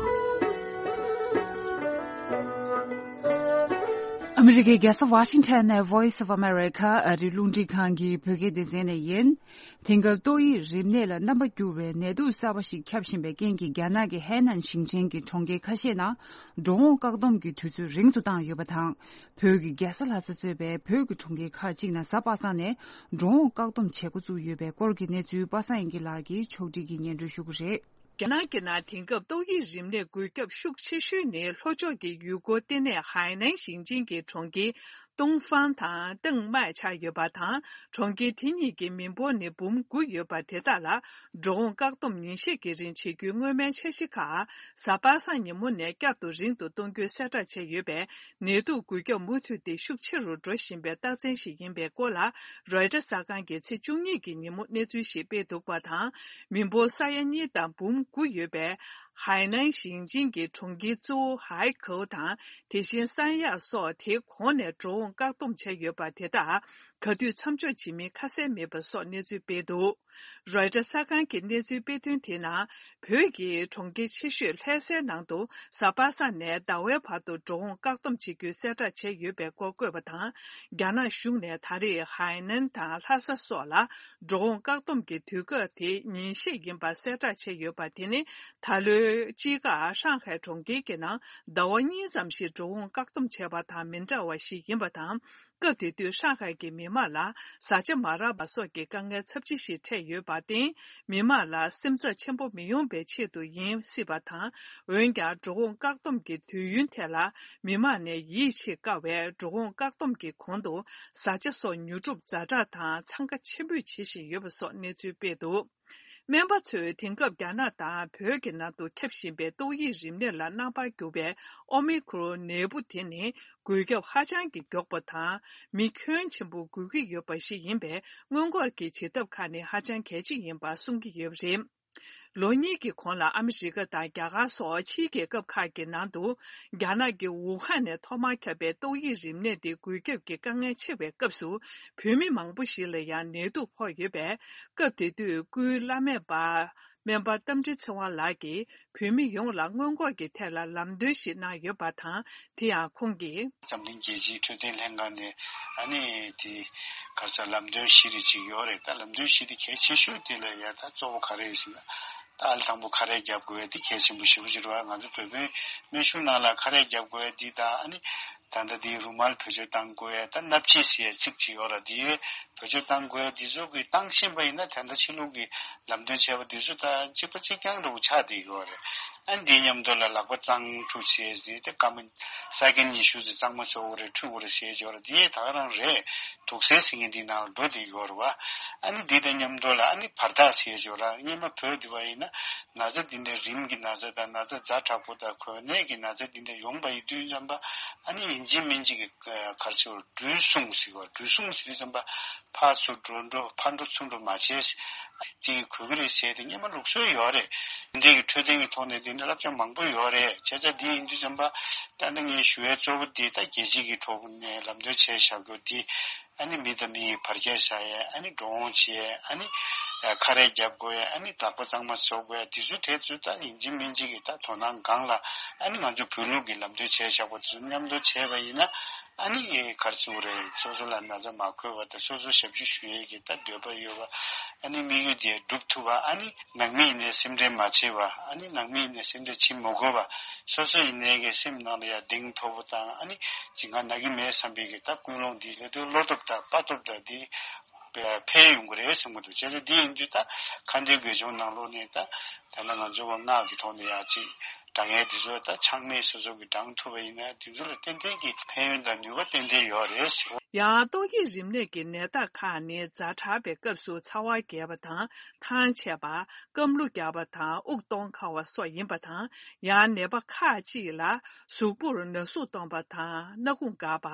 ཨ་མི་རི་ཀའི་རྒྱལ་ས་ཝ་ཤིང་ཊོན་ནས་Voice of America ཨ་རིའི་རླུང་འཕྲིན་ཁང་གི་བོད་སྐད་སྡེ་ཚན་ནས་ཡིན། དེང་སྐབས་ཏོག་དབྱིབས་རིམས་ནད་ལ་རྣམ་པ་འགྱུར་བའི་ནད་དུག་གསར་པ་ཞིག་ཁྱབ་བཞིན་པའི་རྐྱེན་གྱིས། རྒྱ་ནག་གི་ཧའེ་ནན་ཞིང་ཆེན་གྱི་གྲོང་ཁྱེར་ཁ་ཤས་ནང་འགྲོ་འོང་བཀག་སྡོམ་གྱི་དུས་ཚོད་རིང་དུ་བཏང་ཡོད་པ་དང་། བོད་ཀྱི་རྒྱལ་ས་ལྷ་ས་གཙོས་པའི་བོད་ཀྱི་གྲོང་ཁྱེར་ཁག་ཅིག་ནང་གཟའ་པ་སངས་ནས་འགྲོ་འོང་བཀག་སྡོམ་བྱེད་འགོ་བཙུགས་ཡོད་པའི་སྐོར་གྱི་གནས་ཚུལ་པ་སངས་དབྱངས་སྐྱིད་ལགས་ཀྱིས་ཕྱོགས་སྒྲིག་གིས་སྙན་སྒྲོན་ཞུ་གི་རེད། རྒྱ་ནག་གི་ནང་དེང་སྐབས་ཏོག་དབྱིབས་རིམས་ནད་འགོས་ཁྱབ་ཤུགས་ཆེ་ཤོས་ནི་ལྷོ་ཕྱོགས་ཀྱི་ཡུལ་སྐོར་ལྟེ་གནས་ཧའེ་ནན་ཞིང་ཆེན་གྱི་གྲོང་ཁྱེར་ཏུང་ཧྥང་དང་ཏེང་མའེ་ཆགས་ཡོད་པ་དང་། གྲོང་ཁྱེར་དེ་གཉིས་ཀྱི་མི་འབོར་ནི་འབུམ་དགུ་ཡོད་པ་དེ་དག་ལ་འགྲོ་འོང་བཀག་སྡོམ་ཉིན་ཤས་ཀྱི་རིང་བྱེད་རྒྱུའི་སྔོན་མའི་འཆར་གཞི་ཁག་གཟའ་པ་སངས་ཉིན་མོ་ནས་བསྐྱར་དུ་རིང་དུ་གཏོང་རྒྱུའི་གསལ་བསྒྲགས་བྱས་ཡོད་པས། ནད་དུག་འགོས་ཁྱབ་མུ་མཐུད་དེ་ཤུགས་ཆེ་རུ་འགྲོ་བཞིན་པའི་རྟགས་མཚན་ཞིག་ཡིན་པའི་སྐོར་ལ། རོའི་ཊར་གསར་ཁང་གིས་ཚེས་བཅུ་གཉིས་ཀྱི་ཉིན་མོ་གནས་ཚུལ་ཞིག་སྤེལ་འདུག་པ་དང་། མི་འབོར་ས་ཡ་གཉིས་དང་འབུམ་དགུ་ཡོད་པའི་ཧའེ་ནན་ཞིང་ཆེན་གྱི་གྲོང་ཁྱེར་གཙོ་བོ་ཧའེ་ཁའོ་དང་། དེ་བཞིན་སན་ཡ་སོགས་དེའི་གོང་ནས་འགྲོ་འོང་བཀག་སྡོམ་བྱས་ཡོད་པ་དེ་དག་ག་དུས་མཚམས་འཇོག་བྱེད་མིན་ཁ་གསལ་མེད་པ་སོགས་གནས་ཚུལ་སྤེལ་འདུག་རོའི་ཊར་གསར་ཁང་གི་གནས་ཚུལ་སྤེལ་དོན་དེའི་ནང་། བོད་ཀྱི་གྲོང་ཁྱེར་ཆེ་ཤོས་ལྷ་སའི་ནང་དུ་གཟའ་པ་སངས་ནས་ཟླ་བའི་བར་དུ་འགྲོ་འོང་བཀག་སྡོམ་བྱེད་རྒྱུའི་གསལ་བསྒྲགས་བྱས་ཡོད་པའི་སྐོར་བཀོད་པ་དང་། རྒྱ་ནག་གཞུང་ནས་ད་རེས་ཧའེ་ནན་དང་ལྷ་ས་སོགས་ལ་འགྲོ་འོང་བཀག་སྡོམ་གྱི་དུས་སྐབས་དེ་ཉིན་ཤས་ཡིན་པ་གསལ་བསྒྲགས་བྱས་ཡོད་པ། དེ་ནི་ད་ལོའི་དཔྱིད་ཀར་ཧྲང་ཧའེ་གྲོང་ཁྱེར་གྱི་ནང་ཟླ་བ་གཉིས་ཙམ་ཞིག་འགྲོ་འོང་བཀག་སྡོམ་བྱས་པ་དང་མི་འདྲ་བ་ཞིག་ཡིན་པ་དང་། སྐབས་དེ་དུས་ཧྲང་ཧའེ་གྱི་མི་མང་ལ་བཟའ་བཅའ་མ་རག་པ་སོགས་ཀྱི་དཀའ་ངལ་ཚབས་ཆེ་ཞིག་འཕྲད་ཡོད་པར་བརྟེན། མི་མང་ལ་སེམས་འཚབ་ཆེན་པོ་མི་ཡོང་བའི་ཆེད་དུ་ཡིན་སྲིད་པ་དང་། འོན་ཀྱང་། འགྲོ་འོང་བཀག་སྡོམ་གྱི་དུས་ཡུན་ཐད་ལ་མི་མང་ནས་ཡིད་ཆེས་དཀའ་བས། འགྲོ་འོང་བཀག་སྡོམ་གྱི་གོང་དུ་བཟའ་བཅའ་སོགས་ཉོ་སྒྲུབ་ཛ་དྲག་དང་འཚང་ཁ་ཆེན་པོས་བྱེད་བཞིན་ཡོད་པ་སོགས་གནས་ཚུལ་སྤེལ་འདུག་སྨན་པ་ཚོས་དེང་སྐབས་རྒྱ་ནག་དང་བོད་ཀྱི་ནང་དུ་ཁྱབ་བཞིན་པའི་ཏོག་དབྱིབས་རིམས་ནད་ལ་རྣམ་པར་འགྱུར་བའི་ཨོ་མི་ཁྲོན་ནད་འབུ་དེ་ནི་འགོས་ཁྱབ་ཧ་ཅང་གི་མགྱོགས་པ་དང་། མི་ཁྱོན་ཆེན་པོ་འགོས་ཀྱི་ཡོད་པ་ཞིག་ཡིན་པས། སྔོན་འགོག་གི་བྱེད་ཐབས་ཁག་ནི་ཧ་ཅང་གལ་ཆེ་ཡིན་པ་གསུང་གི་ཡོད་པ་རེད། ལོ་གཉིས་ཀྱི་གོང་ལ་ཨ་མི་རི་ཀ་དང་རྒྱ་གར་སོགས་ཕྱིའི་རྒྱལ་ཁབ་ཁག་གི་ནང་དུ། རྒྱ་ནག་གི་ཝུ་ཧན་ནས་ཐོག་མར་ཁྱབ་པའི་ཏོག་དབྱིབས་རིམས་ནད་དེ་འགོས་ཁྱབ་ཀྱི་དཀའ་ངལ་ཆེ་བའི་སྐབས་སུ། བོད་མི་མང་པོ་ཞིག་ལ་ཡང་ནད་དུག་ཕོག་ཡོད་པས། སྐབས་དེ་དུས་སྐུའི་བླ་སྨན་པ་སྨན་པ་རྟ་མགྲིན་ཚེ་དབང་ལགས་ཀྱིས་བོད་མི་ཡོངས་ལ་སྔོན་འགོག་གི་ཐད་ལ་ལམ་སྟོན་ཞིག་གནང་ཡོད་པ་དང་། དེ་ཡང་ཁོང་གིས། འཛམ་གླིང་རྒྱལ་སྤྱིའི་འཕྲོད་བསྟེན་ལྷན་ཁང་ནས་ཨ་ནི་དེ་ག་ས་ལམ་སྟོན་བཞི་རེ་ཅིག་ཡོད་རེད། ད་ལམ་སྟོན་བཞི་དེ་གལ་ཆེ་ཤོས་དེ་ལ་ཡ་ད་གཙོ་བོ་ག་རེ་ཟེར་ན། ད་ཨ་ལ་དང་པོ་ཁ་རས་རྒྱབ་དགོས་ཡ་དེ་གལ་ཆེན་པོ་ཞེ་པོ་ཅིག་རེད་བ། ང་ཚོ་བོད་པའི་སྨན་གཞུང་ནང་ལ་ཁ་རས་རྒྱབ་དགོས་ཡ་འདི་དང་། ཨ་ནི་ད་ལྟ་འདི་རུ་མལ་བེད་སྤྱོད་གཏང་དགོས་ཡ། ད་སྣབས་ཕྱི་ཟེར་ཡ་ཚིག་ཅིག་ཡོད་ར། འདི་བེད་སྤྱོད་གཏང་དགོས་ཡ་འདི་ཚོ་གི་གཏང་བཞིན་པ་ཡིན་ན། ད་ལྟ་ཕྱི་ལུགས་ཀྱི་ལམ་སྟོན་བྱས་པ་འདི་ཚོ་ད་གཅིག་པ་གཅིག་རྐྱང་འདྲ་བོ་ཆགས་བསྡད་ཡོད་རེད། ཨ་ནི་འདིའི་མཉམ་དུ་ལ་ལག་པ་གཙང་ཁྲུས་ཟེར་ཡ་ཟེར། དེ་སྐར་མ་སེ་ཀན་ཉི་ཤུ་ཙམ་གཙང་མ་བཟོ་དགོས་རེད། ཁྲུས་དགོས་རེད་ཟེར་ཡ་ཡོད་ར། འདི་ད་ག་རང་རེད། དུག་སེལ་ཟེར་མཁན་འདིའི་ནང་ལ་འགྲོ་བསྡད་ཡོད་རེད་བ། ཨ་ནི་འདི་དང་མཉམ་དུ་ལ་ཨ་ནི་བར་ཐག་ཟེར་ཡ་ཡོད་ར། སྔོན་མ་བོད་འདི་བ་ཡིན་ན། ན་ཚ་འདི་འདྲའི་རིམས་ཀྱི་ན་ཚ་དང་ན་ཚ་ཛ་དྲག་པོ་དང་གོ་ནད་ཀྱི་ན་ཚ་འདི་འདྲ་ཡོང་བ་ཡི་དུས་ཙམ་པ། ཨ་ནི་ ཡིན་གཅིག་མིན་གཅིག་གི་ག་རེ་ཟེར་བ། འགྲུལ་སོང་ཟེར་བ། འགྲུལ་སོང་ཟེར་དུས་ཙམ་པ་ཕར་ཚུར་འགྲོ་འགྲོ་ཕར་འགྲོ་ཚུར་འགྲོ་མ་བྱས། དེ་གི་གོ་གི་རེད་ཟེར་དེ་སྔོན་མ་ལུགས་སྲོལ་ཡོད་རེད། འདི་གི་འཕྲོད་བསྟེན་གི་ཐོག་ནས་འདི་ནི་བསླབ་བྱ་མང་པོ་ཡོད་རེད། བྱས་ཙང་འདི་ཡིན་དུས་ཙམ་པ་ད་ནི་ངས་ཞུ་ཡས་གཙོ་བོ་འདི་ད་རྒྱལ་སྤྱི་གི་ཐོག་ནས་ལམ་སྟོན་བྱས་བཞག་རྒྱུ་འདི། ཨ་ནི་མི་དང་མི་ཡི་བར་ཁྱད་བཞག་ཡས། ཨ་ནི་འགྲོ་འོང་བྱེད་ཡས། ཨ་ནི་ཁ་རས་རྒྱབ་དགོས་ཡས། ཨ་ནི་ལག་པ་གཙང་མ་བཟོ་དགོས་ཡས། དེ་ཚོའི་གྲས་ཚོ་ད་ཡིན་གཅིག་མིན་གཅིག་གི་ད་དོ་སྣང་སྒང་ལ། ཨ་ནི་ང་ཚོ་བོད་ལུགས་ཀྱི་ལམ་སྟོན་བྱས་བཞག་པ་དེ་ཚོ་མཉམ་དུ་བྱས་པ་ཡིན་ན། ཨ་ནི་ག་རེ་ཟེར་དགོས་རེད། སོ་སོ་ལ་ན་ཚ་མ་འཁོར་བ་དང་། སོ་སོ་ཞབས་ཕྱི་ཞུ་ཡས་ཀྱི་ད་འདོད་པ་ཡོད་པ། ཨ་ནི་དམིགས་ཡུལ་དེ་འགྲུབ་ཐུབ་པ། ཨ་ནི་ནང་མི་ཡིན་ནའི་སེམས་ཁྲལ་མ་བྱེད་པ། ཨ་ནི་ནང་མི་ཡིན་ནའི་སེམས་ཁྲལ་བྱེད་མ་དགོས་པ། སོ་སོ་ཡིན་ནའི་གི་སེམས་ནང་ལ་ཡང་གདེང་ཐོབ་པོ་དང་། ཨ་ནི་ཅི་ང་ན་གི་མེད་བསམ་པའི་གི་ད་ཀུན་སློང་འདི་ལས་དུ་བློ་སྟོབས་དང་དཔའ་སྟོབས་དང་འདི་འཕེལ་ཡོང་གི་རེད་བསམ་གི་འདུག་བྱས་ཙང་འདི་ཡིན་དུས་ད་ཁ་འདོན་དགེ་སྦྱོང་ནང་ལོགས་ནས་ད་ད་ལྟ་ང་ཚོ་བ་སྔགས་ཀྱི་ཐོག་ནས་ཡང་ཅིག་བགྲང་ཡས་འདི་ཚོ་ད་ཆག་མེད་སོ་སོ་གི་བགྲང་ཐུབ་པ་ཡིན་ན། འདི་ཚོ་ལ་ཏན་ཏན་གྱི་ཕན་ཡོན་དང་ནུས་པ་ཏན་ཏན་ཡོད་རེད་ཟེར། ཡང་ཏོག་དབྱིབས་རིམས་ནད་ཀྱི་ནད་རྟགས་ཁག་ནི་ཛ་དྲག་པའི་སྐབས་སུ་ཚ་བ་རྒྱས་པ་དང་། ཐང་ཆད་པ། རྐང་གློ་རྒྱག་པ་དང་། དབུགས་གཏོང་ཁག་པ་སོགས་ཡིན་པ་དང་། ཡང་ནད་པ་ཁག་ཅིག་ལ་གཟུགས་པོར་ན་ཟུག་གཏོང་པ་དང་། སྣ་ཁུང་འགག་པ།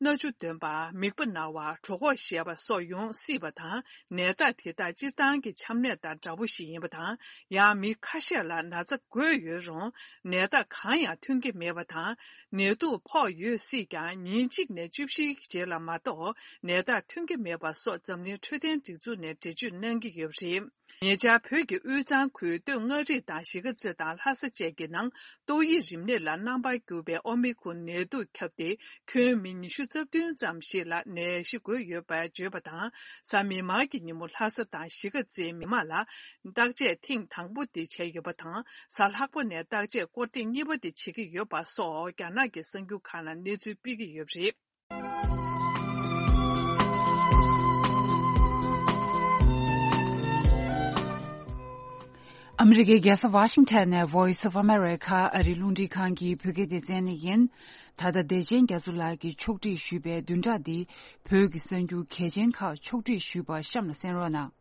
སྣ་ཆུ་འདོན་པ། མིད་པ་ན་བ། གྲོད་ཁོག་བཞད་པ་སོགས་ཡོང་སྲིད་པ་དང་། ནད་རྟགས་དེ་དག་སྤྱིར་བཏང་གི་ཆམ་ནད་དང་འདྲ་པོ་ཞིག་ཡིན་པ་དང་། ཡང་མི་ཁ་ཤས་ལ་ན་ཚ་འགོས་ཡོད་རུང་ནད་རྟགས་གང་ཡང་ཐོན་གྱི་མེད་པ་དང་། ནད་དུག་ཕོག་ཡོད་སྲིད་ཀྱང་ཉིན་གཅིག་ནས་བཅུ་བཞིའི་རྗེས་ལ་མ་གཏོགས་ནད་རྟགས་ཐོན་གྱི་མེད་པ་སོགས་འཛམ་གླིང་འཕྲོད་བསྟེན་སྒྲིག་འཛུགས་ནས་འགྲེལ་བརྗོད་གནང་གི་ཡོད་པ་རེད། ཉེ་ཆར་བོད་ཀྱི་དབུས་གཙང་ཁུལ་སྟོད་མངའ་རིས་དང་གཞིས་ཀ་རྩེ་དང་ལྷ་ས་བཅས་ཀྱི་ནང་ཏོག་དབྱིབས་རིམས་ནད་ལ་རྣམ་པར་གྱུར་པའི་ཨོ་མི་ཁོན་ནད་དུག་ཁྱབ་སྟེ། ཁྱོན་མི་ཉི་ཤུ་རྩ་བདུན་ཙམ་ཞིག་ལ་ནད་གཞི་འགོས་ཡོད་པར་བརྗོད་པ་དང་། གཟའ་མིག་དམར་གྱི་ཉིན་མོ་ལྷ་ས་དང་གཞིས་ཀ་རྩེའི་མི་མང་ལ་བརྟག་དཔྱད་ཐེངས་དང་པོ་དེ་བྱས་ཡོད་པ་དང་། གཟའ་ལྷག་པ་ནས་བརྟག་དཔྱད་སྐོར་ཐེངས་གཉིས་པ་དེ་བྱེད་ཀྱི་ཡོད་པ་སོགས་རྒྱ་ནག་གི་གསར་འགྱུར་ཁག་ནང་གནས་ཚུལ་སྤེལ་གྱི་ཡོད་པ་རེད། ཨ་མི་རི་ཀའི་རྒྱལ་ས་ཝ་ཤིང་ཊོན་ནས་Voice of America ཨ་རིའི་རླུང་འཕྲིན་ཁང་གི་བོད་སྐད་སྡེ་ཚན་ནས་ཡིན། ད་ལྟ་བདེ་ཆེན་རྒྱ་མཚོ་ལགས་ཀྱིས་ཕྱོགས་སྒྲིག་ཞུས་པའི་བདུན་ཕྲག་འདིའི་བོད་ཀྱི་གསར་འགྱུར་གལ་ཆེན་ཁག་ཕྱོགས་སྒྲིག་ཞུས་པ་གཤམ་ལ་གསན་རོགས་གནང་།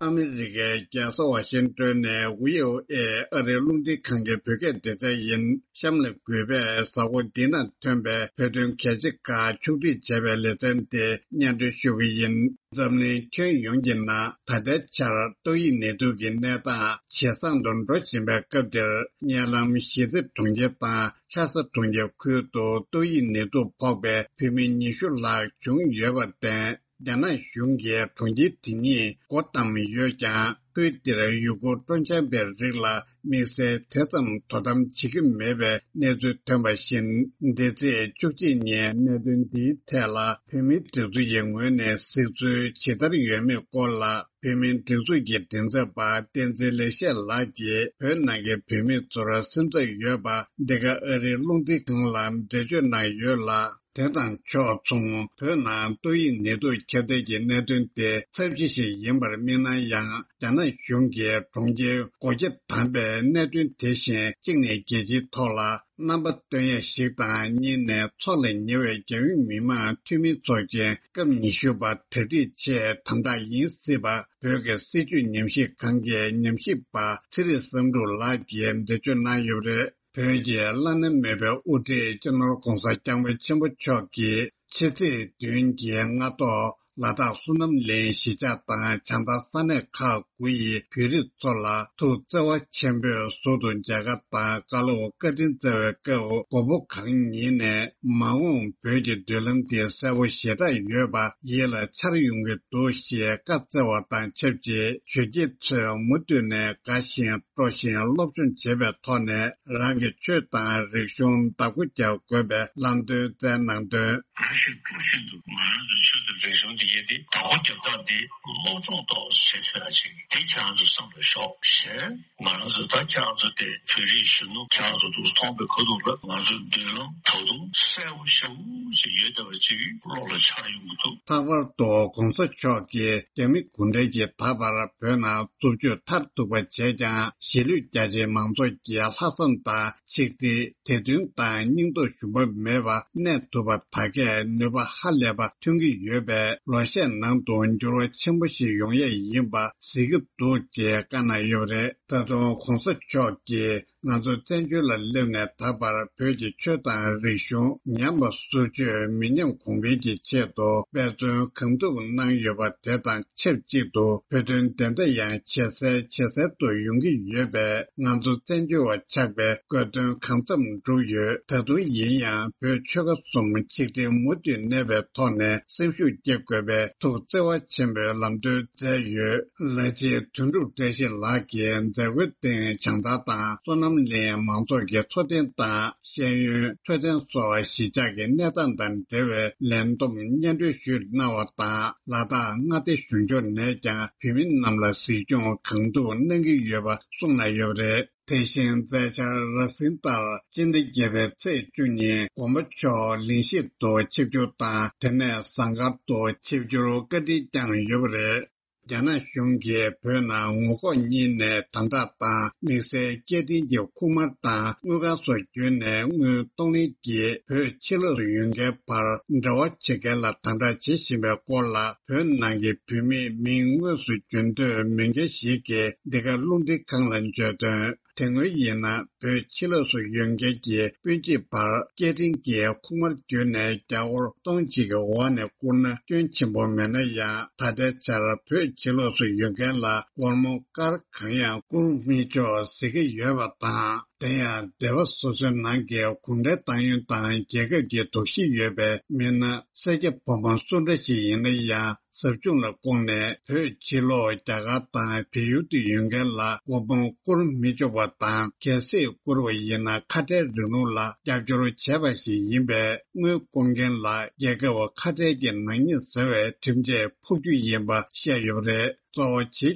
ཨ་མི་རི་ཀའི་རྒྱལ་ས་ཝ་ཤིང་ཊོན་ནས་ཝི་ཨོ་ཨེ་ཨ་རིའི་རླུང་འཕྲིན་ཁང་གི་བོད་སྐད་སྡེ་ཚན་ཡིན། གཤམ་ལ་གུས་པས་གཟའ་འཁོར་འདི་ན་ཐོན་པའི་བོད་དོན་གལ་ཆེ་ཁག་ཕྱོགས་སྒྲིག་བྱས་པའི་ལེ་ཚན་དེ་སྙན་སྒྲོན་ཞུ་གི་ཡིན། འཛམ་གླིང་ཁྱོན་ཡོངས་ཀྱི་ནང་ད་ལྟའི་ཆར་ཏོག་དབྱིབས་ནད་དུག་གི་གནས་སྟངས་ཇེ་བཟང་དུ་འགྲོ་བཞིན་པའི་སྐབས་འདིར། གཉའ་ལམ་གཞིས་རྩེ་གྲོང་ཁྱེར་དང་ལྷ་ས་གྲོང་ཁྱེར་ཁུལ་དུ་ཏོག་དབྱིབས་ནད་དུག་ཕོག་པའི་བོད་མི་ཉི་ཤུ་ལྷག་བྱུང་ཡོད་པར་བརྟེན། རྒྱ་ནག་གཞུང་གིས་གྲོང་ཁྱེར་དེ་ཉིད་སྒོ་བསྡམས་ཡོད་ཀྱང་། ཁུལ་འདིར་ཡུལ་སྐོར་སྤྲོ་འཆམ་པའི་རིགས་ལ་དམིགས་བསལ་དེ་ཙམ་དོ་དམ་བྱེད་ཀྱི་མེད་པའི་གནས་ཚུལ་ཐོན་པ་བཞིན། འདས་ཚེས་བཅུ་གཅིག་ཉིན་གནད་དོན་འདིའི་ཐད་ལ་བོད་མིའི་སྒྲིག་འཛུགས་ཀྱི་ངོས་ནས་གཟིགས་ཚུལ་ཇི་ལྟར་ཡོད་མེད་སྐོར་ལ། བོད་མིའི་སྒྲིག་འཛུགས་ཀྱི་མགྲིན་ཚབ་པ་བསྟན་འཛིན་ལེགས་བཤད་ལགས་ཀྱིས་བོད་ནང་གི་བོད་མི་ཚོར་སེམས་འཚབ་ཡོད་པ་འདི་ག་ཨ་རིའི་རླུང་འཕྲིན་ཁང་ལ་འགྲེལ་བརྗོད་གནང་ཡོད་ལ། དེ་དང་ཕྱོགས་མཚུངས། བོད་ནང་ཏོག་དབྱིབས་ནད་དུག་ཁྱབ་གདལ་གྱི་གནད་དོན་དེ་ཚབས་ཆེ་ཞིག་ཡིན་པར་དམིགས་ན་ཡང་། རྒྱ་ནག་གཞུང་གིས་གྲོང་ཁྱེར་སྒོ་ཁྱི་བསྡམས་པའི་གནད་དོན་དེ་བཞིན་གཅིག་ནས་རྒྱལ་སྤྱིའི་ཐོག་ལ་རྣམ་པ་སྟོན་ཡ་ཞིག་དང་། གཉིས་ནས་ཚོགས་ལ་ཉེ་བའི་རྒྱལ་ཡོངས་མི་དམངས་འཐུས་མི་ཚོགས་ཆེན་སྐབས་ཉི་ཤུ་པ་གྲ་སྒྲིག་ཆེད་དམ་དྲག་ཡིན་སྲིད་པ། བོད་ཀྱི་སྲིད་བྱུས་ཉམས་ཞིབ་ཁང་གི་ཉམས་ཞིབ་པ་ཚེ་རིང་བསམ་འགྲུབ་ལགས་ཀྱིས་འགྲེལ་བརྗོད་གནང་ཡོད་པ་རེད། བོད་ཀྱི་བླ་ན་མེད་པའི་དབུ་ཁྲིད་སྤྱི་ནོར་༧གོང་ས་༧སྐྱབས་མགོན་ཆེན་པོ་མཆོག་གིས་ཕྱི་ཚེས་བདུན་གྱི་སྔ་ཐོག་ལ་དྭགས་བསོད་ནམས་གླིང་གཞིས་ཆགས་དང་བྱང་མཐའ་ས་གནས་ཁག་དགུ་ཡི་བོད་རིགས་ཚོ་ལ་ཐུགས་བརྩེ་བ་ཆེན་པོས་ཟུར་དུ་མཇལ་ཁ་དང་བཀའ་སློབ་བཀའ་དྲིན་སྩལ་བའི་སྐབས། མགོན་པོ་གང་ཉིད་ནས་མ་འོངས་བོད་ཀྱི་མདུན་ལམ་དེ་གསལ་པོ་ཞེ་དྲག་ཡོད་པ་ཡིད་ལ་འཆར་ཡོང་གི་འདུག་ཞེས་བཀའ་སྩལ་བ་དང་ཆབས་ཅིག་གཞོན་སྐྱེས་ཚོས་མུ་མཐུད་ནས་དགའ་ཞིང་། སྤྲོ་ཞིང་སློབ་སྦྱོང་བྱེད་པའི་ཐོག་ནས་རང་གི་ཆོས་དང་རིག་གཞུང་བདག་པོ་རྒྱག་དགོས་པའི་ལམ་སྟོན་སྩལ་གནང་དོན། དགའ་ཞིང་སྤྲོ་བཞིན་དུ་ང་རང་ཚོའི་ཆོས་དང་རིག་གཞུང་འདི་ཡིན་ཏེ། བདག་པོ་རྒྱབ་སྟངས་འདི་སློབ་སྦྱོང་ཏོག་ཙམ་བྱེད་ཐུབ་ཡ་ཅིག་འདི་ཁྱེད་རང་ཚོས་བསམ་བློ་ཞོག་ཞེས། ང་རང་ཚོ་ད་ཁྱེད་རང་ཚོ་དེ་བོད་རིགས་གཞོན་ནུ་ཁྱེད་རང་ཚོ་འདུག་མཐོང་པའི་ཁ་ཐུག་ལ་ང་ཚོའི་མདུན་ལམ་ད་དུང་གསལ་པོ་ཞེ་པོ་ཞིག་ཡོད་བསྡད་པ་ཅིག་བློ་ལ་འཆར་ཡོང་གི་འདུག་ལྷག་པར་དུ་༧གོང་ས་མཆོག་གིས་རྒྱ་མི་གུང་ཁྲན་གྱིས་ད་བར་བོད་ནང་རྩུབ་སྤྱོད་མཐར་ཐུག་པ་བྱས་ཀྱང་། གཞིས་ལུས་རྒྱ་ཆེའི་མང་ཚོགས་ཀྱི་ལྷག་བསམ་དང་ཆིག་སྒྲིལ། བདེ་དོན་དང་སྙིང་སྟོབས་ཞུམ་པ་མེད་པ་གནས་ཐུབ་པ་ད་གས་ནུས་པ་ཧ་ལས་པ་ཐོན་གྱི་ཡོད་པས། ལོ་ཤས་ནང་དུ་འགྱུར་བ་ཆེན་པོ་ཞིག་ཡོང་ཡས་ཡིན་པ་གཟིགས་ཀྱི་འདུག་ཅེས་བཀའ་གནང་ཡོད་པ་རེད། ད་དུང་གོང་ས་མཆོག་གིས་ང་ཚོ་བཙན་བྱོལ་ལ་སླེབས་ནས་ད་བར་བོད་ཀྱི་ཆོས་དང་རིག་གཞུང་ཉམས་པ་སོར་ཆུད་མི་ཉམས་གོང་འཕེལ་གྱི་ཆེད་དུ་འབད་བརྩོན་གང་ཐུབ་གནང་ཡོད་པ་དེ་དང་ཆབས་ཅིག་ཏུ་བོད་དོན་བདེན་མཐའ་ཡང་ཇེ་གསལ་ཇེ་གསལ་དུ་ཡོང་གི་ཡོད་པས། ང་ཚོ་བཙན་བྱོལ་བ་ཆགས་པའི་དགོས་དོན་གང་འཚམ་འགྲུབ་ཡོད། ད་དུང་ཡིན་ཡང་བོད་ཆོལ་ཁ་གསུམ་ཆིག་སྒྲིལ་མུ་མཐུད་གནས་པའི་ཐོག་ནས་སེམས་ཤུགས་སྐྱེད་དགོས་པའི་ཐུགས་བརྩེ་བ་ཆེན་པོས་ལམ་སྟོན་མཛད་ཡོད། ལགས་ཀྱི་དོན་གྲུབ་བཀྲ་ཤིས་ལགས་ཀྱིས་མཛད་སྒོའི་སྟེང་བྱང་ཐང་དང་བསོད་ནམས་གླིང་མང་ཚོགས་ཀྱི་འཚོ་རྟེན་དང་། ཤེས་ཡོན། འཕྲོད་བསྟེན་སོགས་གཞིས་ཆགས་ཀྱི་གནས་སྟངས་དང་འབྲེལ་བའི་ལས་བསྡོམས་སྙན་སྒྲོན་ཞུས་གནང་བ་དང་། ལ་དྭགས་མངའ་སྡེ་གཞུང་ཕྱོགས་ནས་ཀྱང་བོད་མི་རྣམས་ལ་གཟིགས་སྐྱོང་གང་ཐུབ་གནང་གི་ཡོད་པ་གསུངས་གནང་ཡོད་པ་རེད། དེ་བཞིན་མཛད་འཆར་ར་སིང་ལྟར་སྤྱི་ཟླ་བརྒྱད་པའི་ཚེས་བཅུ་ཉིན་དགོན་པ་མཆོག་གླིང་བཞི་དུ་ཆིབས་བསྒྱུར་དང་། དེ་ནས་ཟངས་དཀར་དུ་ཆིབས་བསྒྱུར་བཀའ་འདྲི་བསྐྱངས་ཡོད་པ་རེད། རྒྱ་ནག་གཞུང་གིས་བོད་ནང་ངོ་ལྐོག་གཉིས་ནས་དམ་དྲག་དང་། དམིགས་བསལ་སྐྱེ་ལྡན་གྱི་ཁུག་དམར་དང་དངུལ་ཁང་སོགས་བརྒྱུད་ནས་དངུལ་གཏོང་ལེན་གྱིས་བོད་ཕྱི་ལོགས་སུ་ཡོད་མཁན་བར་འབྲེལ་བ་བྱེད་མཁན་ལ་དམ་དྲག་བྱེད་བཞིན་པའི་སྐོར་ལ། བོད་ནང་གི་བོད་མིའི་མིང་དངོས་སུ་བརྗོད་འདོད་མེད་མཁན་ཞིག་གིས་འདི་ག་རླུང་འཕྲིན་ཁང་ལ་བརྗོད་དོན། དེ་སྔོན་ཡིན་ན་བོད་ཕྱི་ལོགས་སུ་ཡོད་མཁན་གྱི་སྤུན་མཆེད་བར་སྐད་འཕྲིན་གྱི་ཁུག་དམར་བརྒྱུད་ནས་རྒྱ་སྒོར་སྟོང་གཅིག་གི་འོག་ནས་བསྐུར་ན་སྐྱོན་ཆེན་པོ་མེད་ན་ཡང་། ད་ལྟའི་ཆར་བོད་ཕྱི་ལོགས་སུ་ཡོད་མཁན་ལ་སྒོར་མོ་སྐར་གང་ཡང་བསྐུར་མི་ཆོག་ཟེར་གྱི་ཡོད་པ་དང་། དེ་ཡང་སྡེ་བ་སོ་སོའི་ནང་གི་གུང་ཁྲན་ཏང་ཡོན་དང་རྒྱལ་ཁབ་ཀྱི་དོགས་གཞི་ཡོད་པའི་མི་སྣ་སེར་སྐྱ་ཕོ་མོ་སུ་འདྲ་ཞིག་ཡིན་ན་ཡང་། ཟབ་སྦྱོང་ལ་བསྐོངས་ནས་བོད་ཕྱི་ལོགས་རྒྱ་གར་དང་བལ་ཡུལ་དུ་ཡོད་མཁན་ལ་སྒོར་མོ་བསྐུར་མི་ཆོག་པ་དང་། གལ་སྲིད་བསྐུར་བ་ཡིན་ན་ཁ་བྲལ་རིང་ལུགས་ལ་རྒྱབ་སྐྱོར་བྱས་པ་ཞིག་ཡིན་པས། དངུལ་བསྐུར་མཁན་ལ་རྒྱལ་ཁབ་ཁ་བྲལ་གྱི་ནག་ཉེས་ཟེར་བའི་ཁྲིམས་ཆད་ཕོག་རྒྱུ་ཡིན་པ་བཤད་ཡོད་པ་རེད། གཙོ་བོ་བྱེས་ཀྱི་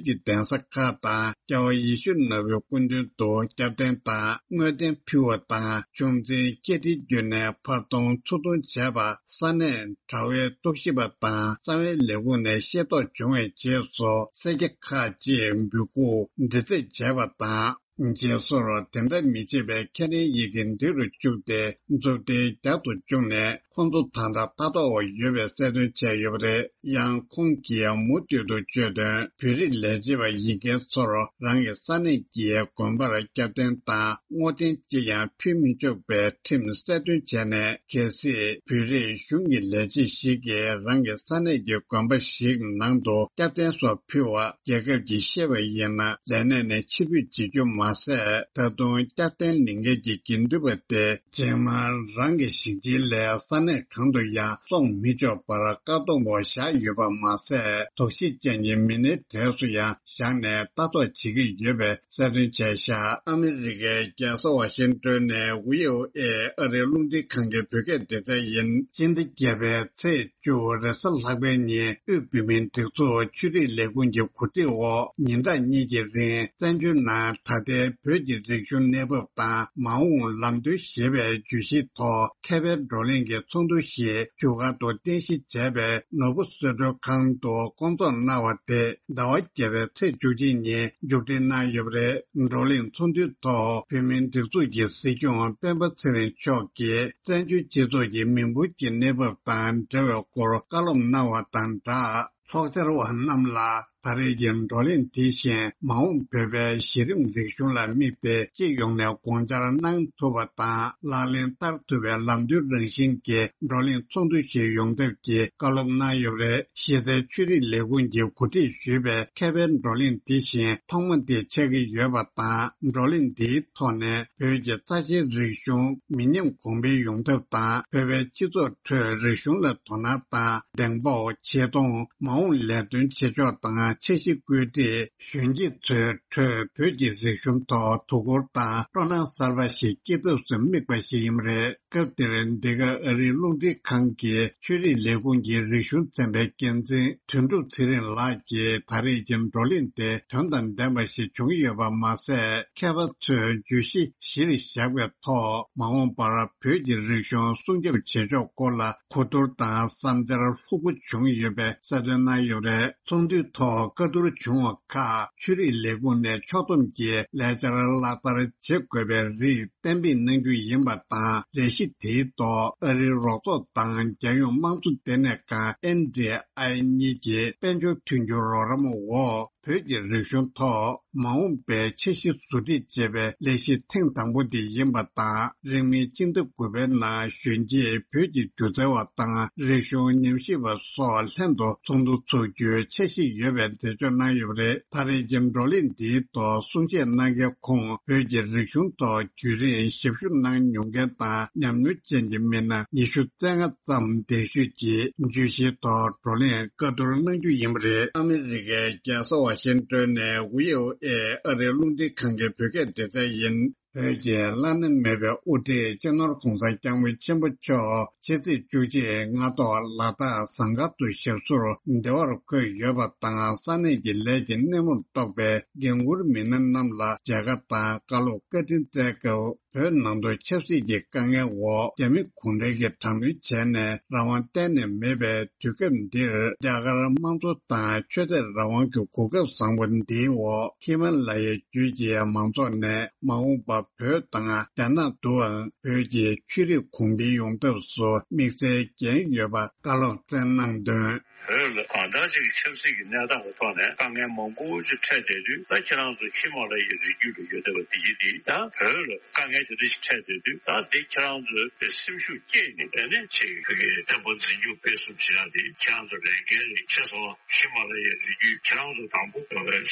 གདན་ས་ཁག་དང་རྒྱལ་བ་ཡིད་བཞིན་ནོར་བུའི་སྐུ་མདུན་དུ་སྐྱབས་རྟེན་དང་དངོས་རྟེན་ཕུལ་བ་དང་། ཆུང་འཛིན་སྐྱེ་ཕྲེང་བརྒྱུད་ནས་ཕར་གཏོང་ཚུར་གཏོང་བྱས་པ། ས་གནས་དྲ་བའི་རྟོག་ཞིབ་པ་དང་རྩ་བའི་ལས་ཁུངས་ནས་ཤེས་རྟོགས་བྱུང་བའི་རྗེས་སུ། སེར་སྐྱ་ཁག་ཅིག་འབོད་སྐུལ་འདྲི་རྩད་བྱས་པ་དང་། རྗེས་སོར་དེ་འདྲ་མི་བྱེད་པའི་ཁས་ལེན་ཡི་གེ་འདི་རུ་བཅུག་སྟེ། མཛུབ་ཐེལ་རྒྱག་ཏུ་བཅུག་ནས། ཁོང་ཚོ་ད་ལྟ་ལྟ་རྟོག་འོག་ཡོད་པའི་གསལ་སྟོན་བྱས་ཡོད་པ་རེད། ཡང་ཁོང་གིས་མུ་མཐུད་དུ་བརྗོད་དོན། བོད་རིགས་ལས་བྱེད་པ་ཡིན་མཁན་ཚོར་རང་གི་ས་གནས་ཀྱི་དགོན་པར་སྐྱབས་རྟེན་དང་བསྔོ་རྟེན་ཅི་ཡང་ཕུལ་མི་ཆོག་པའི་ཁྲིམས་གསལ་སྟོན་བྱས་ནས། གལ་སྲིད་བོད་རིགས་གཞུང་གི་ལས་བྱེད་ཞིག་གིས་རང་གི་ས་གནས་ཀྱི་དགོན་པ་ཞིག་ནང་དུ་སྐྱབས་རྟེན་སོགས་ཕུལ་བ་རྒྱལ་ཁབ་ཀྱིས་ཤེས་པ་ཡིན་ན། ལས་གནས་ནས་ཕྱིར་འབུད་བྱེད་རྒྱུ་མ་ཟད། ད་དུང་སྐྱབས་རྟེན་ལེན་མཁན་གྱི་དགེ་འདུན་པ་དེ། རྗེས་མར་རང་གི་ཞིང་ཆེན་ལས་ས་གནས་གང་དུ་ཡང་སོང་མི་ཆོག་པར་བཀག་སྡོམ་འོག་བཞག་ཡོད་པ་མ་ཟད། དོགས་གཞི་ཅན་གྱི་མི་སྣའི་གྲས་སུ་ཡང་བཞག་ནས་ལྟ་རྟོག་བྱེད་ཀྱི་ཡོད་པའི་གསལ་སྟོན་བྱས་བཞག་ཨ་མི་རི་ཀའི་རྒྱལ་ས་ཝ་ཤིང་ཏོན་ནས་བྷི་ཨོ་ཨེ་ཨ་རིའི་རླུང་འཕྲིན་ཁང་གི་བོད་སྐད་སྡེ་ཚན་ཡིན། སྤྱི་ཟླ་བརྒྱད་པའི་ཚེས་བཅུ་རེས་གཟའ་ལྷག་པའི་ཉིན། དབུས་བོད་མིའི་སྒྲིག་འཛུགས་ཆོས་རིག་ལས་ཁུངས་ཀྱི་གོ་སྒྲིག་འོག་ཉིན་གྲངས་གཉིས་ཀྱི་རིང་། བཙན་བྱོལ་ནང་ད་ལྟའི་བོད་ཀྱི་རིག་གཞུང་གནས་བབ་དང་མ་འོངས་ལམ་སྟོན་ཞེས་པའི་བརྗོད་གཞིའི་ཐོག་མཁས་པའི་བགྲོ་གླེང་གི་ཚོགས་འདུ་ཞིག་བཞུགས་སྒར་དུ་རྟེན་གཞི་བྱས་པའི་ནོར་བུ་གསོལ་མགྲོན་ཁང་དུ་བསྐོང་ཚོགས་གནང་བ་དེ། ཟླ་བ་བརྒྱད་པའི་ཚེས་བཅུ་གཅིག་ཉིན་མཇུག་སྒྲིལ་གནང་ཡོད་པ་རེད། བགྲོ་གླེང་ཚོགས་འདུའི་ཐོག་བོད་མིའི་སྒྲིག་འཛུགས་ཀྱི་སྲིད་སྐྱོང་སྤེན་པ་ཚེ་རིང་མཆོག་གིས་བཙན་བྱོལ་སྤྱི་ཚོགས་ཀྱི་མི་འབོར་གྱི་གནས་བབ་དང་འབྲེལ་བའི་སྐོར་བཀའ་སློབ་གནང་བ་དང་སྦྲགས། ཚོགས་བཅར་བ་རྣམས་ལ་ད་རེས་ཀྱི་བགྲོ་གླེང་དེ་བཞིན་མ་འོངས་བོད་པའི་གཞི་རིམ་རིག་གཞུང་ལ་དམིགས་ཏེ་སྤྱི་ཡོངས་ནས་དགོངས་འཆར་གནང་ཐུབ་པ་དང་ལག་ལེན་བསྟར་ཐུབ་པའི་ལམ་སྟོན་རང་བཞིན་གྱི་བགྲོ་གླེང་ཚོགས་འདུ་ཞིག་ཡོང་ཐབས་ཀྱི་བཀའ་སློབ་གནང་ཡོད་པ་རེད། གཞི་རྩའི་ཆོས་རིག་ལས་ཁུངས་ཀྱིས་གོ་སྒྲིག་ཞུས་པའི་མཁས་པའི་བགྲོ་གླེང་དེ་བཞིན་ཐོག་མ་དེ་ཆགས་ཀྱི་ཡོད་པ་དང་། བགྲོ་གླེང་འདིའི་ཐོག་ནས་བོད་ཀྱི་རྩ་ཆེའི་རིག་གཞུང་མི་ཉམས་གོང་འཕེལ་ཡོང་ཐབས་དང་། བོད་པའི་སྤྱི་ཚོགས་ཁྲོད་རིག་གཞུང་ལ་དོ་སྣང་དང་གདེང་སྤོབས། ཆེ་མཐོང་། མ་འོངས་ལས་དོན་བྱེད་ཕྱོགས་དང་འཆར་གཞི་བཀོད་སྒྲིག་གཞོན་སྐྱེས་ཚོའི་ཁྲོད་བོད་ཀྱི་རིག་གཞུང་ཐོག་དོ་ཁུར་དང་སྤྲོ་སྣང་གསར་པ་ཞིག་སྐྱེ་ཐབས་སུ་དམིགས་པ་ཞིག་ཡིན་པ་རེད། སྐབས་དེར་འདི་ག་ཨ་རིའི་རླུང་འཕྲིན་ཁང་གི་ཆོས་རིག་ལས་ཁུངས་ཀྱི་རིག་གཞུང་ཚན་པའི་འགན་འཛིན་དོན་གྲུབ་ཚེ་རིང་ལགས་ཀྱིས་ད་རེས་ཀྱི་བགྲོ་གླེང་དེ་དོན་དང་ལྡན་པ་ཞིག་བྱུང་ཡོད་པ་མ་ཟད། མཁས་པ་ཚོས་བརྗོད་གཞི་གཞིར་བཞག་པའི་ཐོག་མ་འོངས་པར་བོད་ཀྱི་རིག་གཞུང་སྲུང་སྐྱོབ་བྱེད་ཕྱོགས་སྐོར་ལ་གོ་བསྡུར་དང་བསམ་འཆར་ལྷུག་པོ་བྱུང་ཡོད་པའི་གསལ་སྟོན་གནང་ཡོད་པ་རེད། ཚོགས་འདུའི་ཐོག་བཀའ་བསྡུར་བྱུང་བ་ཁག་ཆོས་རིག་ལས་ཁུངས་ནས་ཕྱོགས་བསྡོམས་ཀྱིས་ལས་འཆར་ལག་བསྟར་བྱེད་དགོས་པའི་རིགས་གཏན་འབེབས་གནང་རྒྱུ་ཡིན་པ་དང་། ལས་གཞི་དེའི་ཐོག་ཨ་རིའི་རོགས་ཚོགས་དང་རྒྱལ་ཡོངས་དམངས་གཙོ་ལྟེ་གནས་ཁང་ཨེན་ཌི་ཨའི་གཉིས་ཀྱི་དཔལ་འབྱོར་མཐུན་འགྱུར་རོགས་རམ་འོག་ བོད་ཀྱི་རིག་གཞུང་ཐོག་མ་འོངས་པའི་འཆར་གཞི་ཟུར་སྒྲིག་བྱེད་པའི་ལས་གཞི་ཐེངས་དང་པོ་དེ་ཡིན་པ་དང་། རིང་མིན་སྤྱི་ཟླ་དགུ་པའི་ནང་གཞོན་སྐྱེས་བོད་ཀྱི་སྒྱུ་རྩལ་བ་དང་རིག་གཞུང་ཉམས་ཞིབ་པ་སོགས་ལྷན་དུ་ཚོགས་འདུ་ཚོགས་རྒྱུའི་འཆར་གཞི་ཡོད་པའི་འགྲེལ་བརྗོད་གནང་ཡོད་པ་རེད། ད་རེས་ཀྱི་བགྲོ་གླེང་འདིའི་ཐོག་གསུང་བཤད་གནང་མཁན་ཁོང་བོད་ཀྱི་རིག་གཞུང་ཐོག་རྒྱུན་རིང་ཞབས་ཞུ་གནང་མྱོང་མཁན་དང་ཉམས་མྱོང་ཅན་གྱི་མི་སྣ་ཉི་ཤུ་རྩ་ལྔ་ཙམ་གདན་ཞུས་ཀྱིས་བརྗོད་གཞིའི་ཐོག་བགྲོ་གླེང་བཀའ་བསྡུར་གནང་རྒྱུ་ཡིན་པ་རེད། ཨ་མི་རི་ཀའི་རྒྱལ་ས་ཝ་ཤིང་ཏོན་ནས་ཝི་ཨོ་ཨེ་ཨ་རིའི་རླུང་འཕྲིན་ཁང་གི་བོད་སྐད་སྡེ་ཚན་ཡིན། བོད་ཀྱི་བླ་ན་མེད་པའི་དབུ་ཁྲིད་སྤྱི་ནོར་༧གོང་ས་༧སྐྱབས་མགོན་ཆེན་པོ་མཆོག་ཕྱི་ཚེས་བཅུ་གཅིག་སྔ་ཐོག་ལ་དྭགས་ཟངས་དཀར་དུ་ཞབས་སོར་བདེ་བར་འཁོད་ཡོད་པ་དང་། ས་གནས་ཀྱི་ལས་ཀྱི་སྣེ་མོར་གཏོགས་པའི་འགན་འཁུར་མི་སྣ་རྣམས་ལ་མཇལ་ཁ་དང་བཀའ་སློབ་བཀའ་དྲིན་སྩལ་སྐབས། བོད་ནང་དུ་ཆབ་སྲིད་ཀྱི་དཀའ་ངལ་འོག་རྒྱ་མི་གུང་ཁྲན་གྱིས་དྲག་གནོན་བྱས་ནས་རང་དབང་གཏན་ནས་མེད་པའི་དུས་སྐབས་འདིར། རྒྱ་གར་དམངས་གཙོ་དང་ཆོས་དད་རང་དབང་གི་གོ་སྐབས་བཟང་པོ་འདིའི་འོག་ཧི་མ་ལ་ཡའི་རྒྱུད་ཀྱི་མང་ཚོགས་ནས་མ་འོངས་པ་བོད་དང་རྒྱ་ནག་ཏུའང་བོད་ཀྱི་ཆོས་རིག་གོང་འཕེལ་ཡོང་ཐབས་སུ་དམིགས་བསལ་འགན་ཡོད་པ་བཀའ་སློབ་སྩལ་གནང་དོན། བོད་ལ་གང་ལྟར་ཅིག་གི་ཆབ་སྲིད་ཀྱི་གནས་སྟངས་ཀྱི་ཐོག་ནས་དཀའ་ངལ་མང་པོ་ཅིག་འཕྲད་བསྡད་དུས། ད་ཁྱེད་རང་ཚོ་ཧི་མ་ལ་ཡའི་རི་རྒྱུད་ལ་ཡོད་བསྡད་པ་དེ་ཡིན་དེ། ད་བོད་ལ་དཀའ་ངལ་དེ་འདྲ་ཞིག་འཕྲད་བསྡད་དུས། ད་དེ་ཁྱེད་རང་ཚོས་དེ་སེམས་ཤུགས་བསྐྱེད་ནས། ཨ་ནི་ཅིག་བོད་ཀྱི་བསྟན་པ་འཛིན་སྐྱོང་སྤེལ་གསུམ་བྱེད་ཡག་དེ་ཁྱེད་རང་ཚོ་ལས་འགན་རེད། བྱས་སོང་། ཧི་མ་ལ་ཡའི་རི་རྒྱུད་ཁྱེད་རང་ཚོ་དང་པོ་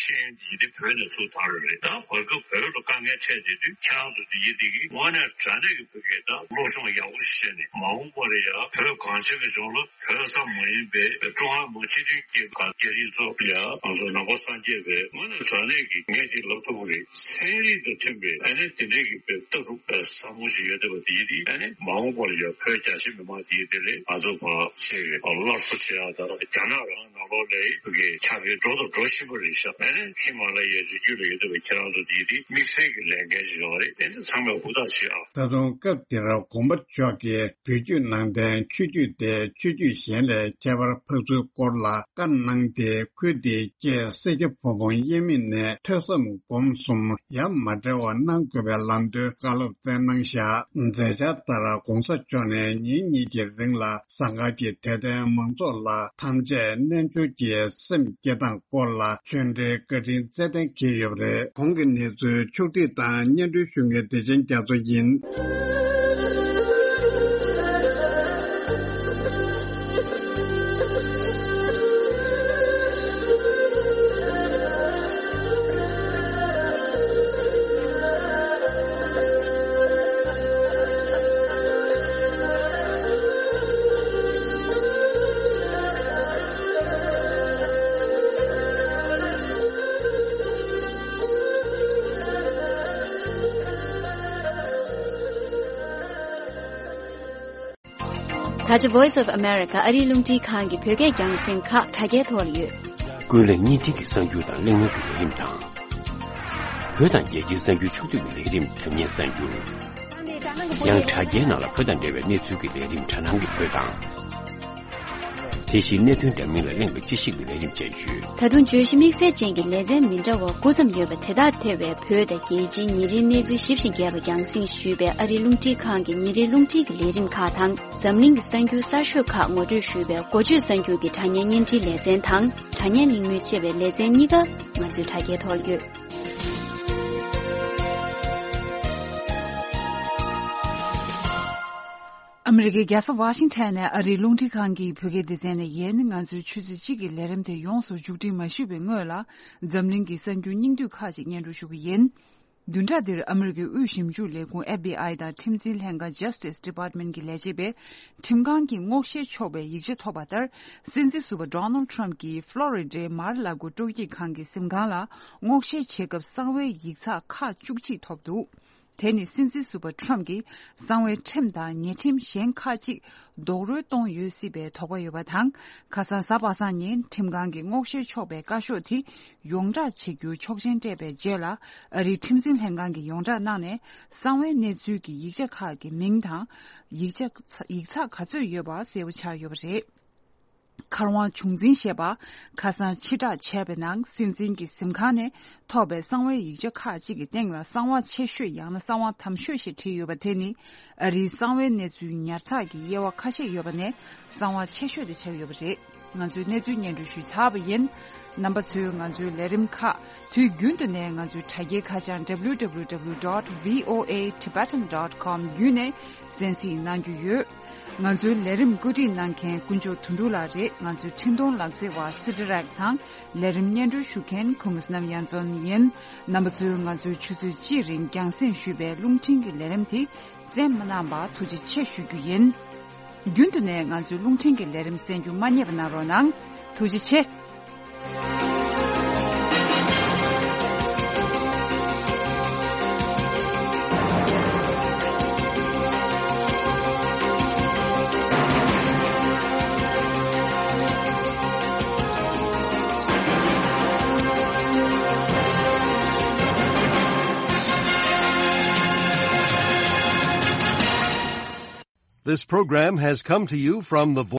ཤེས་ཡོན་དེ་ཡིན་དེ་བོད་ནས་ཚུར་བཏང་རོགས་རེད། ད་བར་སྐབས་བོད་ལ་དཀའ་ངལ་འཕྲད་བསྡད་དུས། ཁྱེད་རང་ཚོ་དེ་ཡིན་དེ་གི་དངོས་གནས་དྲང་གནས་ཀྱི་བོད་སྐད་དང་སློབ་སྦྱོང་ཡག་པོ་ཞིག་བྱས་ནས། མ་འོངས་པར་ཡང་བོད་གངས་ཅན་གྱི་ལྗོངས་ལ། བོད་ཙམ་མ་ཡིན་པའི་ཀྲུང་ཧྭ་མི་དམངས་སྤྱི་མཐུན་རྒྱལ་ཁབ་རྒྱ་རིགས་ཚོ་ཡང་ང་ཚོ་ནང་པ་སངས་རྒྱས་པའི་དངོས་གནས་དྲང་གནས་ཀྱི་ངས་དེ་ལབ་ཐུབ་ཀྱི་རེད། ཚན་རིག་དང་མཐུན་པའི་ཨ་ནི་དེ་འདྲས་ཀྱི་བོད་ལྟ་གྲུབ་བཟང་པོ་ཞིག་ཡོད་བསྡད་པ་དེ་ཡིན་དེ། ཨ་ནི་མ་འོངས་པར་ཡང་བོད་རྒྱ་ཆེ་མི་མང་དེ་ཡིན་དེ་ལས་ང་ཚོ་བར་ཆད་སླར་གསོ་བྱེད་ཡག་དང་། རྒྱ་ནག་རང་ནང་ལོགས་ལ་བོད་ཀྱི་ཆ་རྐྱེན་འགྲོ་དང་འགྲོ་བཞིན་པ་རེད་ཤག་ཨ་ནི་ཧི་མ་ལ་ཡའི་རི་རྒྱུད་ལ་ཡོད་བསྡད་པའི་ཁྱེད་རང་ཚོ་དེ་ཡིན་དེ་དམིགས་བསལ་གྱི་ལས་འགན་ཞིག་ཡོད་རེད། དེ་ནི་ཚང་མས་ཧུར་ཐག་བྱེད་ཨ། ད་དུང་སྐབས་དེར་དགོངས་པ་མཆོག་གིས་བོད་བརྒྱུད་ནང་བསྟན་ཆོས་བརྒྱུད་དེ་ཆོས་བརྒྱུད་གཞན་ལས་ཁྱད་པར་འཕགས་ཚུལ་སྐོར་ལ་བཀའ་གནང་སྟེ། ཁུལ་དེའི་སྐྱེས་སེར་སྐྱ་ཕོ་མོ་དབྱེར་མེད་ནས་ཐོས་བསམ་སྒོམ་གསུམ་ཡ་མ་བྲལ་བ་གནང་དགོས་པའི་ལམ་སྟོན་བཀའ་སློབ་སྩལ་གནང་བཞག་མཛད་འཆར་ལྟར་༧གོང་ས་མཆོག་ནས་ཉིན་གཉིས་ཀྱི་རིང་ལ་ཟངས་དཀར་གྱི་དད་ལྡན་མང་ཚོགས་ལ་ཐམས་ཅད་རྣལ་འབྱོར་གྱི་སེམས་བསྐྱེད་སྟངས་སྐོར་ལ་ཆོས་འབྲེལ་བཀའ་དྲིན་སྩལ་གཏན་འཁེལ་ཡོད་པ་རེད། གོང་གི་གནས་ཚུལ་ཕྱོགས་བསྒྲིགས་དང་སྙན་སྒྲོན་ཞུ་མཁན་བདེ་ཆེན་རྒྱ་མཚོ་ཡིན། ད་ཆ་Voice of America ཨ་རིའི་རླུང་འཕྲིན་ཁང་གི་བོད་སྐད་རྒྱང་སྲིང་ཁག་དྲ་རྒྱའི་ཐོག་ལ་ཡོད། ཀུན་གླེང་བརྙན་འཕྲིན་གྱི་གསར་འགྱུར་དང་གླེང་མོལ་གྱི་ལས་རིམ་དང་། བོད་དང་རྒྱལ་སྤྱིའི་གསར་འགྱུར་ཕྱོགས་བསྡུས་ཀྱི་ལས་རིམ་དྲ་བརྙན་གསར་འགྱུར། ཡང་དྲ་རྒྱའི་ནང་ལ་བོད་དང་འབྲེལ་བའི་གནས་ཚུལ་གྱི་ལས་རིམ་དྲ་སྣང་གི་བོད་དང་། དེ་བཞིན་གནད་དོན་འདྲ་མིན་ལ་གླེང་བའི་དཔྱད་ཞིབ་ཀྱི་ལས་རིམ་བཅས་ཡོད། ད་དུང་བརྗོད་གཞི་དམིགས་བསལ་ཅན་གྱི་ལེ་ཚན་མི་འདྲ་བ་དགུ་ཙམ་ཡོད་པ་དེ་དག་ཐེ་བའི་བོད་དང་རྒྱལ་སྤྱིའི་ཉིན་རེའི་གནས་ཚུལ་ཞིབ་ཅིང་རྒྱས་པ་རྒྱང་སྲིང་ཞུས་པའི་ཨ་རིའི་རླུང་འཕྲིན་ཁང་གི་ཉིན་རེའི་རླུང་འཕྲིན་གྱི་ལས་རིམ་ཁག་དང་། འཛམ་གླིང་གི་གསར་འགྱུར་གསར་ཤོས་ཁག་ངོ་སྤྲོད་ཞུས་པའི་འགོ་བརྗོད་གསར་འགྱུར་གྱི་དྲ་བརྙན་བརྙན་འཕྲིན་ལེ་ཚན་དང་། དྲ་བརྙན་གླེང་མོལ་ཅེས་པའི་ལེ་ཚན་གཉིས་ཀ་ང་ཚོའི་དྲ་རྒྱའི་ཐོག་ལ་ཡོད། ཨ་མི་རི་ཀའི་རྒྱལ་ས་ཝ་ཤིང་ཊོན་ནས་ཨ་རིའི་རླུང་འཕྲིན་ཁང་གི་བོད་སྐད་སྡེ་ཚན་ནས་ཡིན། ང་ཚོའི་ཆུ་ཚོད་གཅིག་གི་ལས་རིམ་དེ་ཡོངས་སུ་མཇུག་སྒྲིལ་མ་ཞུས་པའི་སྔོན་ལ། འཛམ་གླིང་གི་གསར་འགྱུར་སྙིང་བསྡུས་ཁག་ཅིག་སྙན་སྒྲོན་ཞུ་གི་ཡིན། བདུན་ཕྲག་འདིར་ཨ་མི་རི་ཀའི་དབུས་ཞིབ་འཇུག་ལས་ཁུངས་ཨེཕ་བི་ཨའི་དང་ཁྲིམས་འཛིན་ལྷན་ཁང་Justice Department གྱི་ལས་བྱེད་པས་ཁྲིམས་ཁང་གིས་སྔོག་བཤེར་ཆོག་པའི་ཡིག་ཆ་ཐོབ་པ་ལྟར། སྲིད་འཛིན་ཟུར་པ་Donald Trump གྱིས་ཕློ་རི་ཌའི་མར་ལ་གོ་སྤྲོ་སྐྱིད་ཁང་གི་གཟིམ་ཁང་ལ་སྔོག་བཤེར་བྱེད་སྐབས་གསང་བའི་ཡིག་ཚགས་ཁག་བཅུ་གཅིག་ཐོབ་འདུག་དེ་ནི་སྲིད་འཛིན་ཟུར་པ་Trump གྱིས་གསང་བའི་ཁྲིམས་དང་ཉེས་ཁྲིམས་གཞན་ཁག་ཅིག་རྡོག་རོལ་གཏོང་ཡོད་སྲིད་པའི་དོགས་པ་ཡོད་པ་དང་། ཁ་སང་གཟའ་པ་སངས་ཉིན་ཁྲིམས་ཁང་གིས་སྔོག་བཤེར་ཆོག་པའི་བཀའ་ཤོག་དེ་ཡོངས་བསྒྲགས་བྱེད་རྒྱུའི་ཆོག་མཆན་སྤྲད་པའི་རྗེས་ལ། ཨ་རིའི་ཁྲིམས་འཛིན་ལྷན་ཁང་གིས་ཡོངས་བསྒྲགས་གནང་ནས། གསང་བའི་གནས་ཚུལ་གྱི་ཡིག་ཆ་ཁག་གི་མིང་དང་། ཡིག་ཆ་ཡིག་ཚགས་ག་ཚོད་ཡོད་པ་གསལ་པོ་ཆགས་ཡོད་པ་རེད། མཁར་དབང་བྱུང་འཛིན་ཞེས་པ་ཁ་སང་ཕྱིར་བསྒྲགས་བྱས་པའི་ནང་། སྲིད་འཛིན་གྱི་གཟིམ་ཁང་ནས་ཐོབ་པའི་གསང་བའི་ཡིག་ཆ་ཁག་ཅིག་གི་སྟེང་ལ། གསང་བ་ཆེ་ཤོས་ཡང་ན་གསང་བ་དམ་ཤོས་ཞེས་བྲིས་ཡོད་པ་དེ་ནི། ཨ་རིའི་གསང་བའི་གནས་ཚུལ་ཉར་ཚགས་ཀྱི་དབྱེ་བ་ཁ་ཤས་ཡོད་པ་ནས་གསང་བ་ཆེ་ཤོས་དེ་ཆགས་ཡོད་པ་རེད། ང་ཚོས་གནས་ཚུལ་སྙན་སྒྲོན་ཞུས་ཚར་བ་ཡིན། རྣམ་པ་ཚོས་ང་ཚོའི་ལས་རིམ་ཁག་དུས་རྒྱུན་དུ་ནས་ང་ཚོའི་དྲ་རྒྱའི་ཁ་བྱང་W W W dot V O A Tibetan dot com བརྒྱུད་ནས་གསན་གཟིགས་གནང་རྒྱུ་ཡོད། ང་ཚོའི་ལས་རིམ་བཀོད་སྒྲིག་གནང་མཁན་དཀོན་མཆོག་དོན་གྲུབ་ལགས་རེད། ང་ཚོའི་འཕྲིན་གཏོང་ལག་རྩལ་བ་སི་ཏི་རེག་དང་ལས་རིམ་སྙན་སྒྲོན་ཞུ་མཁན་ཁུ་མུ་སྣམ་ཡན་ཙོན་ཡིན། རྣམ་པ་ཚོས་ང་ཚོའི་ཆུ་ཚོད་གཅིག་རིང་རྒྱང་སྲིང་ཞུས་པའི་རླུང་འཕྲིན་གྱི་ལས་རིམ་དེ་གསན་མ་གནང་བར་ཐུགས་རྗེ་ཆེ་ཞུ་རྒྱུ་ཡིན། རྒྱུན་དུ་ནས་ང་ཚོའི་རླུང་འཕྲིན་གྱི་ལས་རིམ་གསན་རྒྱུ་མ་བསྙེལ་བ་གནང་རོགས་གནང་། ཐུགས་རྗེ་ཆེ། This program has come to you from the